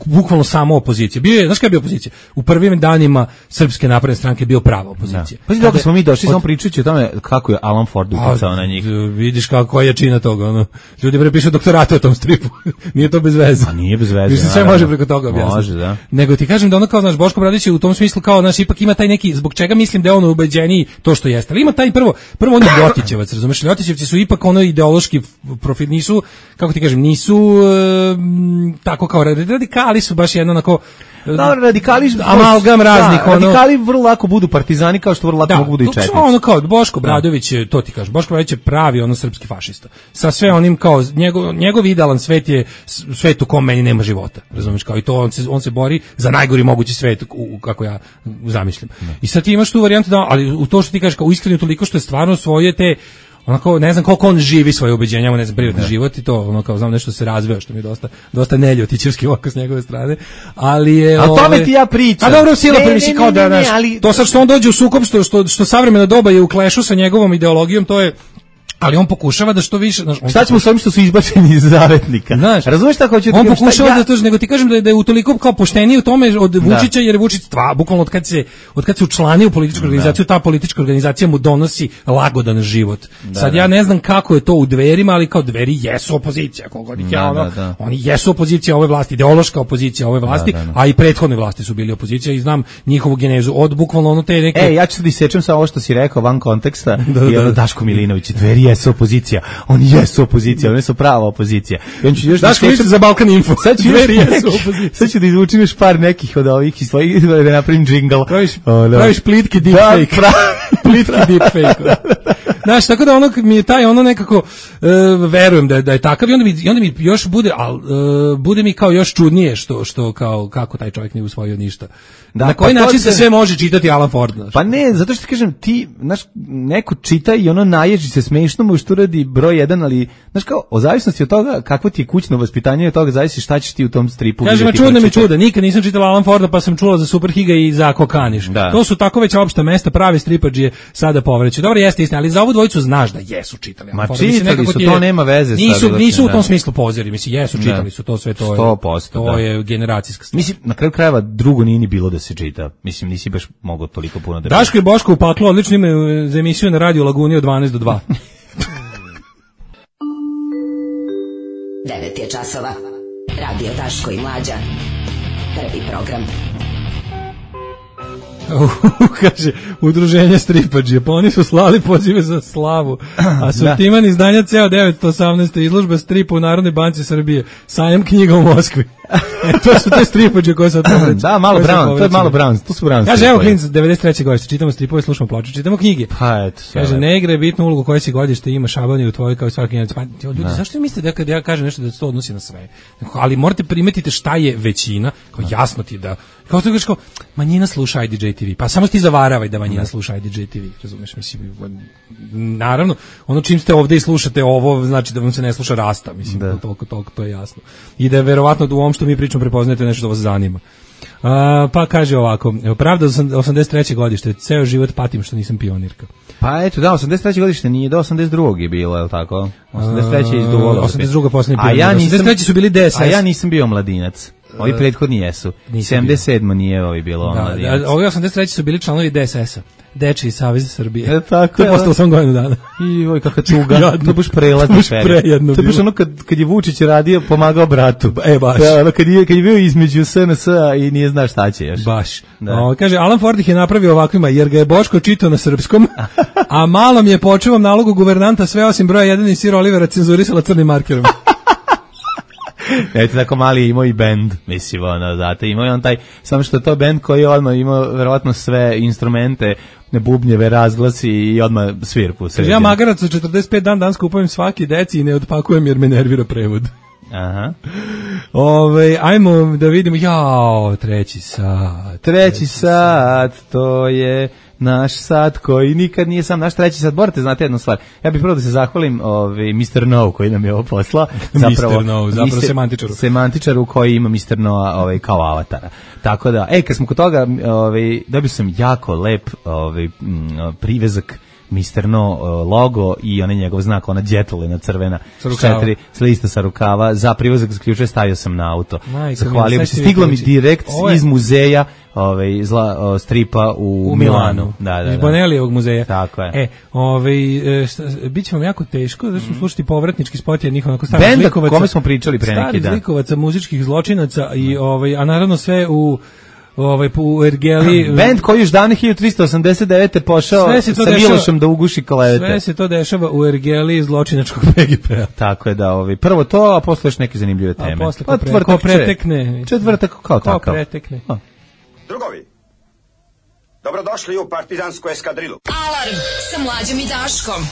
D: bukvalno samo opozicija. Bio je, znaš kada je bio opozicija? U prvim danima Srpske napredne stranke bio prava opozicija.
E: Pa dok smo mi došli, samo pričajući o tome kako je Alan Ford uticao na njih.
D: Vidiš kako je jačina toga. Ljudi pišu doktorate o tom stripu. Nije to bez veze.
E: A nije bez veze.
D: Sve može preko toga objasniti.
E: Može, da.
D: Nego ti kažem da kao, Boško Obradović u tom smislu kao, ipak ima taj neki, zbog čega mislim da je on ubeđeniji to što jeste. Ali ima taj prvo on je Ljotićevac, razumeš? Ljotićevci su ipak ideološki profil, nisu, kako ti kažem, nisu tako kao radikali, su baš jedno onako
E: radikali
D: amalgam raznih.
E: Radikali vrlo lako budu partizani, kao što vrlo lako mogu budu i četnici.
D: Kao Boško Obradović, to ti kažem, Boško Obradović je pravi srpski fašista. Sa sve onim kao njegov idealan svet je svet u kom meni nema života. Razumeš, kao i to on se bori za najgori mogući svet kako ja zamišljam. I sad ti imaš tu varijantu ali u to što ti kažeš kao iskreno toliko što je stvarno svoje te onako, ne znam koliko on živi svoje ubeđenja, ne znam, privatni život i to, kao znam nešto se razveo, što mi je dosta neljotićevski ovako s njegove strane, ali je...
E: A tome ti ja pričam.
D: A dobro, sila premisi kao da, znaš, to sad što on dođe u sukob, što savremeno doba je u klešu sa njegovom ideologijom, to je... Ali on pokušava da što više...
E: Šta ćemo s ovim što su izbačeni iz zavetnika?
D: Znaš,
E: razumeš šta hoće?
D: On pokušava da to, nego ti kažem da je utoliko kao pošteniji u tome od Vučića, jer Vučić bukvalno od kad se učlani u političku organizaciju, ta politička organizacija mu donosi lagodan život. Sad ja ne znam kako je to u Dverima, ali kao Dveri jesu opozicija, kogod ih oni jesu opozicija ove vlasti, ideološka opozicija ove vlasti, a i prethodne vlasti su bili opozicija i znam njihovu genezu od bukvalno te neke...
E: ja ću sad isečem sa ovo što si rekao van konteksta i Daško Milinović, Dveri jesu opozicija, oni jesu opozicija, oni su prava opozicija. I on će još
D: Daško Milinović za Balkan Info.
E: Sad ću da izvučim još par nekih od ovih i svojih da napravim džingl.
D: Praviš plitki deepfake. Plitki deepfake. Znaš, tako da mi je taj nekako verujem da je takav i onda mi još bude, bude mi kao još čudnije što kao kako taj čovjek nije usvojio ništa. Na koji način se sve može čitati Alan Ford?
E: Pa ne, zato što ti kažem, ti, znaš, neko čita i naježi se smešno mu što radi broj 1, ali, znaš kao, o zavisnosti od toga kakvo ti je kućno vaspitanje, od toga zavisi šta ćeš ti u tom stripu.
D: Kažem, čuda, nikad nisam čitala Alan Forda, pa sam čula za Superhiga i za Kokaniš. To su tako već opšta mesta, pravi stripađije sada povreću. Dobro, jeste istina, ali za ovu dvojicu znaš da jesu čitali Alan Forda.
E: Ma čitali su, to nema veze.
D: Nisu u tom smislu pozeri, mislim, jesu čitali su to sve, to je
E: 100%,
D: to je generacijska stvar.
E: Mislim, na kraju krajeva drugo nije ni bilo da se čita. Mislim, nisi baš mogao toliko puno da...
D: Daško i Boško u paklu, odlično imaju za emisiju na Radio Laguni od 12 do 2.
H: 9 je časova. Radio Daško i Mlađa. Prvi program.
D: Kaže, udruženje stripađije, pa oni su slali pozive za slavu, a sortiman izdanja ceo 918. izložba stripa u Narodnoj banci Srbije, sajam knjiga u Moskvi. To su te stripađe koje sad povreći.
E: Da, malo Brown, to je malo Brown, to su Brown.
D: Kaže, evo klinac, 93. godište, čitamo stripove, slušamo ploče, čitamo knjige.
E: Pa eto.
D: Kaže, ne igra je bitnu ulogu koje si godište, ima šabanje u tvojoj kao i svaki njemac. Pa ljudi, zašto mislite da kad ja kažem nešto da se to odnosi na sve? Ali morate primetiti šta je većina, kao jasno ti da Kao što kažeš kao, manjina sluša IDJ TV, pa samo ti zavaravaj da manjina sluša IDJ TV, razumeš, mislim, naravno, ono čim ste ovde i slušate ovo, znači da vam se ne sluša Rasta, mislim, toliko, to je jasno. I da je verovatno da u ovom što mi pričamo prepoznajete nešto što vas zanima. Pa kaže ovako, pravda 83. godište, ceo život patim što nisam pionirka.
E: Pa eto, da, 83. godište nije, do 82. je bilo, je li tako? 83. je izduvalo.
D: 82. posljednji pionir. 83. su bili DSS.
E: A ja nisam bio mladinac. Ovi prethodni jesu. 77. nije ovi bilo mladinac.
D: Ovi 83. su bili članovi DSS-a. Dečiji savez Srbije.
E: Tako,
D: to je postalo sam godinu dana.
E: I oj, kakva tuga. To je baš prelazni period. To je baš ono kad je Vučić radio, pomagao bratu.
D: Baš.
E: Ono kad je bio između SNS-a i nije zna šta će još.
D: Baš. Kaže, Alan Ford ih je napravio ovakvima, jer ga je Boško čitao na srpskom, a malom je po očevom nalogu guvernanta sve osim broja 1 i Sir Olivera cenzurisala crnim markerom.
E: Eto, tako mali je imao i bend, mislim, ono, zato imao je on taj, samo što je to bend koji je odmah imao verovatno sve instrumente, bubnjeve, razglasi i odmah svirku.
D: Ja magarac od 45 dan skupujem svaki deci i ne otpakujem jer me nervira prevod.
E: Aha.
D: Ajmo da vidimo, treći sat, to je naš sat koji nikad nije sam naš treći sat. Morate znate jednu stvar. Ja bih prvo da se zahvalim Mr. No koji nam je ovo poslao. Zapravo semantičaru.
E: Semantičaru koji ima Mr. No kao avatara. Tako da, kad smo kod toga, dobio sam jako lep privezak Mr. No logo i onaj njegov znak, ona djetlina crvena, 4 lista sa rukava, za privezak zaključuje, stavio sam na auto. Zahvalio bi se, stiglo mi direkt iz muzeja stripa u Milanu.
D: Iz Bonelijevog muzeja.
E: Tako je.
D: Bit će vam jako teško, zato ćemo slušati povratnički spot jednih onako starih zlikovaca.
E: Benda kome smo pričali pre neki dan.
D: Starih zlikovaca, muzičkih zločinaca, a naravno sve u Ergeli.
E: Bend koji još davne 1389. pošao sa Milošem da uguši klevete.
D: Sve se to dešava u Ergeli zločinačkog PGP-a.
E: Tako je da, prvo to, a posle još neke zanimljive teme.
D: A posle ko pretekne.
E: Četvrtak kao takav.
D: Ko pretekne.
K: Drugovi, dobrodošli u partizansku eskadrilu.
A: Alarm sa Mlađom i Daškom.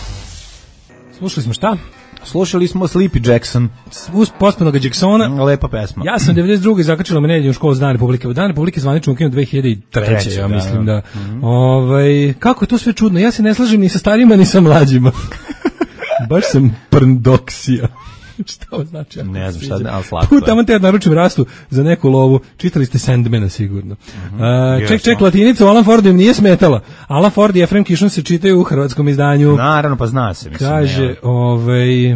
D: Slušali smo šta?
E: Slušali smo Sleepy Jackson.
D: Uz pospanog Jacksona.
E: Lepa pesma.
D: Ja sam 92. zakačila me nedelju u školu za Dan Republike. U Dan Republike zvanično ukinuo 2003. Ja mislim da. Kako je to sve čudno? Ja se ne slažem ni sa starijima ni sa mlađima. Baš sam prndoksija. Šta ovo znači?
E: Ne znam šta, ali slatko je.
D: Tamo te naručim rastu za neku lovu. Čitali ste Sandmana sigurno. Ček, latinica u Alan Fordu im nije smetala. Alan Ford i Efrem Kišon se čitaju u hrvatskom izdanju.
E: Naravno, pa zna se. Mislim,
D: kaže,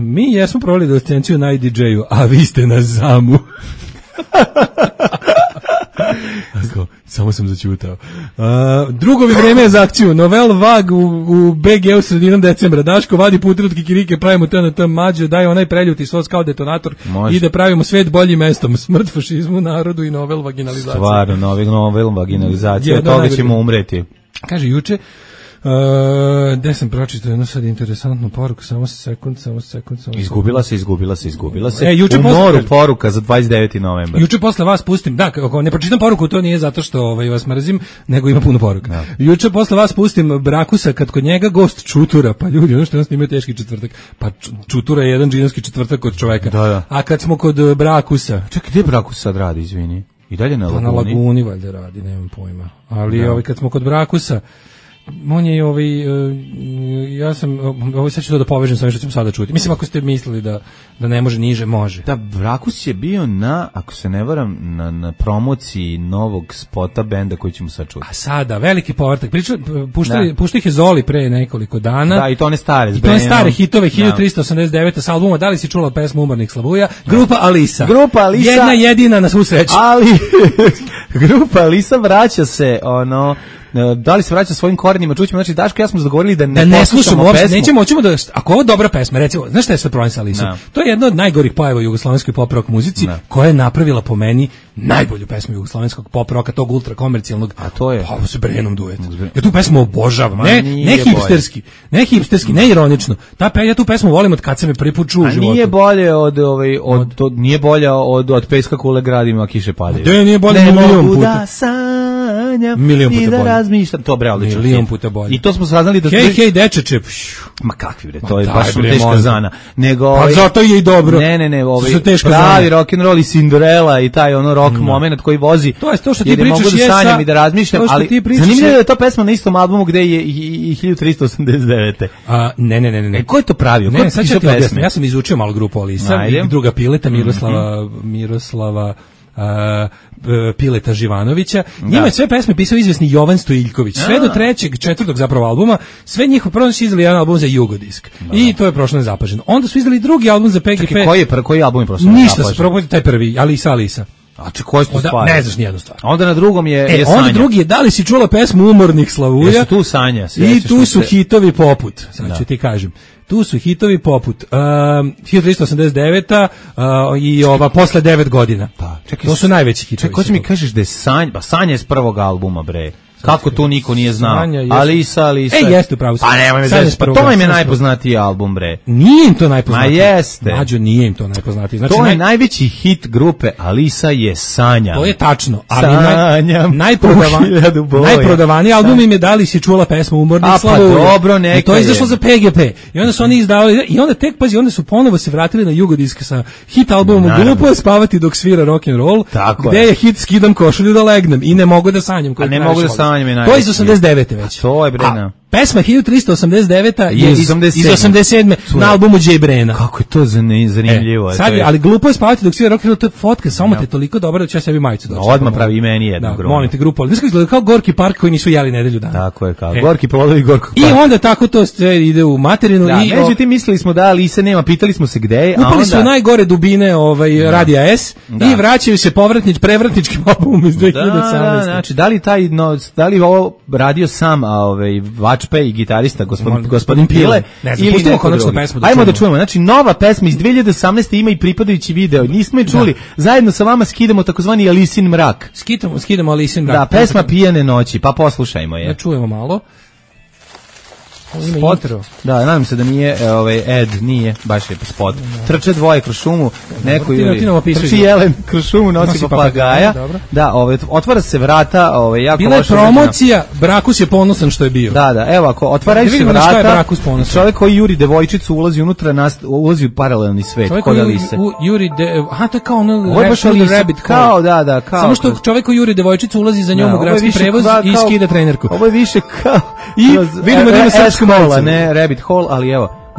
D: mi jesmo provali adolescenciju na IDJ-u, a vi ste na ZAMU. Samo sam začutao. Drugovi vreme je za akciju. Novel Vag u BG-u sredinom decembra. Daško vadi puter od kikirike, pravimo TNT mađe, daje onaj preljuti sos kao detonator. Može.Ide pravimo svet boljim mestom. Smrt fašizmu, narodu i novel vaginalizacija.
E: Stvarno, novel vaginalizacija. Od toga ćemo umreti.
D: Kaže, juče gde sam pročitao jednu sad interesantnu poruku, samo sekund.
E: Izgubila se. U moru poruka za 29. novembar.
D: Juče posle vas pustim, ako ne pročitam poruku, to nije zato što vas mrzim, nego ima puno poruka. Da. Juče posle vas pustim Brakusa, kad kod njega gost Čutura, pa ljudi, ono što nas snimaju teški četvrtak, pa Čutura je jedan džinovski četvrtak kod čoveka. Da. A kad smo kod Brakusa...
E: Čekaj, gde Brakus sad radi, izvini? I dalje na Laguni?
D: Na Laguni valjda radi, nemam pojma. Ali kad smo kod Brakusa, on je ja sam sad ću to da povežem sa ovim što ćemo sada čuti. Mislim, ako ste mislili da ne može niže, može.
E: Da, Brakus je bio ako se ne varam, na promociji novog spota benda koji ćemo sad čuti.
D: A sada, veliki povratak. Puštao ih je Zoli pre nekoliko dana.
E: Da, i to one stare.
D: I to one stare hitove, 1389. sa albuma. Da li si čula pesmu Umornih slavuja? Grupa Alisa. Jedna jedina na svu sreću.
E: Ali, grupa Alisa vraća se, da li se vraća svojim korenima, čućemo, znači Daško ja smo se dogovorili da ne slušamo pesmu.
D: Hoćemo da, ako ovo je dobra pesma, recimo, znaš šta je sve problem sa Alisom? To je jedna od najgorih pojava u jugoslovenskoj pop rock muzici, koja je napravila po meni najbolju pesmu jugoslovenskog pop rocka, tog ultra komercijalnog.
E: A to je?
D: Pa, sa Brenom duet. Ja tu pesmu obožavam, ne hipsterski, ne ironično. Ja tu pesmu volim od kad se me prvi put čuo u životu.
E: Nije bolje nije bolja od Peska kule gradima, kiše padaju.
D: Nije bolje
E: ne
D: milion
E: puta.
D: Da
E: sanjam i da razmišljam. To bre, odlično.
D: Milion puta bolje.
E: I to smo saznali da...
D: Hej, dečeče.
E: Ma kakvi bre, to je baš teška zana. Nego,
D: pa zato je i dobro.
E: Ne, pravi rock'n'roll i Cinderella i taj ono rock moment koji vozi.
D: To je to što ti pričaš,
E: mogu da sanjam i da razmišljam, ali zanimljivo je da je to pesma na istom albumu gde je i 1389.
D: Ne.
E: Ko je to pravio?
D: Ne, sad ću ti objasniti. Ja sam izučio malo grupu Alisa i druga Pileta, Miroslava Pileta Živanovića. Njima je sve pesme pisao izvesni Jovan Stojiljković. Sve do 3., 4. zapravo albuma, sve njihov prvo su izdali jedan album za Jugodisk. I to je prošlo nezapaženo. Onda su izdali drugi album za PGP.
E: Čekaj, koji album je prošlo nezapaženo?
D: Ništa, prvo taj prvi, Alisa.
E: A koji su stvari?
D: Ne znaš nijednu stvar.
E: Onda na drugom je Sanja.
D: Onda drugi je, da li si čula pesmu Umornih Slavuja?
E: Jesu tu Sanja?
D: I tu su hitovi poput, sad ću ti kažem. Tu su hitovi poput 1389 i ova posle 9 godina. To su najveći hitovi.
E: Čekaj, hoće mi kažeš da je Sanja iz prvog albuma, bre. Kako to niko nije znao? Alisa.
D: Jeste upravo.
E: Pa nemoj me zezati, pa to im je najpoznatiji album, bre.
D: Nije im to najpoznatiji.
E: Ma jeste.
D: Mađo, nije im to najpoznatiji. Znači,
E: to je najveći hit grupe Alisa je Sanja.
D: To je tačno, ali najprodavaniji album im je Da li si čula pesmu Umornih Slavuja.
E: Pa dobro, neka
D: i to je izašlo za PGP. I onda su oni izdavali, i onda tek, pazi, onda su ponovo se vratili na Jugodisk sa hit albumom Glupo je spavati dok svira rock'n'roll, gde je hit Skidam košulju da legnem i Ne mogu da sanjam.
E: A ne mogu da sanjam.
D: To je iz 89. već.
E: To je Brena.
D: Pesma 1389 je iz 87. na albumu Jay Brena.
E: Kako je to zanimljivo.
D: Sad ali Glupo je spavati dok svira rock'n'roll, to je fotka, samo te toliko dobra da ću ja sebi majicu doći.
E: Odmah pravi i meni jednu grupu.
D: Molim te grupu, ali izgleda kao Gorki park koji nisu jeli nedelju dana.
E: Tako je, kao Gorki plodovi Gorkog parka.
D: I onda tako to sve ide u materinu.
E: Međutim, mislili smo da Alise nema, pitali smo se gde je.
D: Upali su najgore dubine Radija S i vraćaju se prevratničkim albumom iz 2018.
E: Znači, da li ovo radio sam Vačpe i gitarista gospodin Pile,
D: ili pustimo konačno pesmu.
E: Ajmo da čujemo. Znači, nova pesma iz 2018. ima i pripadajući video. Nismo je čuli. Zajedno sa vama skidamo takozvani Alisin mrak.
D: Skidamo Alisin mrak.
E: Da, pesma Pijane noći, pa poslušajmo je.
D: Da čujemo malo.
E: Spot. Da, nadam se da nije nije, baš je spot. Trče dvoje kroz šumu, neko trči jelen kroz šumu, nosi papagaja. Da, otvara se vrata,
D: bila je promocija, Brakus je ponosan što je bio.
E: Da, evo, ako otvaraju se vrata, čovjek koji juri devojčicu ulazi unutra, ulazi u paralelni svet.
D: Čovjek koji juri, to je kao ono rabbit
E: hole. Da, kao.
D: Samo što čovjek koji juri devojčicu ulazi za njom u gradski prevoz i skida trenerku.
E: Ovo je više kao
D: i vidimo da ima srpsku
E: Hole, ne Rabbit Hole, ali evo,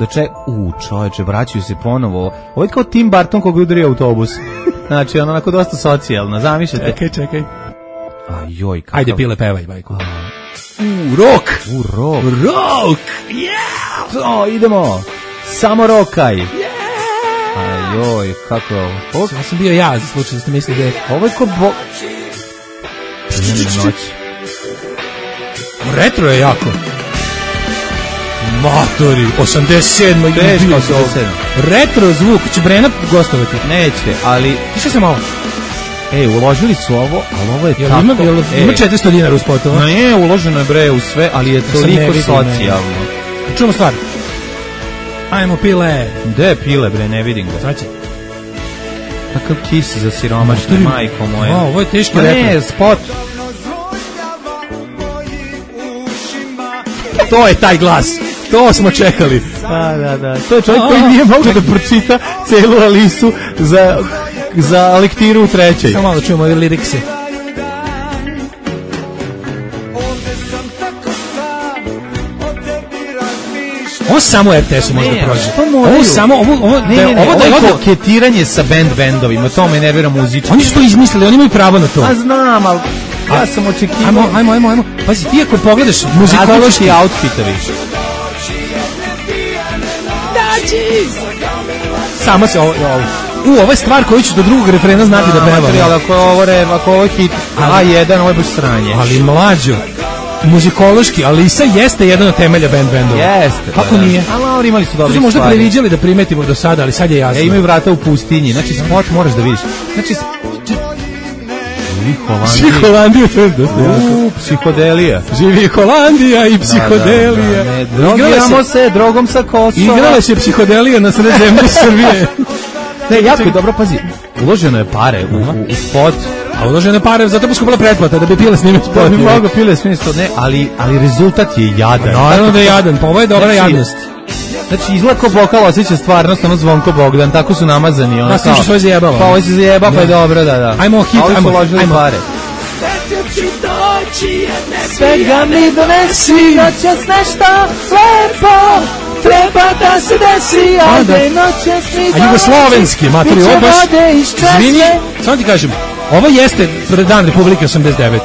E: čoveče, vraćaju se ponovo. Ovo je kao Tim Burton koga udari autobus. Znači, onako dosta socijalno, zamišljate.
D: Čekaj.
E: Ajoj, kakav.
D: Ajde, Pile, pevaj, bajko. Rock!
E: Yeah! Idemo! Samo rokaj! Yeah! Ajoj, kako je ovo?
D: Ja sam bio za slučaj da ste mislili da je...
E: Ovo je ko noć.
D: Retro je jako. Matori, 87.
E: Teško, 87.
D: Retro zvuk, će Brena gostovati?
E: Neće, ali...
D: Tiša se malo.
E: Uložili su ovo, ali ovo je tako...
D: Ima 400 dinara u spotu?
E: Ne, uloženo je bre u sve, ali je toliko socijalno.
D: Čujemo stvar. Ajmo, Pile.
E: Gde je Pile, bre, ne vidim ga.
D: Sad će.
E: Kakav kis za siromašne, majko moje.
D: Ovo je teški retro.
E: Ne, spot.
D: To je taj glas. To smo čekali.
E: Da. To je čovjek koji nije mogao da pročita celu Alisu za lektiru u 3.
D: Samo malo čujemo ove lirikse. Ovo samo RTS-u možda prođe. Ovo samo, ovo
E: je koketiranje sa band-bendovima, to me nervira muzički.
D: Oni su to izmislili, oni imaju pravo na to.
E: A znam, ali ja sam očekivao.
D: Ajmo. Pazi, ti ako pogledaš muzikološki
E: outfitovi.
D: Samo se ovo je stvar koju ću do drugog refrena znati da pevam.
E: Ako ovo je hit A1, ovo je baš sranje.
D: Ali mlađo, muzikološki, Alisa jeste jedan od temelja band-bendova.
E: Jeste.
D: Kako nije?
E: Ali imali su dobri stvari.
D: Možda previđali da primetimo do sada, ali sad je jasno.
E: Imaju vrata u pustinji, znači spot moraš da vidiš. Znači,
D: Živi Holandija, to je dosta jako.
E: Psihodelija.
D: Živi Holandija i psihodelija.
E: Drogiramo se drogom sa Kosova.
D: Igrala se psihodelija na sred zemlje Srbije.
E: Ne, jako je dobro, pazi. uloženo je pare u spot.
D: A uložene pare, zato bi skupila pretplata, da bi pile snimio spot.
E: Da bi mogo pile snimio spot, ne, ali rezultat je jadan.
D: Naravno da je jadan, pa ovo je dobra jadnost.
E: Znači, izgleda ko Bokal osjeća stvarnost, ono Zvonko Bogdan, tako su namazani.
D: Da, s tim što svoje zajebava.
E: Pa ovo se zajeba, pa je dobro, da.
D: Ajmo hit,
E: ajmo pare.
L: Svega mi donesi, noćas nešto lepo, treba da se desi, ajde noćas mi
D: a jugoslovenski, materi, ovo baš, izvini, samo ti kažem, ovo jeste Dan Republike 89.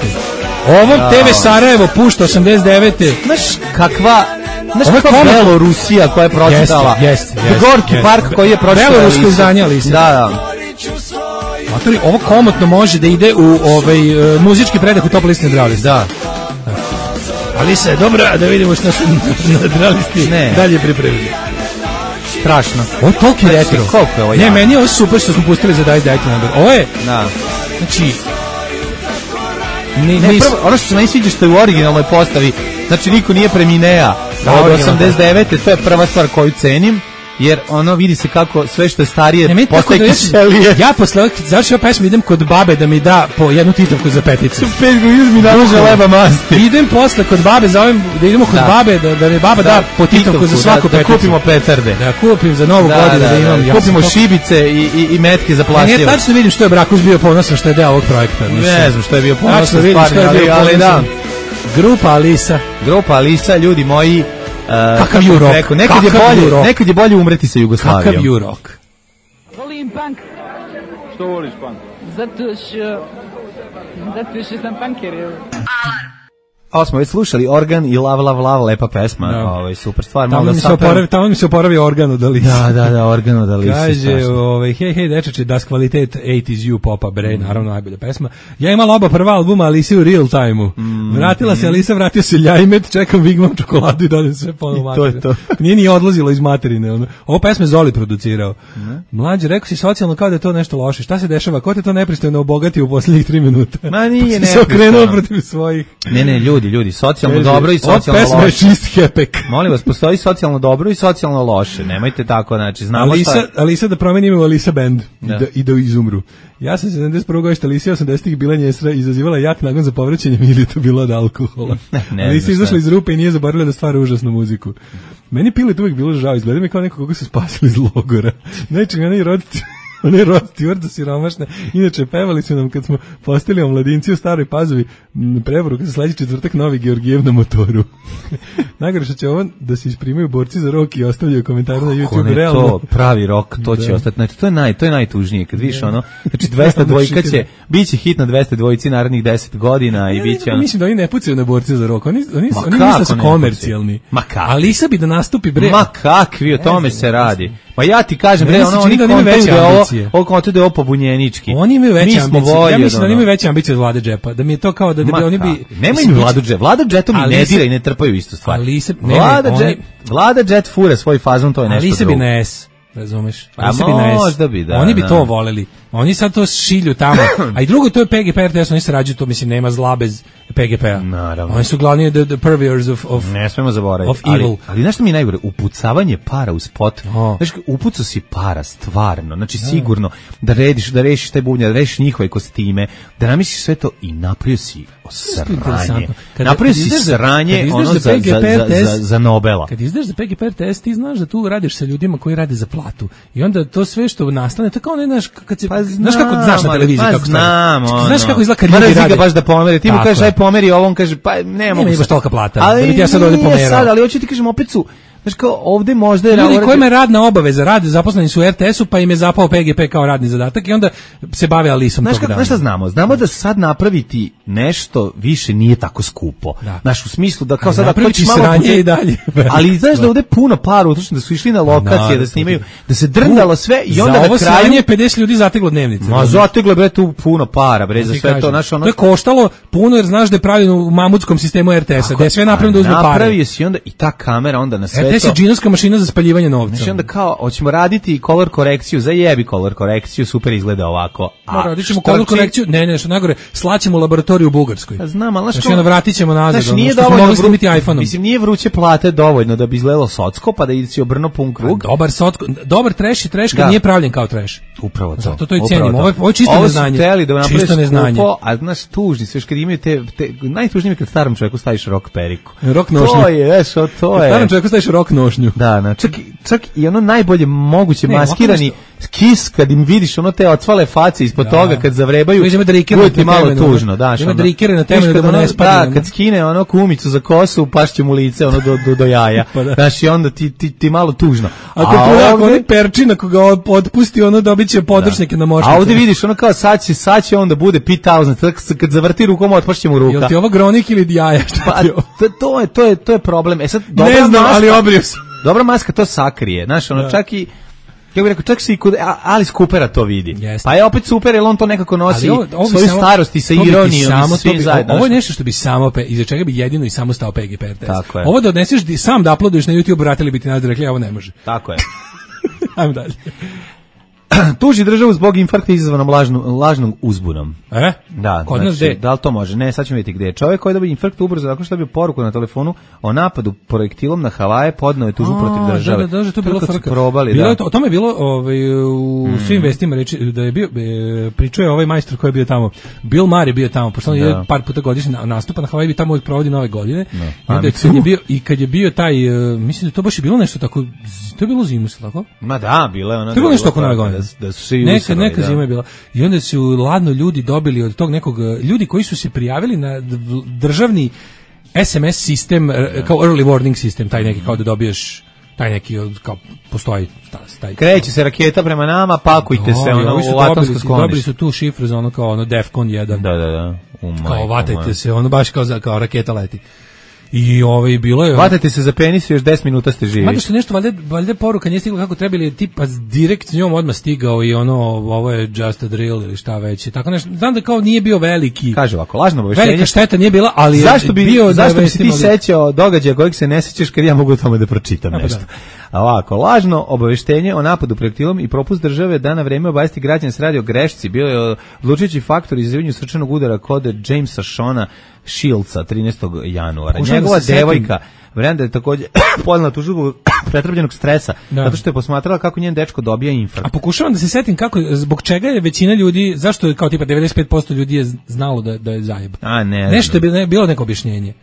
D: Ovo TV Sarajevo pušta 89.
E: Znaš kakva Belorusija koja je pročitala. Gorki park koji je pročitala.
D: Belorusko izdanje Alisa.
E: Da.
D: Matori, ovo komotno može da ide u muzički predah u Top listi Nadralisti.
E: Da.
D: Alisa je dobra, da vidimo što su Nadralisti dalje pripremili.
E: Strašno.
D: Ovo je toliki retro.
E: Koliko je ovo
D: ne, meni je ovo super što smo pustili za Dajte Number. Ovo je, znači,
E: ono što se meni sviđa što je u originalnoj postavi, znači niko nije Preminea od 89. To je prva stvar koju cenim, jer ono vidi se kako sve što je starije postaje kiselije.
D: Ja posle završio pesmu idem kod babe da mi da po jednu titavku za peticu.
E: 5 godina mi nalože leba masti.
D: Idem posle kod babe, zovem da idemo kod babe da mi baba da po titavku za svaku peticu.
E: Da kupimo petarde.
D: Da kupim za novu godinu da imam.
E: Kupimo šibice i metke za plastivo.
D: Ne, tačno vidim što je Brakus bio ponosan što je deo ovog projekta.
E: Ne znam što je bio ponosan,
D: ali da. Grupa Alisa,
E: ljudi moji.
D: Kakav ju rock.
E: Nekad je bolje umreti sa Jugoslavijom.
D: Kakav ju rock.
M: Volim punk.
N: Što voliš punk?
M: Zato što sam punker.
E: Alarm. Ovo smo već slušali Organ i Lav, lepa pesma, super stvar.
D: Tamo mi se oporavio Organ od Alisa.
E: Da, Organ od Alisa.
D: Kaže, hej, dečači, Das kvalitet 80's You Popa Bre, naravno najbolja pesma. Ja imala oba prva albuma Alisa u real time-u. Vratila se Alisa, vratio se Ljajmet, čekam Vigmam čokoladu i dođem sve ponovno materine.
E: To.
D: Nije ni odlazilo iz materine. Ovo pesme Zoli producirao. Mlađe, rekao si socijalno kao da je to nešto loše. Šta se dešava? Ko te to nepristojno obogati u posljednjih 3 minuta?
E: Ma nije
D: se okrenuo protiv svojih.
E: Ne, ljudi, socijalno dobro i socijalno loše.
D: Pesma je čist hepek.
E: Molim vas, postoji socijalno dobro i socijalno loše. Nemojte tako, znači, znamo
D: Alisa da promeni ime u Alisa Band i da izumru. Ja sam 71. godište, Alisa 80-ih bila njesra, izazivala jak nagon za povraćanjem ili to bilo od alkohola. Alisa izašla iz rupe i nije zaboravila da stvara užasnu muziku. Meni Pilet uvijek bilo žao, izgleda mi kao neko koga su spasili iz logora. Znači, meni roditelji one Rod Stewart siromašne. Inače, pevali su nam kad smo postali omladinci u Staroj Pazovi preporuka za sledeći četvrtak Novi Georgijev na motoru. Najgore što će ovo da se isprimaju borci za rok i ostavljaju komentare na YouTube. Realno.
E: To pravi rok, to će ostati. Znači, to je najtužnije kad vidiš ono. Znači 202 će biće hit na 202 narednih 10 godina i biće ono.
D: Mislim da oni ne pucaju na borce za rok. Oni misle su komercijalni. Ali Isa bi da nastupi bre.
E: Ma kakvi, o tome se radi. Pa ja ti kažem, oni kontuju da je ovo pobunjenički.
D: Oni imaju veće ambicije. Ja mislim da oni imaju veće ambicije od Vlade Džepa. Da mi je to kao da bi oni bi...
E: Nema im Vladu Džep. Vlada Džetom i ne dira i ne trpaju istu stvar. Vlada Džet fure svoj fazon, to je nešto drugo.
D: Ali se bi na S, razumeš?
E: Možda bi, da.
D: Oni bi to voleli. Oni sad to šilju tamo. A i drugo, to je PGP RTS, oni sarađuju to, mislim, nema zla bez PGP-a.
E: Naravno.
D: Oni su glavni the purveyors of
E: ne smemo zaboraviti.
D: Of evil.
E: Ali znaš što mi je najgore? Upucavanje para u spot. Znaš, upucao si para, stvarno. Znači, sigurno, da rešiš taj bubnjar, da rešiš njihove kostime, da namisliš sve to i napravio si sranje. Napravio si sranje ono za Nobela.
D: Kad izdaš za PGP RTS, ti znaš da tu radiš sa ljudima koji rade za platu. I onda to sve što nastane, to kao ne znaš, kad se znaš kako znaš na televiziji kako
E: znam,
D: znaš kako izgleda kad ljudi rade.
E: Baš da pomeri, ti mu kažeš aj pomeri, on kaže pa ne mogu.
D: Ne imaš tolika plata. Da bi ti ja sad ovdje pomerao.
E: Sad, ali hoću ti kažem opet su znaš kao ovdje možda je
D: ljudi kojima je radna obaveza, zaposleni su u RTS-u pa im je zapao PGP kao radni zadatak i onda se bave Alisom tog dana.
E: Znaš šta znamo? Znamo da sad napraviti nešto više nije tako skupo. Znaš, u smislu da kao sad
D: napraviti sranje i dalje.
E: Ali znaš da ovdje puno para utrošeno, da su išli na lokacije, da snimaju, da se drndalo sve i onda na kraju...
D: Za ovo sranje 50 ljudi zateglo dnevnice.
E: Ma zateglo bre tu puno para, bre, za sve to.
D: To je koštalo puno jer znaš da je pravljeno u mamutskom sistemu RTS-a, da je sve napravljeno da uzme pare.
E: Napravio si onda i ta kamera onda na sve
D: gde si džinovska mašina za spaljivanje novca.
E: Znači onda kao, hoćemo raditi color korekciju, zajebi color korekciju, super izgleda ovako.
D: A radit ćemo color korekciju, ne, što najgore, slaćemo u laboratoriju u Bugarskoj.
E: Znam, ali
D: znači onda vratit ćemo nazad,
E: znači, nije
D: dovoljno snimiti iPhone-om.
E: Mislim, nije vruće plate dovoljno da bi izgledalo socko, pa da si obrno pun krug.
D: Dobar trash je trash kad nije pravljen kao trash.
E: Upravo to.
D: Zato to i cenimo. Ovo je čisto neznanje.
E: Čisto neznanje. A znaš, tužni, sve kad imaju te najtužnije kad starom čovjeku staviš rok periku.
D: Rok nošnju.
E: To je.
D: Starom čovjeku staviš rok nošnju.
E: Da, čak i ono najbolje moguće maskirani kis kad im vidiš ono te ocvale face ispod toga kad zavrebaju. Bude ti malo tužno, daš.
D: Ima drikere na temenu da mu ne spadne.
E: Da, kad skine ono kumicu za kosu, pašće mu lice ono do jaja. Znaš, i onda ti malo tužno.
D: Ako onaj perčin, ako ga otpusti, ono dobit će podršnjake na mošnicu.
E: A ovdje vidiš ono kao sad će onda bude 5000, kad zavrti rukom otpašće mu ruka.
D: Jel ti ovo gronik ili jaja?
E: Pa, to je problem. E sad,
D: ne znam, ali obrio sam.
E: Dobra maska to sakrije, znaš, ono čak i ja bih rekao, čak se i kod Alice Coopera to vidi. Pa je opet super, jer on to nekako nosi svoju starost i sa ironijom i svi zajedno.
D: Ovo je nešto što bi samo, iza čega bi jedino i samo stao PGP RTS. Ovo da odneseš sam da uploaduješ na YouTube, vratili bi ti nazad, rekli, ovo ne može.
E: Tako je.
D: Ajmo dalje.
E: Tuži državu zbog infarkta izazvanom lažnom uzbunom. Da,
D: kod nas gde?
E: Da li to može? Ne, sad ćemo vidjeti gde. Čovjek koji je dobio infarkt ubrzo nakon što je dobio poruku na telefonu o napadu projektilom na Havaje, podneo je tužbu protiv države.
D: Da, to je bilo frka. O tome je bilo u svim vestima reći da je bio, pričao je ovaj majstor koji je bio tamo. Bill Maher je bio tamo, pošto on je par puta godišnje nastupa na Havaji, tamo uvijek provodi nove godine. I kad je bio taj, mislim da to baš je bilo nešto tako, to je bilo zimu, tako?
E: Ma da, bilo je ono.
D: To je bilo nešto oko nove godine.
E: Da su svi
D: neka zima je bila. I onda su ladno ljudi dobili od tog nekog, ljudi koji su se prijavili na državni SMS sistem, kao early warning sistem, taj neki kao da dobiješ, taj neki kao postoji.
E: Kreće se raketa prema nama, pakujte se u atomsko sklonište.
D: Dobili su tu šifru za ono kao ono Defcon 1.
E: Da.
D: Kao vatajte se, ono baš kao raketa leti. I bilo je...
E: Vatate se za penis i još 10 minuta ste živi.
D: Mada što nešto, valjda poruka nije stigla kako treba, ili je tipa direkt s njom odmah stigao i ovo je just a drill ili šta već. Tako nešto, znam da kao nije bio veliki...
E: Kaže ovako, lažno obaveštenje.
D: Velika šteta nije bila, ali
E: zašto bi se ti sećao događaja kojeg se ne sećaš kad ja mogu o tome da pročitam nešto. A ovako, lažno obaveštenje o napadu projektilom i propust države da na vreme obavesti građane se radi o grešci bio je odlučujući faktor izazivanja srčanog udara kod Jamesa Shona Shieldsa 13. januara. Njegova devojka Brenda je također podnela tužbu pretrpljenog stresa, zato što je posmatrala kako njen dečko dobija infarkt.
D: A pokušavam da se setim zbog čega je većina ljudi, zašto je kao tipa 95% ljudi je znalo da je zajeb. Nešto je bilo neko objašnjenje.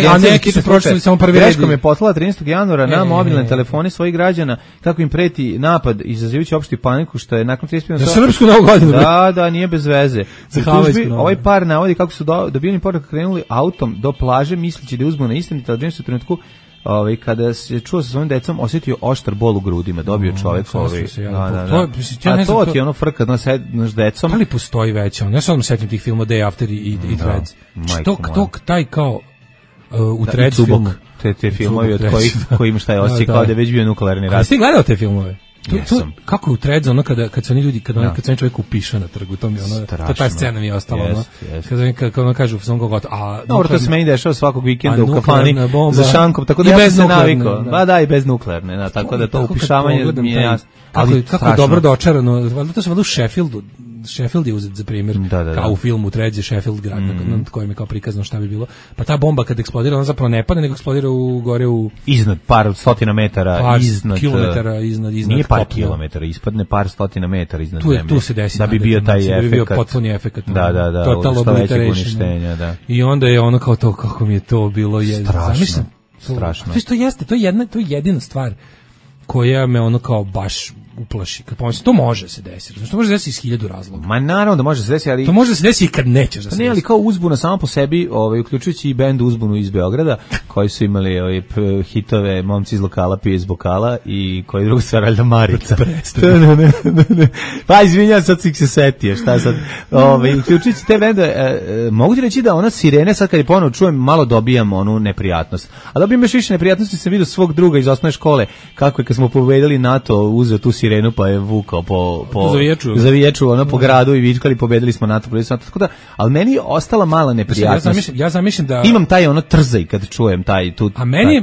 D: A neki su pročitali samo prvi red.
E: Greškom je poslala 13. januara na mobilne telefone svojih građana kako im preti napad izazivajući opštu paniku, što je nakon 35
D: za srpsku novu godinu.
E: Da, nije bez veze. Ovaj par navodi kako su dobili poruku, krenuli autom do plaže misleći da je uzbuna istinita, ali u trenutku kada se čuo sa svojim decom osjetio oštar bol u grudima, dobio čovjek to ti je ono frka naš decom.
D: Ali postoji već, ja sam setim tih filmova Day After i Threads. Taj kao u Threads filmu.
E: Te filmovi od kojim šta je osjećaj kao da je već bio nuklearni rat.
D: Jesi ti gledao te filmove? Kako u Threads, ono kad su oni ljudi, kad se oni čovjek upiše na trgu, to mi ono, ta scena mi je ostala, ono, kad ono kažu, sam ga gotovo,
E: dobro, to se meni dešava svakog vikenda u kafani za šankom, tako da ja sam se navikao, da, i bez nuklearne, tako da to upišavanje mi je jasno.
D: Kako dobro dočarano, to se valjda u Sheffieldu, Sheffield je uzet za primjer, kao u filmu Threads je Sheffield grad, nad kojim je kao prikazano šta bi bilo. Pa ta bomba kad eksplodira, ona zapravo ne pada, nego eksplodira gore u...
E: Iznad par stotina metara, iznad...
D: kilometara, iznad
E: nije par kilometara, ispadne par stotina metara iznad zemlje.
D: Tu se desi.
E: Da bi bio taj efekt. Da bi bio
D: potpuni efekt.
E: Da,
D: total
E: obliteration.
D: I onda je ono kao to, kako mi je to bilo...
E: Strašno.
D: To je jedina stvar koja me ono kao baš uplaši. Kad pomislim, to može se desiti. Znači, to može se desiti iz 1000 razloga.
E: Ma naravno da može se desiti, ali...
D: To može se desiti i kad nećeš da se
E: desi. Ne, ali kao uzbuna samo po sebi, uključujući i bend Uzbunu iz Beograda, koji su imali hitove Momci iz lokala pije iz bokala i koji drugu stvar, Alda Marica. Ne. Pa izvinjam, sad si se setio, šta sad? Uključujući te bende, mogu ti reći da ona sirene, sad kad je ponovo čujem, malo dobijam onu neprijatnost. A dobijam još više neprijatnosti, sam vidio svog druga iz osnovne škole, kako je kad smo pobedili NATO, uzeo tu sirenu pa je vukao po
D: Zaviječu
E: ono po gradu i vičkali pobedili smo NATO, tako da, ali meni je ostala mala neprijatnost.
D: Ja zamišljam da
E: imam taj ono trzaj kad čujem taj tu.
D: A meni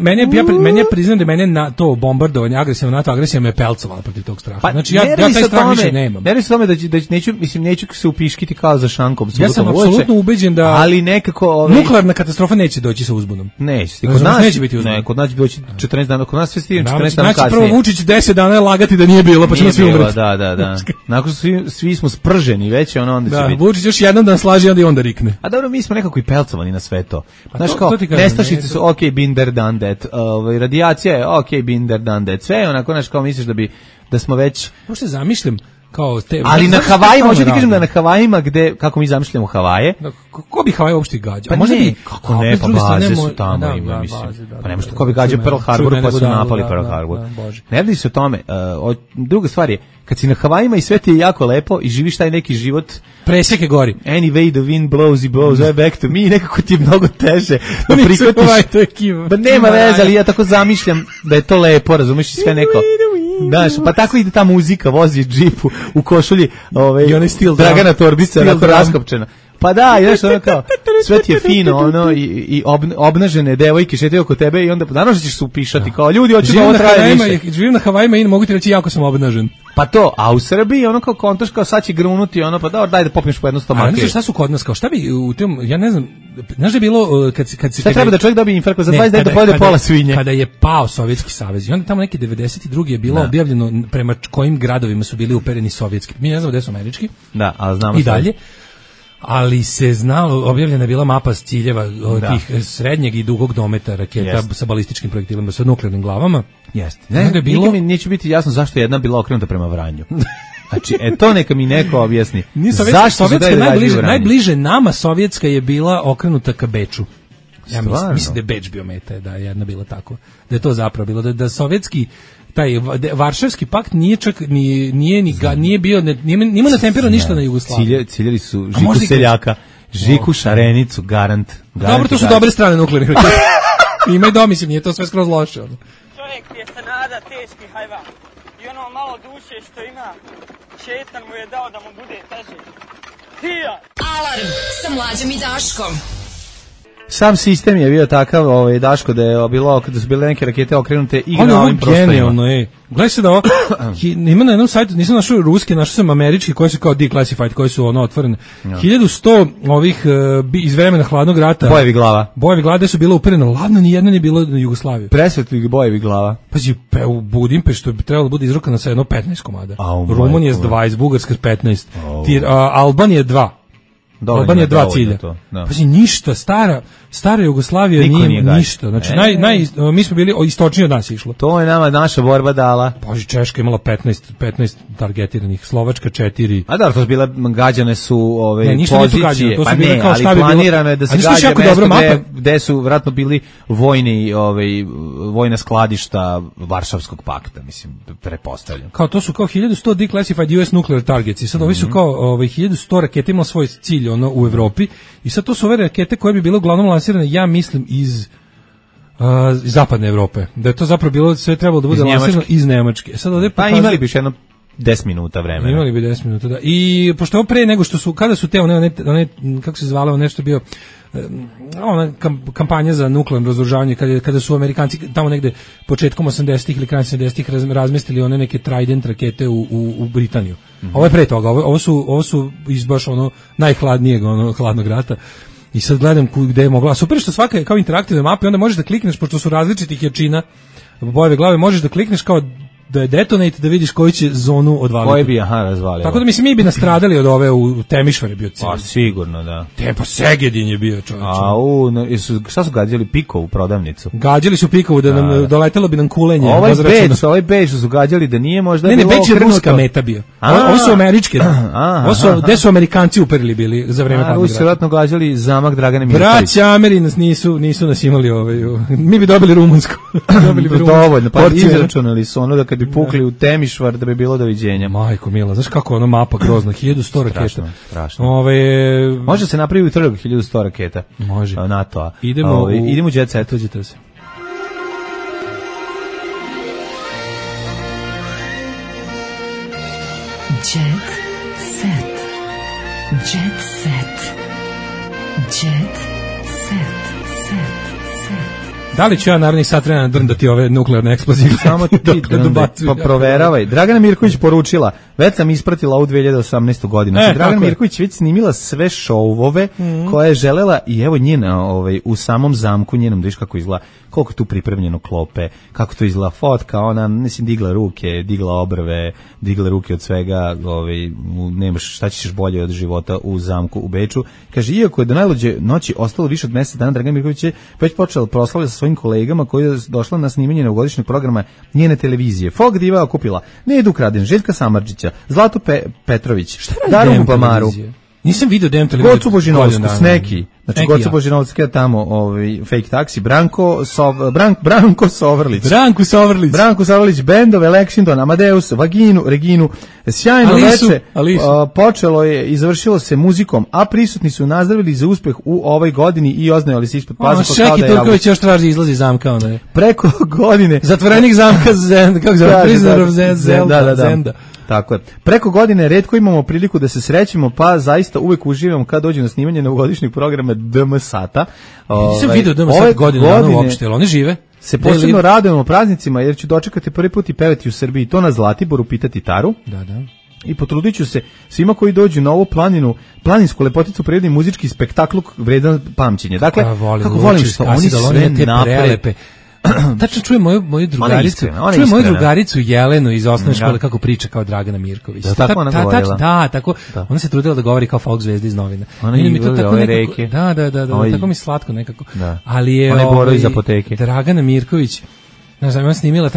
D: je priznam da mene na to bombardovanje, agresivna NATO agresija me pelcovala protiv tog straha.
E: Pa,
D: znači ja taj strah više nemam.
E: Ne radi se da neću se upiškiti kao za šankom.
D: Ja sam apsolutno ubeđen da
E: ali nekako
D: nuklearna katastrofa neće doći sa uzbunom.
E: Neće. Kod nas neće biti uzbun. Ne, kod nas će doći 14 dana, kod nas sve stigne 14 dana kasnije.
D: Znači prvo Vučić 10 dana lagati da nije bilo, pa ćemo svi umreti.
E: Da. Nakon svi smo sprženi već, onda će biti.
D: Da, Vučić još jednom dan slaži, onda rikne.
E: A dobro, mi smo nekako i pelcovani na sve to. Znaš kao, nestašice su ok, been there, done that. Radijacija je ok, been there, done that. Sve onako, znaš, kao misliš da smo već...
D: Možda zamišljam kao te...
E: Ali na Havajima, hoću ti kažem da na Havajima, gde, kako mi zamišljamo Havaje...
D: Ko bi Havaje uopšte gađao?
E: Pa ne, kako ne, pa baze su tamo, ima, mislim. Pa nema što ko bi gađao Pearl Harbor, pa su napali Pearl Harbor. Ne radi se o tome. Druga stvar je, kad si na Havajima i sve ti je jako lepo i živiš taj neki život...
D: Preseke gori.
E: Anyway, the wind blows, it blows back to me, nekako ti je mnogo teže da prihvatiš. Pa nema veze, ali ja tako zamišljam da je to lepo, razumiješ, sve neko... Znaš, pa tako ide ta muzika, vozi džipu u košulji Dragana Torbica, onako raskopčena. Pa da, znaš, ono kao, sve ti je fino, ono, i obnažene devojke šetaju oko tebe i onda, naravno ćeš se upišati, kao, ljudi, hoću da ovo traje više.
D: Živim na Havajima i mogu ti reći, jako sam obnažen.
E: Pa to, a u Srbiji, ono kao kontaš, kao sad će grunuti, ono, pa daj da popneš po jedno stomake.
D: A znaš šta su kod nas, kao, šta bi u tom, ja ne znam, znaš da je bilo, kad se...
E: Šta treba da čovjek dobije infarkt za 20 dana da pojede pola svinje?
D: Kada je pao Sovjetski savez, i onda tamo neke 92. je bilo objavljeno prema kojim gradovima su bili upereni sovjetski. Mi ne znamo gde su američki.
E: Da, ali znamo
D: i dalje. Ali se znalo, objavljena je bila mapa ciljeva tih srednjeg i dugog dometa raketa sa balističkim projektilima, sa nuklearnim glavama.
E: Jeste. Nikad mi neće biti jasno zašto je jedna bila okrenuta prema Vranju. Znači, to neka mi neko objasni.
D: Zašto najbliže nama sovjetska je bila okrenuta ka Beču. Ja mislim da je Beč bio meta, da je jedna bila tako. Da je to zapravo bilo, da sovjetski taj Varšavski pakt nije čak nije bio nima natemperao ništa na Jugoslaviji.
E: Ciljali su Žiku Seljaka, Žiku Šarenicu, garant.
D: Dobro, to su dobre strane nuklearnih raketa. Ima i mislim, nije to sve skroz loše.
O: Čovjek je se nada teški hajvan. I ono malo duše što ima, šetan mu je dao da mu bude teže.
A: Alarm sa Mlađom i Daškom.
E: Sam sistem je bio takav, Daško, da su bile neke rakete okrenute i na ovim prostorima.
D: Gledaj se da ovo, ima na jednom sajtu, nisam našao ruski, našao sam američki, koji su kao declassified, koji su otvorene. 1100 ovih iz vremena hladnog rata.
E: Bojevi glava.
D: Bojevi glava su bile uperene, ladno nijedno nije bilo na Jugoslaviju.
E: Presvetli bojevi glava.
D: Pazi, u Budimpeštu bi trebalo da bude izrukano sa jedno 15 komada. Rumunija s 20, Bugarska s 15, Albanija 2. Albanija 2 cilja. Pazi, ništa, stara Jugoslavija nije ništa. Znači, mi smo bili istočnije od nas išlo.
E: To je nama naša borba dala.
D: Pazi, Češka imala 15 targetiranih, Slovačka 4.
E: A da, to su bile, gađane su pozicije.
D: Pa ne,
E: ali planirano je da se gađa mesto gde su vratno bili vojna skladišta Varšavskog pakta, mislim, prepostavljam.
D: Kao to su kao 1100 declassified US nuclear targets i sad ovi su kao 1100 raketa imala svoj cilj u Evropi i sad to su ove rakete koje bi bile uglavnom lansirane, ja mislim, iz zapadne Evrope. Da je to zapravo bilo, sve trebalo da bude lansirano iz Nemačke. Sad ovdje
E: imali bi još jedno 10 minuta vremena.
D: Imali bi 10 minuta, da. I pošto ovo pre nego što su, kada su te one kako se zvalo, nešto bio ona kampanja za nuklearno razoružavanje, kada su Amerikanci tamo negde početkom 80-ih ili krajem 70-ih razmestili one neke Trident rakete u Britaniju. Ovo je pre toga, ovo su iz baš najhladnijeg hladnog rata. I sad gledam gde je mogla. Super što svaka je kao interaktivna mapa i onda možeš da klikneš, pošto su različitih jačina bojeve glave, možeš da klikneš kao da je detonate, da vidiš koju će zonu odvaliti.
E: Koji bi, razvalio.
D: Tako da mislim, mi bi nastradali od ove u Temišvar je bio cilj.
E: Pa sigurno, da.
D: Pa Segedin je bio, čovječe.
E: Šta su gađali Pikovu prodavnicu?
D: Gađali su Pikovu, da nam doletelo bi nam kulenje.
E: Ovaj Beč su gađali da nije možda bilo
D: okrenuto. Ne, Beč je ruska meta bio. Ovo su američke. Gde su Amerikanci uperili bili za vreme hladnog rata.
E: Ovo su vjerojatno gađali zamak Dragane Mirković.
D: Braća Ameri nas nisu nas imali mi bi dobili rumunsku.
E: Dovoljno, pa izračunali su ono da kad bi pukli u Temišvar da bi bilo doviđenja.
D: Majko mila, znaš kako je mapa grozna, 1100 raketa.
E: Strašno. Može se napraviti trg 1100 raketa.
D: Može.
E: NATO-a.
D: Idemo
E: u Jet Set.
D: Tuđite se.
A: Jet set. Jet set. Jet set.
D: Da li ću ja naravnih sat vremena drndati ove nuklearne eksplozije?
E: Samo ti pa proveravaj. Dragana Mirković poručila, već sam ispratila ovu 2018. godinu. Dragana Mirković već snimila sve šovove koje je želela i evo njena u samom zamku njenom, viš kako izgleda, koliko tu pripremljeno klope, kako to izgleda fotka, ona, mislim, digla ruke, digla obrve, digla ruke od svega, nemaš šta ćeš bolje od života u zamku u Beču. Kaže, iako je do najluđe noći ostalo više od mjesec dana, Dragana Mirković je već počela proslavlja sa svojim kolegama koji je došla na snimanje novogodišnjeg programa njene televizije. Folk diva je okupila Nedu Kradin, Željka Samardžića, Zlatu Petrović, Daru Bamaru.
D: Nisam vidio DM televiziju.
E: Gocu Božinovsku, Sneki. Znači, Gocu Božinovsku je tamo fake taksi. Branko Sovrlić. Branko Sovrlić, bendove, Lexington, Amadeus, Vaginu, Reginu. Sjajno veče. Počelo je i završilo se muzikom, a prisutni su nazdravili za uspeh u ovoj godini i oznajali se ispod pazuha kao da je
D: Turković još traži izlazi zamka.
E: Preko godine.
D: Zatvorenik zamka Zenda. Kako zove? Prisoner of Zenda.
E: Tako je. Preko godine retko imamo priliku da se srećemo, pa zaista uvek uživamo kad dođe na snimanje novogodišnjeg programa DM Sata.
D: Nisam vidio DM Sata godine uopšte, ali oni žive.
E: Se posebno radujemo praznicima jer ću dočekati prvi put i pevati u Srbiji, to na Zlatiboru, pitati Taru.
D: Da.
E: I potrudit ću se svima koji dođu na ovu planinsku lepoticu prirodni muzički spektakl vredan pamćenja. Dakle, kako volim što oni sve naprede.
D: Tačno čujem moju drugaricu Jelenu iz osnovne škole kako priča kao Dragana Mirković.
E: Da, tako ona govorila.
D: Da, tako. Ona se trudila da govori kao folk zvezda iz novina.
E: Ona je ove reke.
D: Da, tako mi slatko nekako.
E: Ali je Boro iz apoteke.
D: Dragana Mirković, znaš, ona snimila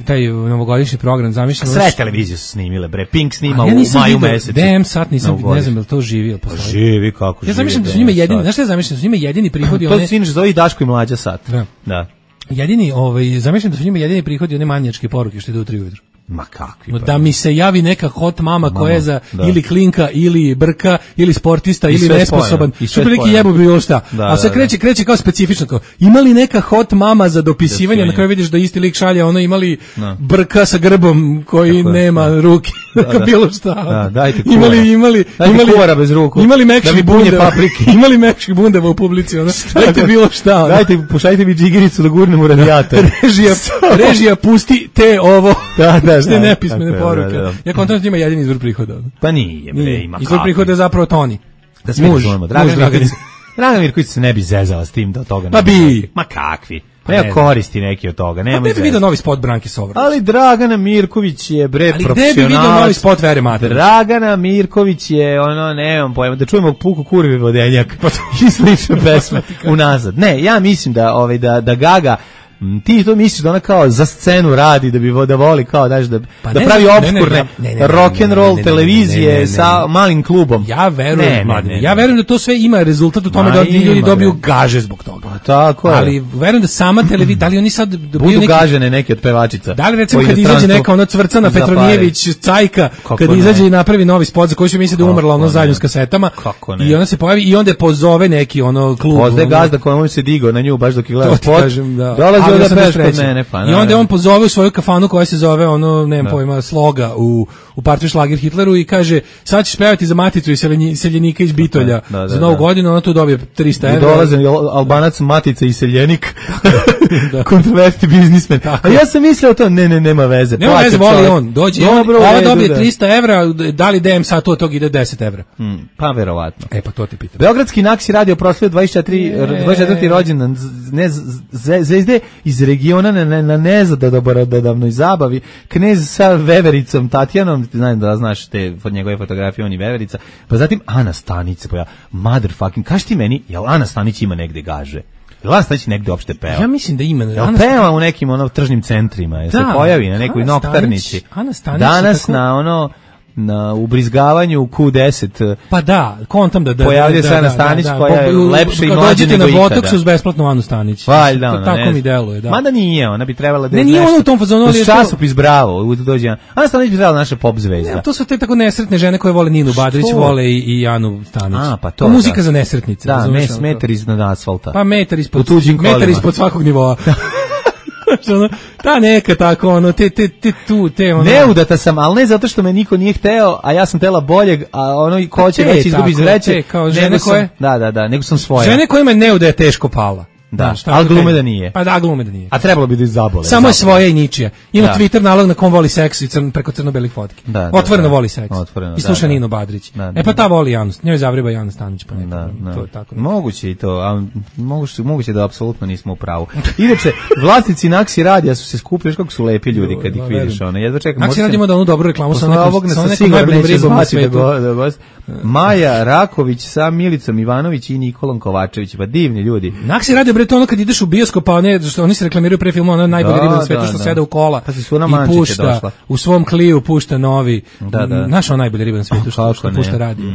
D: taj novogodišnji program, zamišljeno.
E: Sve televizije su snimile, bre. Pink snima u maju mesecu.
D: DM Sat nisam, ne znam da to živi ili postoji.
E: Živi, kako živi.
D: Ja zamišljam da su njima jedini, znaš šta ja zamišljam, da su njima jedini prihodi.
E: To se inače zove Daško i Mlađa Sat. Da.
D: Jedini, zamišljam da su njima jedini prihodi one manijačke poruke što idu u 3 ujutru.
E: Ma kakvi.
D: Da mi se javi neka hot mama koja je za ili klinka, ili brka, ili sportista, ili nesposoban. Što bi neki jebu bilo šta. A sve kreće kao specifično. Kao, ima li neka hot mama za dopisivanje, na kraju vidiš da isti lik šalje, ono imali brka sa grbom koji nema ruke. Bilo šta.
E: Dajte
D: kuvara
E: bez ruku.
D: Imali mekših bundeva. Imali mekših bundeva u publici. Dajte bilo šta.
E: Dajte, pušajte mi džigiricu da gurnem u radijator.
D: Režija, pusti te ovo.
E: Da.
D: Ste nepismene poruke. Ja kontam da ima jedini izvor prihoda.
E: Pa nije, bre, ima.
D: Izvor prihoda je zapravo Toni.
E: Da se razumemo. Dragan Mirković se ne bi zezala s tim da od toga
D: ne bi.
E: Ma kakvi. Nema koristi neki od toga.
D: Pa ne bi vidio novi spot Branke Sovrlić.
E: Ali Dragana Mirković je profesionalac.
D: Ali gde bi vidio novi spot Vere Matović?
E: Dragana Mirković je nemam pojma, da čujemo puku kurvi vodenjak i slične pesme unazad. Ne, ja mislim da Gaga ti to misliš da ona kao za scenu radi da voli kao da pravi opskurne rock and roll televizije sa malim klubom.
D: Ja verujem da to sve ima rezultat u tome da ljudi dobiju gaže zbog toga.
E: Tako je.
D: Ali verujem da sama televizija, da li oni sad
E: budu gažene neke od pevačica.
D: Da li recimo kad izađe neka ona Cvrcana Petronijević Cajka, kad izađe i napravi novi spot za koji se misli da umrla ono zajedno s kasetama i ona se pojavi i onda pozove neki klub.
E: Pozove gazda kojemu se digao na nju baš dok je gledao spot.
D: I onda on pozove u svoju kafanu koja se zove nemam pojma, Sloga u partiju Šlager Hitleru i kaže sad ćeš pevati za Maticu i seljenika iz Bitolja za novu godinu, ona tu dobije 300 evra.
E: I dolaze Albanac, Matica i seljenik, kontroverti biznismen. A ja sam mislio to, nema veze.
D: Nema veze, voli on, dođe, ova dobije 300 evra, da li DM sad od toga ide 10 evra?
E: Pa verovatno.
D: Pa to ti pitam.
E: Beogradski Naksi radio proslavio 24. rođendan zvezde iz regiona na nezadobrodavnoj zabavi. Knez sa vevericom Tatjanom, znam da znaš te njegove fotografije, on je veverica, pa zatim Ana Stanić se pojavila. Motherfucking, kaži ti meni, jel Ana Stanić ima negde gaže? Jel Ana Stanić negde uopšte peva?
D: Ja mislim da ima.
E: Jel peva u nekim tržnim centrima, jel se pojavi na nekoj noktarnici? Danas na ubrizgavanju Q10.
D: Pa da, kontam da
E: pojavlja se Ana Stanić koja je lepša i mlađa nego ikada.
D: Na Botoksu uz besplatnu Anu Stanić.
E: Valjda,
D: tako mi deluje, da.
E: Mada nije, ona bi trebala da
D: je nešto. Ne, nije ona u tom fazonu,
E: ali je časopis Bravo, dođe Ana Stanić bi trebala naša pop zvezda.
D: To su te tako nesretne žene koje vole Ninu Badrić, vole i Anu Stanić.
E: Pa to.
D: Muzika za nesretnice.
E: Da, metar iznad asfalta.
D: Pa metar ispod svakog nivoa. Ta neka tako, ono, te, ono.
E: Neudata sam, ali ne zato što me niko nije hteo, a ja sam tela boljeg, a ono i ko će već izgubi iz vreće.
D: Kao žene koje?
E: Da, nego sam svoja.
D: Žene kojima je neuda je teško pala.
E: Da, ali glume da nije.
D: Pa da, glume da nije.
E: A trebalo bi da zabole.
D: Samo je svoja i ničija. Ima Twitter nalog na kom voli seks i preko crno-belih fotki. Otvoreno voli seks. I sluša Nino Badrić. Pa ta voli Janus. Njoj zavreba Janus Stanić. To je tako.
E: Moguće i to, a moguće da apsolutno nismo u pravu. Inače, vlasnici Naksi radija su se skupili, kako su lepi ljudi kad ih vidiš. Jedva čekam.
D: Naksi radija ima da onu dobru reklamu sa
E: nekom najboljim ribom na svetu. Maja Raković sa Milicom Ivanović i Nikolom Kovačević. Pa divni ljudi.
D: Naksi radio bre to ono kad ideš u bioskop, pa ne, što oni se reklamiraju pre filma, ono najbolje riba na svetu što sede u kola.
E: Pa su na
D: i pušta došla. U svom kliju pušta novi. Naš on najbolje riba na svetu što pušta radio.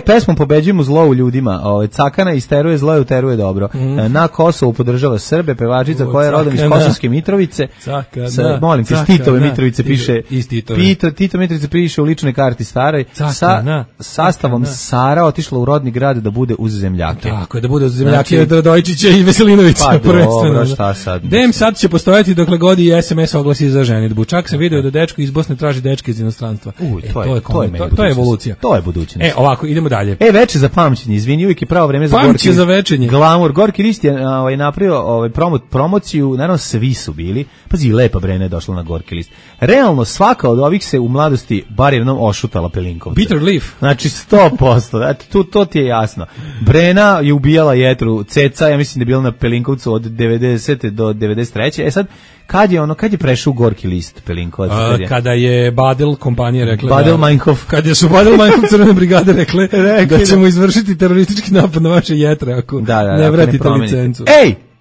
E: Pesmom Pobeđujemo zlo u ljudima. Cakana isteruje zlo i uteruje dobro. Na Kosovu podržava Srbe, pevačica koja je rodom iz Kosovske Mitrovice. Molim te, Titove Mitrovice piše. Tito Mitrovice piše u ličnoj karti staroj. Sa sastavom Sara otišla u rodni grad da bude uz zemljake.
D: Tako je, da bude uz zemljake od Radojčića i Veselinovića.
E: Pa dobro, šta sad?
D: Dem sad će postojati dokle god i SMS oglasi za ženidbu. Čak sam video da dečko iz Bosne traži dečke iz inostranstva. To je evolucija.
E: To je budućnost.
D: Ovako, idemo dalje.
E: Veče za pamćenje, izvini, uvijek je pravo vreme za
D: Gorki. Za večenje.
E: Glamour. Gorki list je napravio promociju, naravno svi su bili. Pazi, lepa Brena je došla na Gorki list. Realno, svaka od ovih se u mladosti bar jednom ošutala Pelinkovca.
D: Bitter leaf.
E: Znači 100%. To ti je jasno. Brena je ubijala jetru, Ceca, ja mislim da je bila na Pelinkovcu od 90. do 93. Sad, kad je prešao u Gorki list Pelinkovac?
D: Kada je Badel kompanija rekla
E: Badel Meinhof.
D: Kada su Badel Meinhof crvene brigade rekle da ćemo izvršiti teroristički napad na vaše jetre ako ne vratite licencu.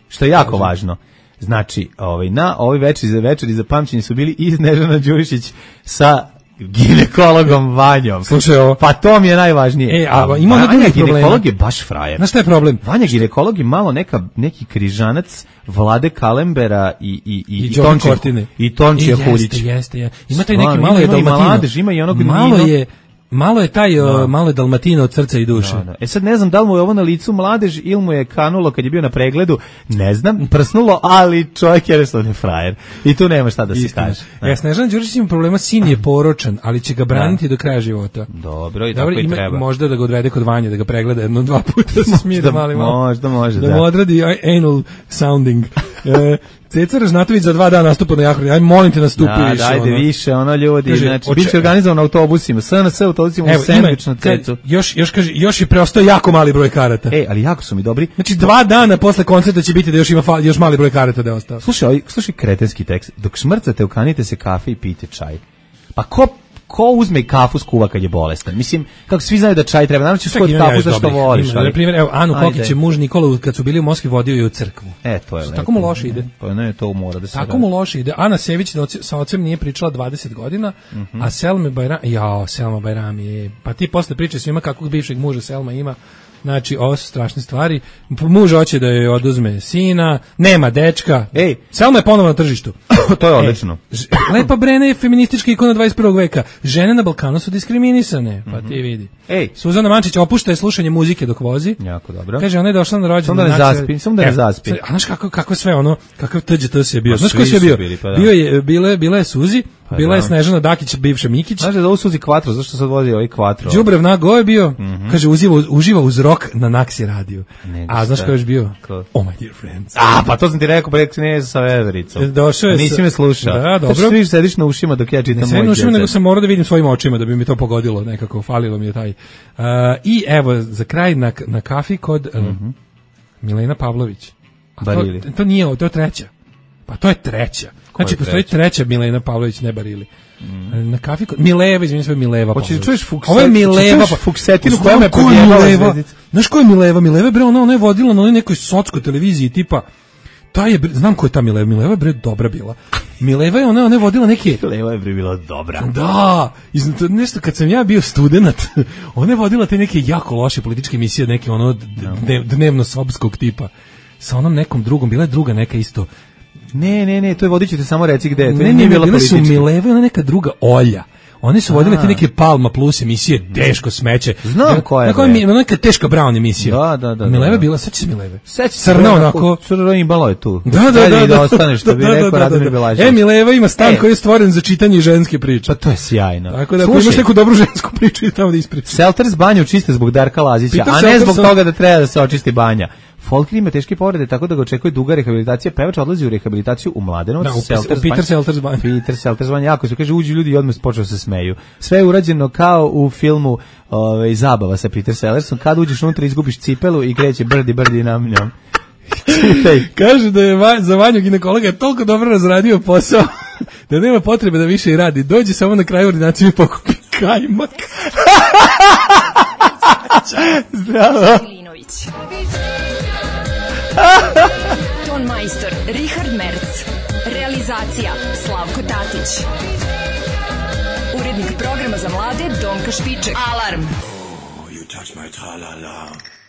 E: Što je jako važno. Znači, na ovoj večeri za pamćenje su bili i Snežana Đurišić sa ginekologom Vanjom.
D: Slušaj ovo.
E: Pa to mi je najvažnije.
D: Ima Vanja
E: ginekolog je baš frajer.
D: Znaš šta je problem?
E: Vanja ginekolog je malo neki križanac Vlade Kalembera i Tončija Huljić.
D: Jeste. Ima taj neki malo je Dalmatino. Malo je Dalmatino od srca i duše.
E: Sad ne znam da li mu je ovo na licu mladež ili mu je kanulo kad je bio na pregledu, ne znam, prsnulo, ali čovjek je jednostavno frajer. I tu nema šta da se kaže.
D: Snežana Đurišić ima problema, sin je poročan, ali će ga braniti do kraja života.
E: Dobro, i tako i treba.
D: Možda da ga odvede kod Vanje, da ga pregleda 1-2 puta, da se smije malo.
E: Možda.
D: Da mu odradi anal sounding. Ceca Ražnatović za 2 dana nastupa na Jahori. Aj molim te nastupi više.
E: Ajde više, ljudi, znači biće organizovan na autobusima, SNS autobusima u sendvič na Cecu.
D: Još je preostao jako mali broj karata.
E: Ali jako su mi dobri.
D: Znači 2 dana posle koncerta će biti da još mali broj karata da je ostao.
E: Slušaj kretenski tekst. Dok šmrcate, ukanite se kafe i pijte čaj. Pa ko uzme i kafu skuva kad je bolestan? Mislim, kako svi znaju da čaj treba, naravno ćeš skojiti kafu zašto voliš.
D: Na primjer, evo, Anu Kokić je muž Nikolu, kad su bili u Moskvi, vodio je u crkvu.
E: To je lepo.
D: Tako mu loše ide.
E: Pa ne, to mora da se
D: tako mu loše ide. Ana Sević sa ocem nije pričala 20 godina, a Selma Bajrami, pa ti posle priče svima kakvog bivšeg muža Selma ima. Znači, ovo su strašne stvari. Muž hoće da joj oduzme sina, nema dečka. Selma je ponovo na tržištu.
E: To je odlično.
D: Lepa Brena je feministička ikona 21. veka. Žene na Balkanu su diskriminisane, pa ti vidi. Suzana Mančić opušta je slušanje muzike dok vozi.
E: Jako dobro.
D: Kaže, ona je došla na rođendan.
E: Samo da ne zaspi.
D: A znaš kako sve ono, kakav TGT se je bio. Znaš ko se je bio? Bila je Suzi, bila je Snežana Dakić, bivša Mikić.
E: Znaš da ovo Suzi Quattro, zašto sad vozi ovaj Quattro?
D: Đubrev Nago je bio, kaže, uživa uz rock na Naksi radiju. A znaš ko je još bio? Oh my dear friends.
E: Pa to sam ti rekao, ne sa Vevericom.
D: Došao je.
E: Nisi me slušao.
D: Da, dobro.
E: Znači, svi sediš na ušima dok ja čitam moj
D: djece. Ne ušima, nego sam morao da vidim svojim očima da bi mi to pogodilo nekako, falilo mi je taj. I evo, za kraj na kafi kod Milena Pavlović. To nije, to je treća. Pa to je treća. Znači, postoji treća Milena Pavlović, ne Barili. Na kafi kod Mileva, izvinim sve Mileva.
E: Hoćeš da čuješ Fuksetinu?
D: Ovo je Mileva,
E: Fuksetinu koja me podjebala.
D: Znaš ko je Mileva? Mileva, bre, ona je vodila na nekoj sotskoj televiziji, tipa, znam ko je ta Mileva. Mileva je, bre, dobra bila. Mileva je, ona je vodila neke...
E: Mileva je, bre, bila dobra.
D: Da, nešto, kad sam ja bio student, ona je vodila te neke jako loše političke emisije, neke dnevno sobskog tipa. Sa onom nekom drugom, bila je druga neka isto.
E: Ne, to je vodit ću te samo reci gde je.
D: Ne, bile su Mileva i ona neka druga Olja. One su vodile te neke Palma Plus emisije, teško smeće.
E: Znam koja je.
D: Neka teška Brown emisija.
E: Da.
D: Mileva bila, sećaš se Mileve?
E: Crna onako. Crno imalo je tu. Da ostane, što bi rekao Radomir Belašević.
D: Mileva ima stan koji je stvoren za čitanje ženske priče.
E: Pa to je sjajno.
D: Tako da ako imaš neku dobru žensku priču i tamo da ispričaš.
E: Selters banju čiste zbog Darka Lazića, a ne zbog toga da treba da se očisti banja. Folker ima teške povrede, tako da ga očekuje duga rehabilitacija. Pevač odlazi u rehabilitaciju u Mladenovac.
D: Peter Selters
E: banja. Jako se kaže, uđu ljudi i odmah počeo se smeju. Sve je urađeno kao u filmu Zabava sa Peter Sellersom. Kad uđeš unutra, izgubiš cipelu i kreće brdi nam njom.
D: Kaže da je za Vanju ginekologa toliko dobro razradio posao da nema potrebe da više i radi. Dođe samo na kraju ordinacije i pokupi kajmak.
E: Zdravo.
A: Ton majstor Richard Merc. Realizacija Slavko Tatić. Urednik programa za mlade Donka Špiček. Alarm.
P: You touch my tra-la-la.